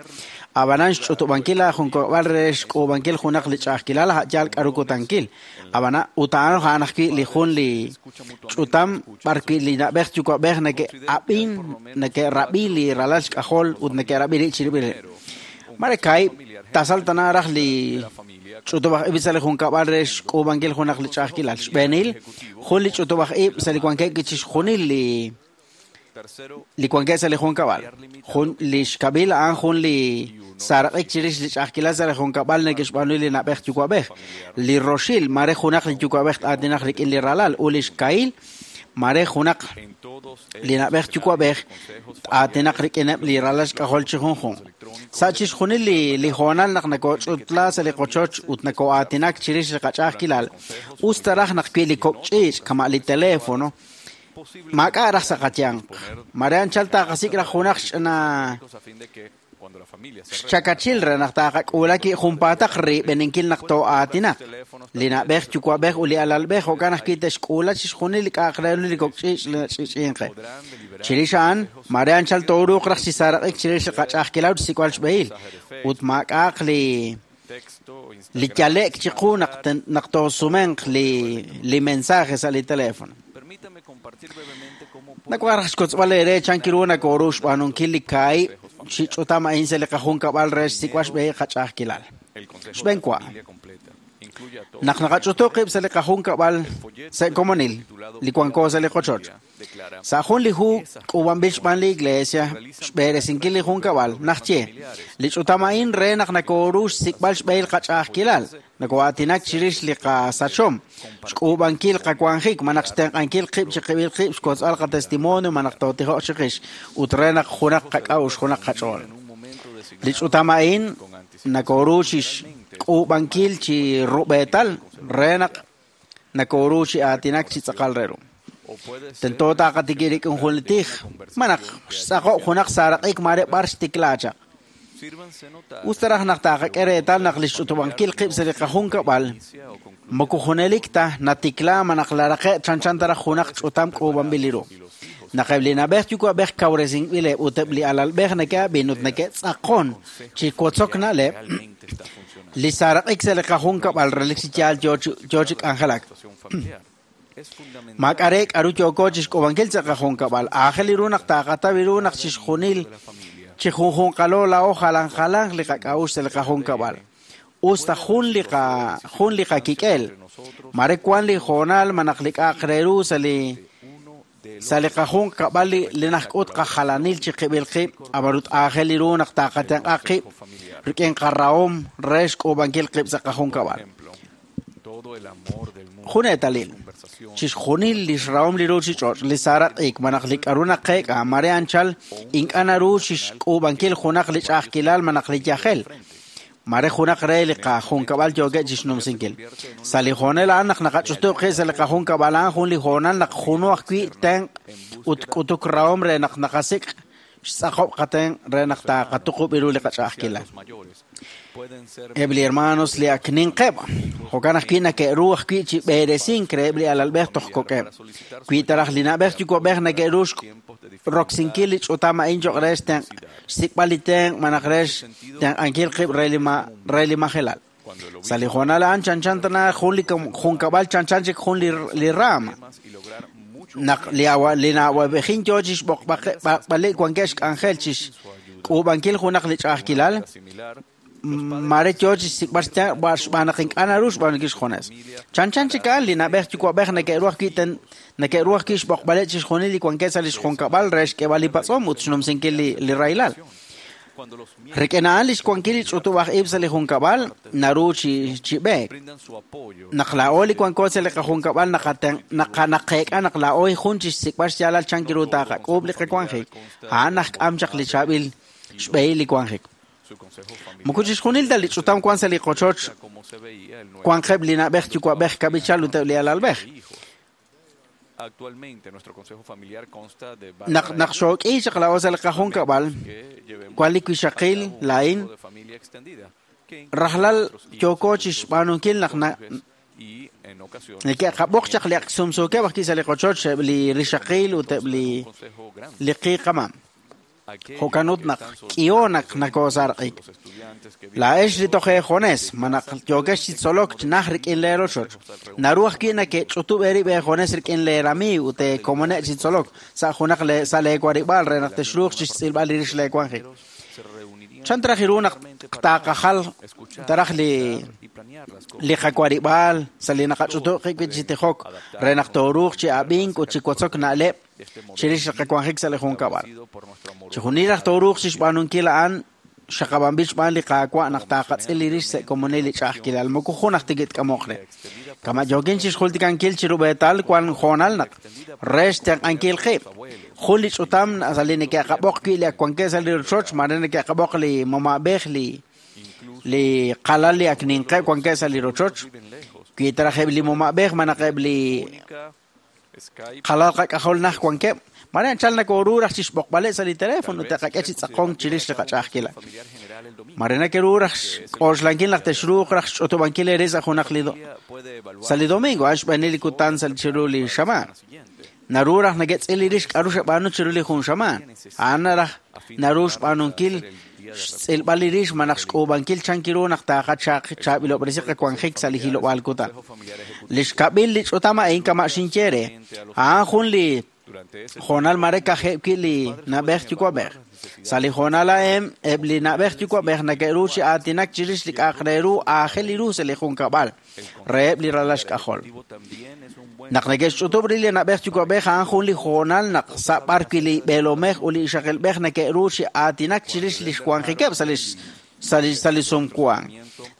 Ab'anan xch'utub'ankil laajunkab'al re xk'uub'ankil junaq li ch'a'ajkilal a' yaal k'a'ru kutankil. Ab'anan ut a'an a'an ajwi' li jun li ch'utam b'arwi' li na'b'ej yuwa'b'ej neke'ab'in neke'rab'i li ralal xk'ajol ut neke'rab'i rib' chirib'il rib'. Mare kaahib' tasal tana raj li ch'utub'aj ib' sa' li junkab'al re xk'uub'ankil junaq li ch'a'ajkilal. Xb'eenil, jun li ch'utub'aj ib' sa' li wankeb' chixjunil li wankeb' sa' li junkab'al. Jun li xkab'il a'an jun li saaraq'ik chirix li ch'a'ajkilal sa' li junkab'al neke'xb'aanu li na'b'ej yuwa'b'ej. Li roxil, mare junaq li yuwa'b'ej t'aatinaq rik'in li ralal ut li xkahil, mare junaq li na'b'ej yuwa'b'ej t'aatinaq rik'ineb' li ralal xk'ajol chi junjunq. Sa' chixjunil li hoonal naq nakoch'utla sa' li qochoch ut nako'aatinak chirix li qach'a'ajkilal, us ta raj naq wi li kok' ch'iich' kama' li teléfono, maak'a' raj sa' qayanq. Mare anchal taqasik' raj junaq xch'ina xchakachil re naq taqak'uula ki junpaataq rib'eninkil naq too'aatinaq. Li na'b'ej yuwa'b'ej ut li alalb'ej jo'kan ajwi' te'xk'uula chixjunil li k'a'aq re ru li kok' ch'iich' li nach'ich'inqe. Chirix a'an, mare anchal tooruuq raj chi saaraq'ik chirix li qach'a'ajkilal ut xsik'b'al xb'ehil, ut maak'a'aq li yale'k chiqu naq toosumenq li mensaje sa' li teléfono. Nawaj raj xkotzb'al eere chan kiru nakooru xb'aanunkil li kaahib' chi ch'utam a'in sa' li qajunkab'al re xsik'b'al xb'ehil qach'a'ajkilal. Xb'een wa, naq naqach'utu qib' sa' li qajunkab'al sa' komonil li wanko sa' li qochoch. Sa' jun li hu k'uub'anb'il xb'aan li iglesia xb'eresinkil li junkab'al najye li ch'utam a'in re naq nakooru xsik'b'al xb'ehil qach'a'ajkilal, nako'aatinak chirix li qasachom, xk'uub'ankil qawanjik, malaj xtenq'ankil qib' chiqib'il qib' xkotz'b'al qatestimonio malaj tootijoq chiqix ut re naq junaq qak'a'uxl junaq qach'ool. Li ch'utam a'in nakooru chixk'uub'ankil chi rub'eetal re naq nakooru chi aatinak chi tz'aqal re ru. Tento taqatikil rik'in jun li tij, malaj xtz'aqob' junaq saaraq'ik mare b'ar xtiklaa chaq. Us ta raj naq taqak'e reetal naq li xch'utub'ankil qib' sa' li qajunkab'al, moko junelik ta natikla malaj laraqe' chanchan ta raj junaq ch'utam k'uub'anb'il li ru. Naq eb' li na'b'ej yuwa'b'ej kawresinb'ileb' ut eb' li alalb'ej neke'ab'in ut neke'tz'aqon chi wotzok na'leb', li saaraq'ik sa' li qajunkab'al relik chi yaal yoo chi k'anjelak. Maak'a' re k'aru yooko chixk'uub'ankil sa' qajunkab'al. Aajel ru naq taqataw ru naq chixjunil chi junjunqalo laa'o jalan jalanq li qak'a'uxl sa' li qajunkab'al. Us ta jun li qakik'el. Mare wan li hoonal malaj li k'a'aq re ru sa' li qajunkab'al li najk'ut qajalanil chiqib'il qib', ab'an ut aajel ru naq taqatenq'a qib' rik'in qarahom re xk'uub'ankil qib' sa' qajunkab'al. Jun eetalil, chixjunil li xrahom li ruuchich'och' li saaraq'ik malaj li k'aru naqeek'a mare anchal ink'a' naru chixk'uub'ankil junaq li ch'a'ajkilal malaj li yajel. Mare junaq re li qajunkab'al yookeb' chixnumsinkil. Sa' li hoonal a'an naq naqach'utub' qib' sa' li qajunkab'al a'an jun li hoonal naq junu ajwi' tenq' ut k'utuk rahom re naq naqasik' xtz'aqob' qatenq' re naq taqatuqub' ru li qach'a'ajkilal. Eb' li hermanos li ak ninqeb', jo'kan ajwi' neke'ru ajwi' chi b'eresink reheb' li alalb'ej toj kok'eb'. Wi ta raj li na'b'ej yuwa'b'ej neke'ru roksinkil li ch'utam a'in cho'q re xsik'b'al li tenq' malaj re xtenq'ankil qib' re li majelal. Sa' li hoonal a'an chanchan tana jun li junkab'al chanchan chik jun li raam. Naq li na'wa'b'ejin yoo chixb'oqb'aleb' wankeb' xk'anjel chixk'uub'ankil junaq li ch'a'ajkilal, mare yoo chixsik'b'al xb'aan naq ink'a' naru xb'aanunkil xjunes. Chanchan chik a'an li na'b'ej yuwa'b'ej neke'ru ajwi' xb'oqb'aleb' chixjunil li wankeb' sa' li xjunkab'al re xk'eeb'al li patz'om ut xnumsinkil li rahilal. Rik'in a'an li xwankil li ch'utub'aj ib' sa' li junkab'al naru chi b'eek. Naq laa'o li wanko sa' li qajunkab'al naqeek'a naq laa'o jun chixsik'b'al xyaalal chan kiru taqak'uub' li qawanjik, a'an najk'am chaq li chaab'il xb'ehil li wanjik. Moko chixjunil ta li ch'utam wan sa' li qochoch wanqeb' li na'b'ej yuwa'b'ej kab'ichal ut eb' li alalb'ej. Naq xook'i chaq laa'o sa' li qajunkab'al, wan li wixaqil laa'in, rajlal yooko chixb'aanunkil naq neke'qab'oq chaq li ak sumsuukeb' ajwi' sa' li qochoch eb' li rixaqil ut eb' li qiiqamam. Jo'kan ut naq k'iho naq nakoosarq'ik. Laa'ex li toj eejones, malaj yookex chi tzolok naj rik'in leerochoch. Naru ajwi' neke'ch'utub' eerib' eejones rik'in leeramiiw ut eekomoneb' chi tzolok sa' junaq sa' leewarib'aal re naq texruuq chixtz'ilb'al rix leewanjik. Chan taraj ru naq taqajal taraj li qawarib'aal sa' li naqach'utu' qib' chi tijok re naq tooruuq chi ab'ink ut chi wotzok na'leb' chirix li qawanjik sa' li junkab'al. Chixjunil raj tooruuq chixb'aanunkil a'an xaqab'anb'il xb'aan li Qaawa' naq taqatz'il li rix sa' komonil li ch'a'ajkilal moko jun aj tikit k'amoq re. Kama yookin chixjultikankil chirub'eetal wan hoonal naq re xtenq'ankil qib'. Jun li ch'utam sa' li neke'qab'oq wi' li ak wankeb' sa' li rochoch, mare neke'qab'oq li mama'b'ej li qalal li ak ninqeb' wankeb' sa' li rochoch. Wi taraj eb' li mama'b'ej malaj eb' li qalal qak'ajol naj wankeb', mare anchal nakoru raj chixb'oqb'aleb' sa' li teléfono te'qak'e chi tz'aqonk chirix li qach'a'ajkilal. Mare nakeru raj xk'oxlankil naq texruuq raj xch'utub'ankil eere sa' junaq li sa' li domingo, a'an xb'eenil li kutan sa' chiru li xamaan. Naru raj neke'tz'il li rix k'a'ru xeb'aanu chiru li jun xamaan. A'an raj naru xb'aanunkil xtz'ilb'al li rix malaj xk'uub'ankil chan kiru naq taqachaab'ilob'resi qawanjik sa' li hilob'aal kutan. Li xkab'il li ch'utam a'in kama' xinye re, a'an jun li hoonal mare kajeb' wi' li na'b'ej yuwa'b'ej. Sa' li hoonal a'in eb' li na'b'ej yuwa'b'ej neke'ru chi aatinak chirix li k'a'aq re ru aajel ru sa' li junkab'al reheb' li ralal xk'ajol. Naq neke'xch'utub' rib' li na'b'ej yuwa'b'ej a'an jun li hoonal naq sa' b'ar wi' li b'eelomej ut li ixaqilb'ej neke'ru chi aatinak chirix li xwanjikeb' sa' li sumwank.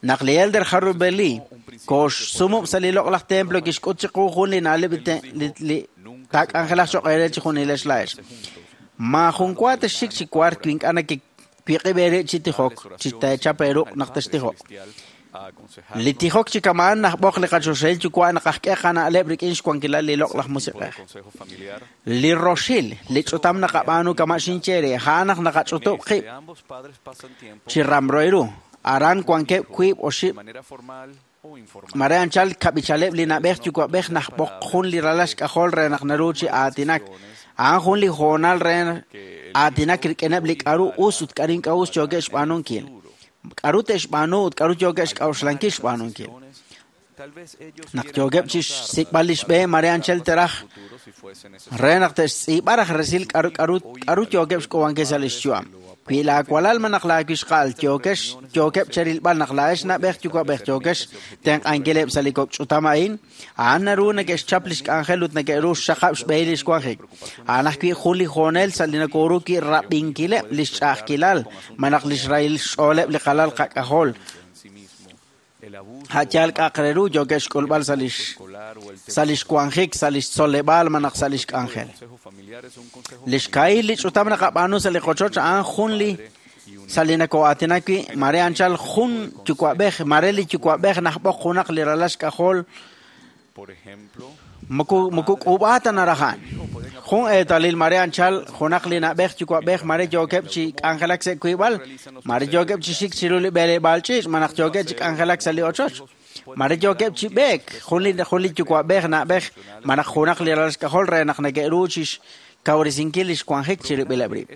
Naq li Elder Harold B. Lee koxsumub' sa' li loq'laj templo kixk'ut chiqu jun li na'leb' li taak'anjelaq cho'q eere chi junilex laa'ex. Maajun wa texxik chi wark wi ink'a' nakewiq'ib' eere chi tijok, chi teechap eeruq' naq textijoq. Li tijok chi kama'an najb'oq li qachoxahil yuwa' naq ajk'e qana'leb' rik'in xwankilal li loq'laj musiq'ej. Li roxil, li ch'utam naqab'aanu kama' xinye re, a'an naq naqach'utub' qib' chi ramro ru. Aran wankeb' wiib' oxib' mare anchal kab'ichaleb' li na'b'ej yuwa'b'ej najb'oq jun li ralal xk'ajol re naq naru chi aatinak. A'an jun li hoonal re aatinak rik'ineb' li k'a'ru us ut k'a'ru ink'a' us yookeb' xb'aanunkil. K'a'ru te'xb'aanu ut k'a'ru yookeb' xk'a'uxlankil xb'aanunkil. Naq yookeb' chi xsik'b'al li xb'e mare anchal teraj re naq te'xtz'iib'a raj resil k'a'ru yookeb' xk'uub'ankil sa' li xyu'am. Wi laawalal malaj laawixqa'al yookeb' cherilb'al naq laa'ex na'b'ej yuwa'b'ej yookex tenq'ankileb' sa' li kok' ch'utam a'in, a'an naru neke'xchap li xk'anjel ut neke'ru xxaqab' xb'ehil li xwanjik. A'an ajwi' jun li hoonel sa' li nakoru wi' rab'inkileb' li xch'a'ajkilal malaj li xrahil xch'ooleb' li qalal qak'ajol. A'yaal k'a'aq re ru yookeb' xk'ulb'al sa' li xwanjik, sa' li xtzoleb'aal malaj sa' li xk'anjel. Li xka'il li ch'utam naqab'aanu sa' li qochoch a'an jun li sa' li nako'aatinak wi' mare anchal jun yuwa'b'ej, mare li yuwa'b'ej najb'oq junaq li ralal xk'ajol moko k'uub'a ta naraj a'an. Jun eetalil mare anchal junaq li na'b'ej yuwa'b'ej mare yookeb' chi k'anjelak sa' wiib'al, mare yookeb' chi xik chiru li b'eleb'aal ch'iich' malaj yookeb' chi k'anjelak sa' li ochoch. Mare yookeb' chi b'eek jun li yuwa'b'ej na'b'ej malaj junaq li ralal xk'ajol re naq neke'ru chi xkawresinkil li xwanjik chirib'ileb' rib'.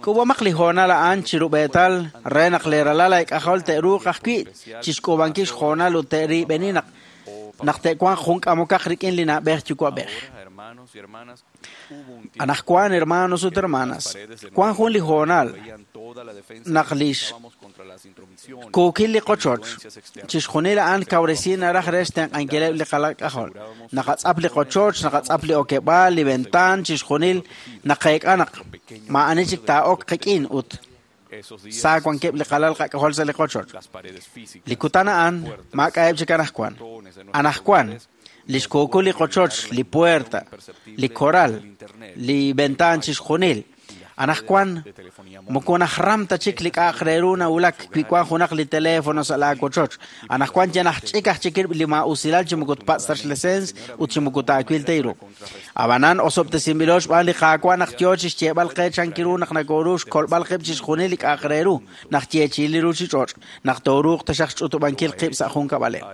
K'uub'amaq li hoonal a'an chirub'eetal re naq li ralal ayk'ajol te'ruuq ajwi' chi xk'uub'ankil xhoonal ut te'riib'eni naq te'wanq jun k'amokaq rik'in li na'b'ej yuwa'b'ej. Anajwan, hermanos ut hermanas, wan jun li hoonal naq li xkuukil li qochoch chixjunil a'an kawresi naraj re xtenq'ankileb' li qalal k'ajol. Naqatz'ap li qochoch, naqatz'ap li okeb'aal, li ventaan, chixjunil naqeek'a naq maa'ani chik taa'ok qik'in ut sa wankeb' li qalal qak'ajol sa' li qochoch. Li kutan a'an maak'a'eb' chik anajwan. Anajwan, li xkuukul li qochoch, li puerta, li koral, li ventaan chixjunil. Anajwan, moko najram ta chik li k'a'aq re ru nawulak wi wan junaq li teléfono sa' laawochoch. Anajwan ya najch'ik aj chik li maa'usilal chi moko tpatz' ta xlesens ut chi moko taawil ta iru. Ab'anan osob'tesinb'ilo xb'aan li Qaawa' naq yoo chi xyeeb'al qe chan kiru naq nakoru xkolb'al qib' chixjunil li k'a'aq re ru, naq yeechi'il li ruuchich'och', naq tooruuq taxaq xch'utub'ankil qib' sa' junkab'aleb'.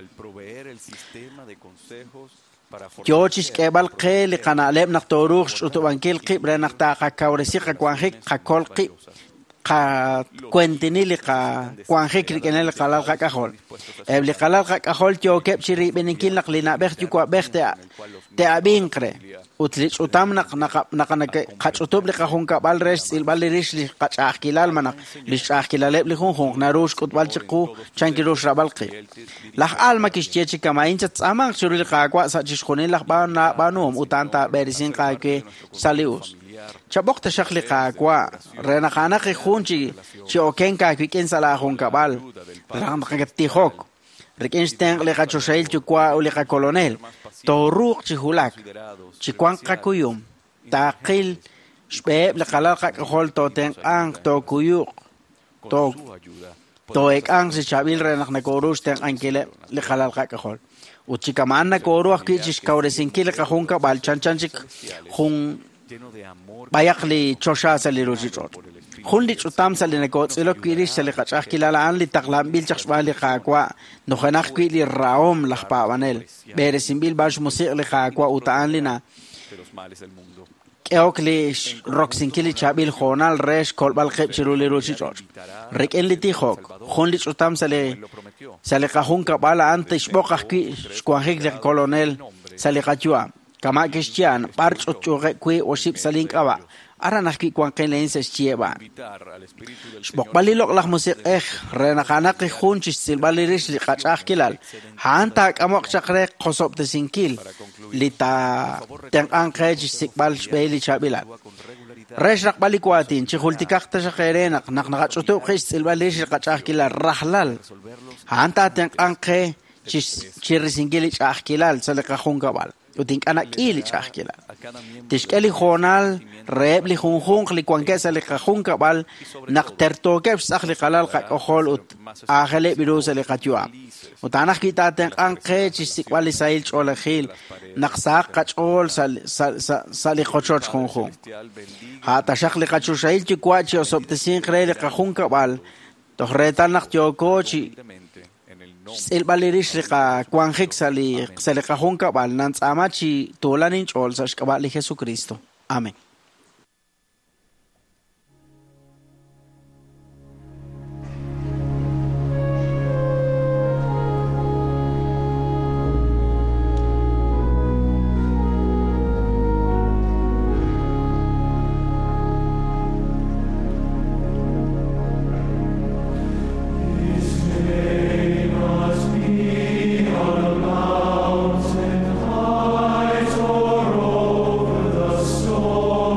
Yoo chi xk'eeb'al qe li qana'leb' naq tooruuq xch'utub'ankil qib' re naq taqakawresi qawanjik, qakol qib', Qakwentini li qawanjik rik'ineb' li qalal qak'ajol. Eb' li qalal qak'ajol yookeb' chi riib'eninkil naq li na'b'ej yuwa'b'ej te'ab'inq re. Ut li ch'utam naq naqach'utub' li qajunkab'al re xtz'ilb'al li rix li qach'a'ajkilal malaj li xch'a'ajkilaleb' li junjunq naru xk'utb'al chiqu chan ru xrab'al qib'. Laj Alma kixye chi kama'in chattz'aamanq chiru li Qaawa' sa' chixjunil laj b'aanuhom ut a'an taab'eresinq aawe sa' li us. Chab'oq taxaq li Qaawa' re naq a'anaq jun chi okenk aawik'in sa' laajunkab'al re naq tijok rik'in xtenq' li qachoxahil yuwa' ut li qakolonel tooruuq chi wulak chi wanq qakuyum taaqil xb'eheb' li qalal qak'ajol tootenq'anq tookuyuq too'eek'anq chi chaab'il re naq nakooru xtenq'ankileb' li qalal qak'ajol. Ut chi kama'an nakooru ajwi' chi xkawresinkil li qajunkab'al chanchan chik jun b'ayaq li choxa sa' li ruuchich'och'. Jun li ch'utam sa' li nakootz'ilok wi' rix sa' li qach'a'ajkilal a'an li taqlanb'il chaq xb'aan li Qaawa' nujenaq wi' li rahom laj paab'anel. B'eresinb'il b'an xmusiq' li Qaawa' ut a'an li na k'ehok li roksinkil li chaab'il hoonal re xkolb'al qib' chiru li ruuchich'och'. Rik'in li tijok, jun li ch'utam sa' li qajunkab'al a'an tixb'oq ajwi' xwanjik li kolonel sa' li qayu'am. Kama' kixye b'ar ch'utch'uuqeb' wi' oxib' sa' link'ab'a', aran ajwi' wanqin laa'in sa' xyiheb' a'an. Xb'oqb'al li loq'laj musiq'ej re naq a'anaq jun chi xtz'ilb'al li rix li qach'a'ajkilal, a'an taak'amoq chaq re qosob'tesinkil li taatenq'anq qe chi xsik'b'al xb'ehil li chaab'ilal. Re xraqb'al li waatin, chi jultikaq taxaq eere naq naqach'utub' qib' xtz'ilb'al rix li qach'a'ajkilal rajlal, a'an taatenq'anq qe chi risinkil li ch'a'ajkilal sa' li qajunkab'al. Ut ink'a' nak'i li ch'a'ajkilal. Tixk'e li hoonal reheb' li junjunq li wankeb' sa' li qajunkab'al naq tertookeb' xtz'aq li qalal qak'ojol ut aajeleb' ru sa' li qayu'am. Ut a'an ajwi' taatenq'anq qe chi xsik'b'al li sahil ch'oolejil naq sahaq qach'ool sa' li qochoch junjunq. A' taxaq li qachoxahil yuwa' chi osob'tesinq re li qajunkab'al toj reetal naq yooko chi xtz'ilb'al li rix li qawanjik sa' li qajunkab'al nantz'aama chi tuulan inch'ool sa' xk'ab'a' li Jesucristo. Amén. Mountain heights or over the storm.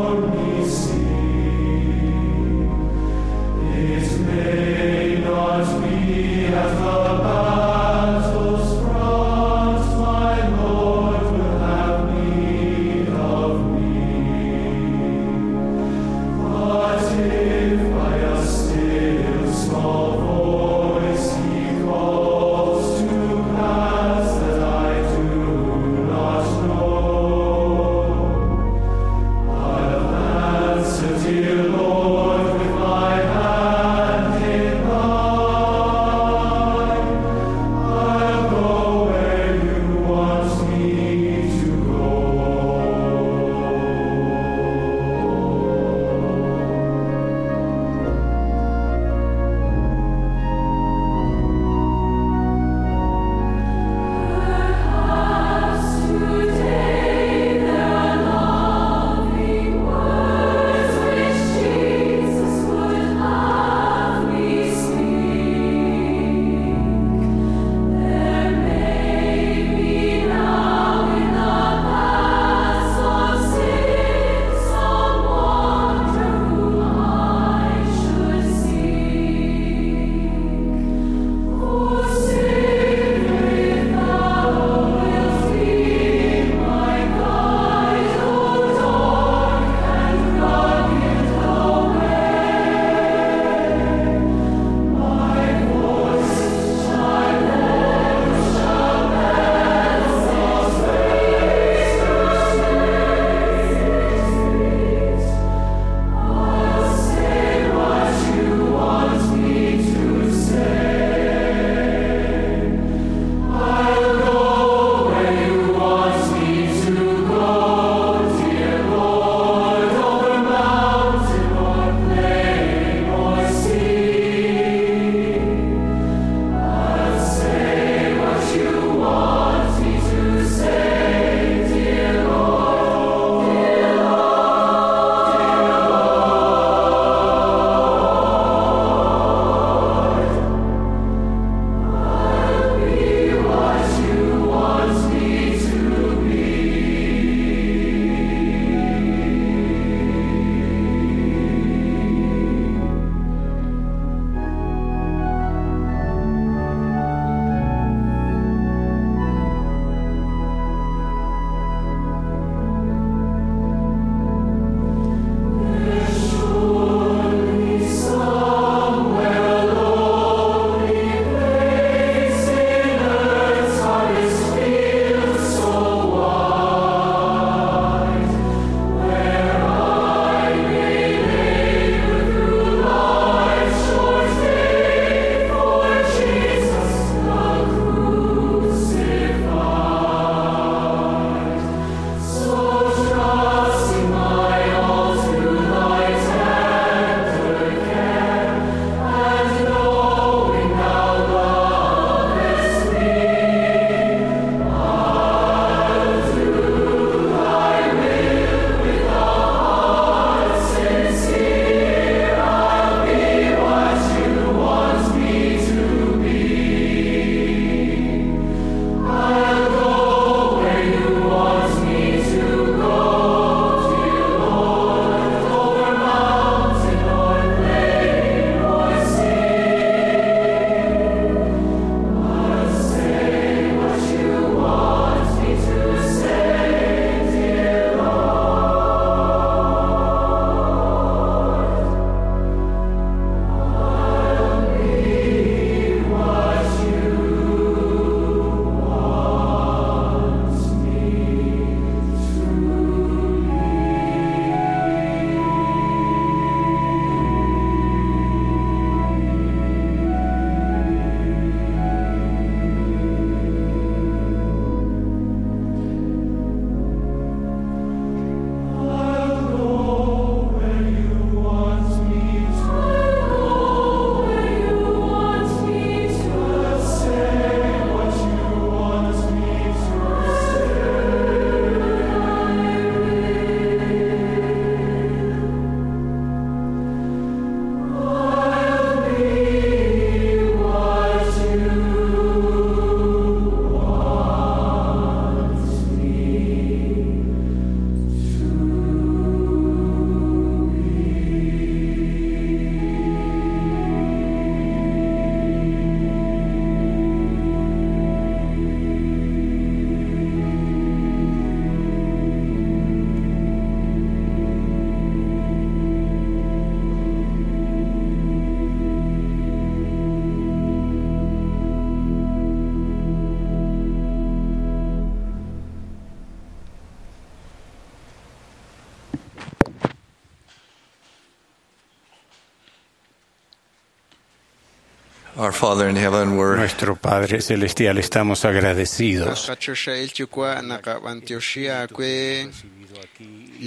Our Father in heaven, we're Nuestro Padre Celestial, estamos agradecidos Qachoxahil yuwa' naqab'antioxi aawe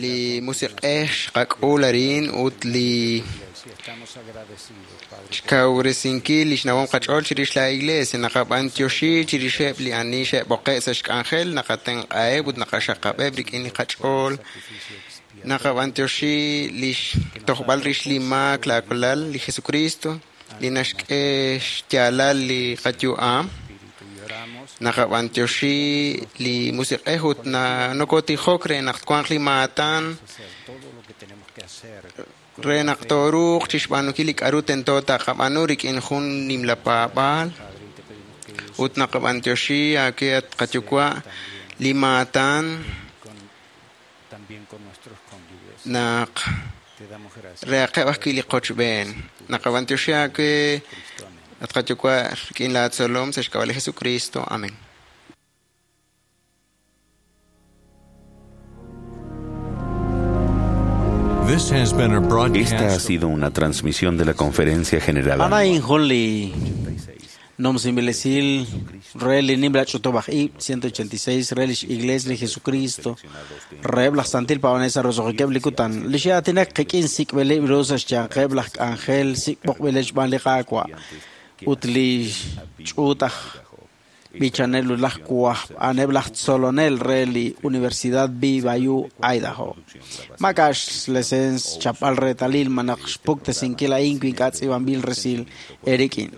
li musiq'ej xqak'ul arin ut li xkawresinkil li xnawom qach'ool chirix la iglesia naqab'antioxi chirixeb' li ani xe'b'oqe' sa' xk'anjel naqatenq'aheb' ut naqaxaqab'eb' rik'in li qach'ool naqab'antioxi li xtojb'al rix li maak laakulal li Jesucristo li naxk'e xyaalal li qayu'am naqab'antioxi li musiq'ej ut nokotijok re naq twanq li maatan re naq tooruuq chixb'aanunkil li k'a'ru tento taqab'aanu rik'in jun nimla paab'aal ut naqab'antioxi aawe at qayuwa' li maatan naq reaqeb' ajwi' li qochb'een naqab'antioxi aawe at qayuwa' rik'in laatzolom sa' xk'ab'a' li Jesucristo. Amén. This has been a Esta ha broadcast. sido una transmisión de la Conferencia General Ana Anual. injun li nomsinb'ilesil re li nimla ch'utub'aj ib' 186 re lix Iglesia li Jesucristo reheb' laj Santil Paab'anel sa' roso'jikeb' li kutan li xe'aatinak qik'in sik'b'ileb' ru sa' xyanqeb' laj k'anjel sik'b'oqb'ileb' xb'aan li Qaawa' ut li ch'uut aj b'ichanel ut laj wajb'aneb' laj tzolonel re li Universidad BYU Idaho. Maak'a' xlesens chapb'al reetalil malaj xpuktesinkil a'in wi ink'a' tz'iib'anb'il resil eerik'in.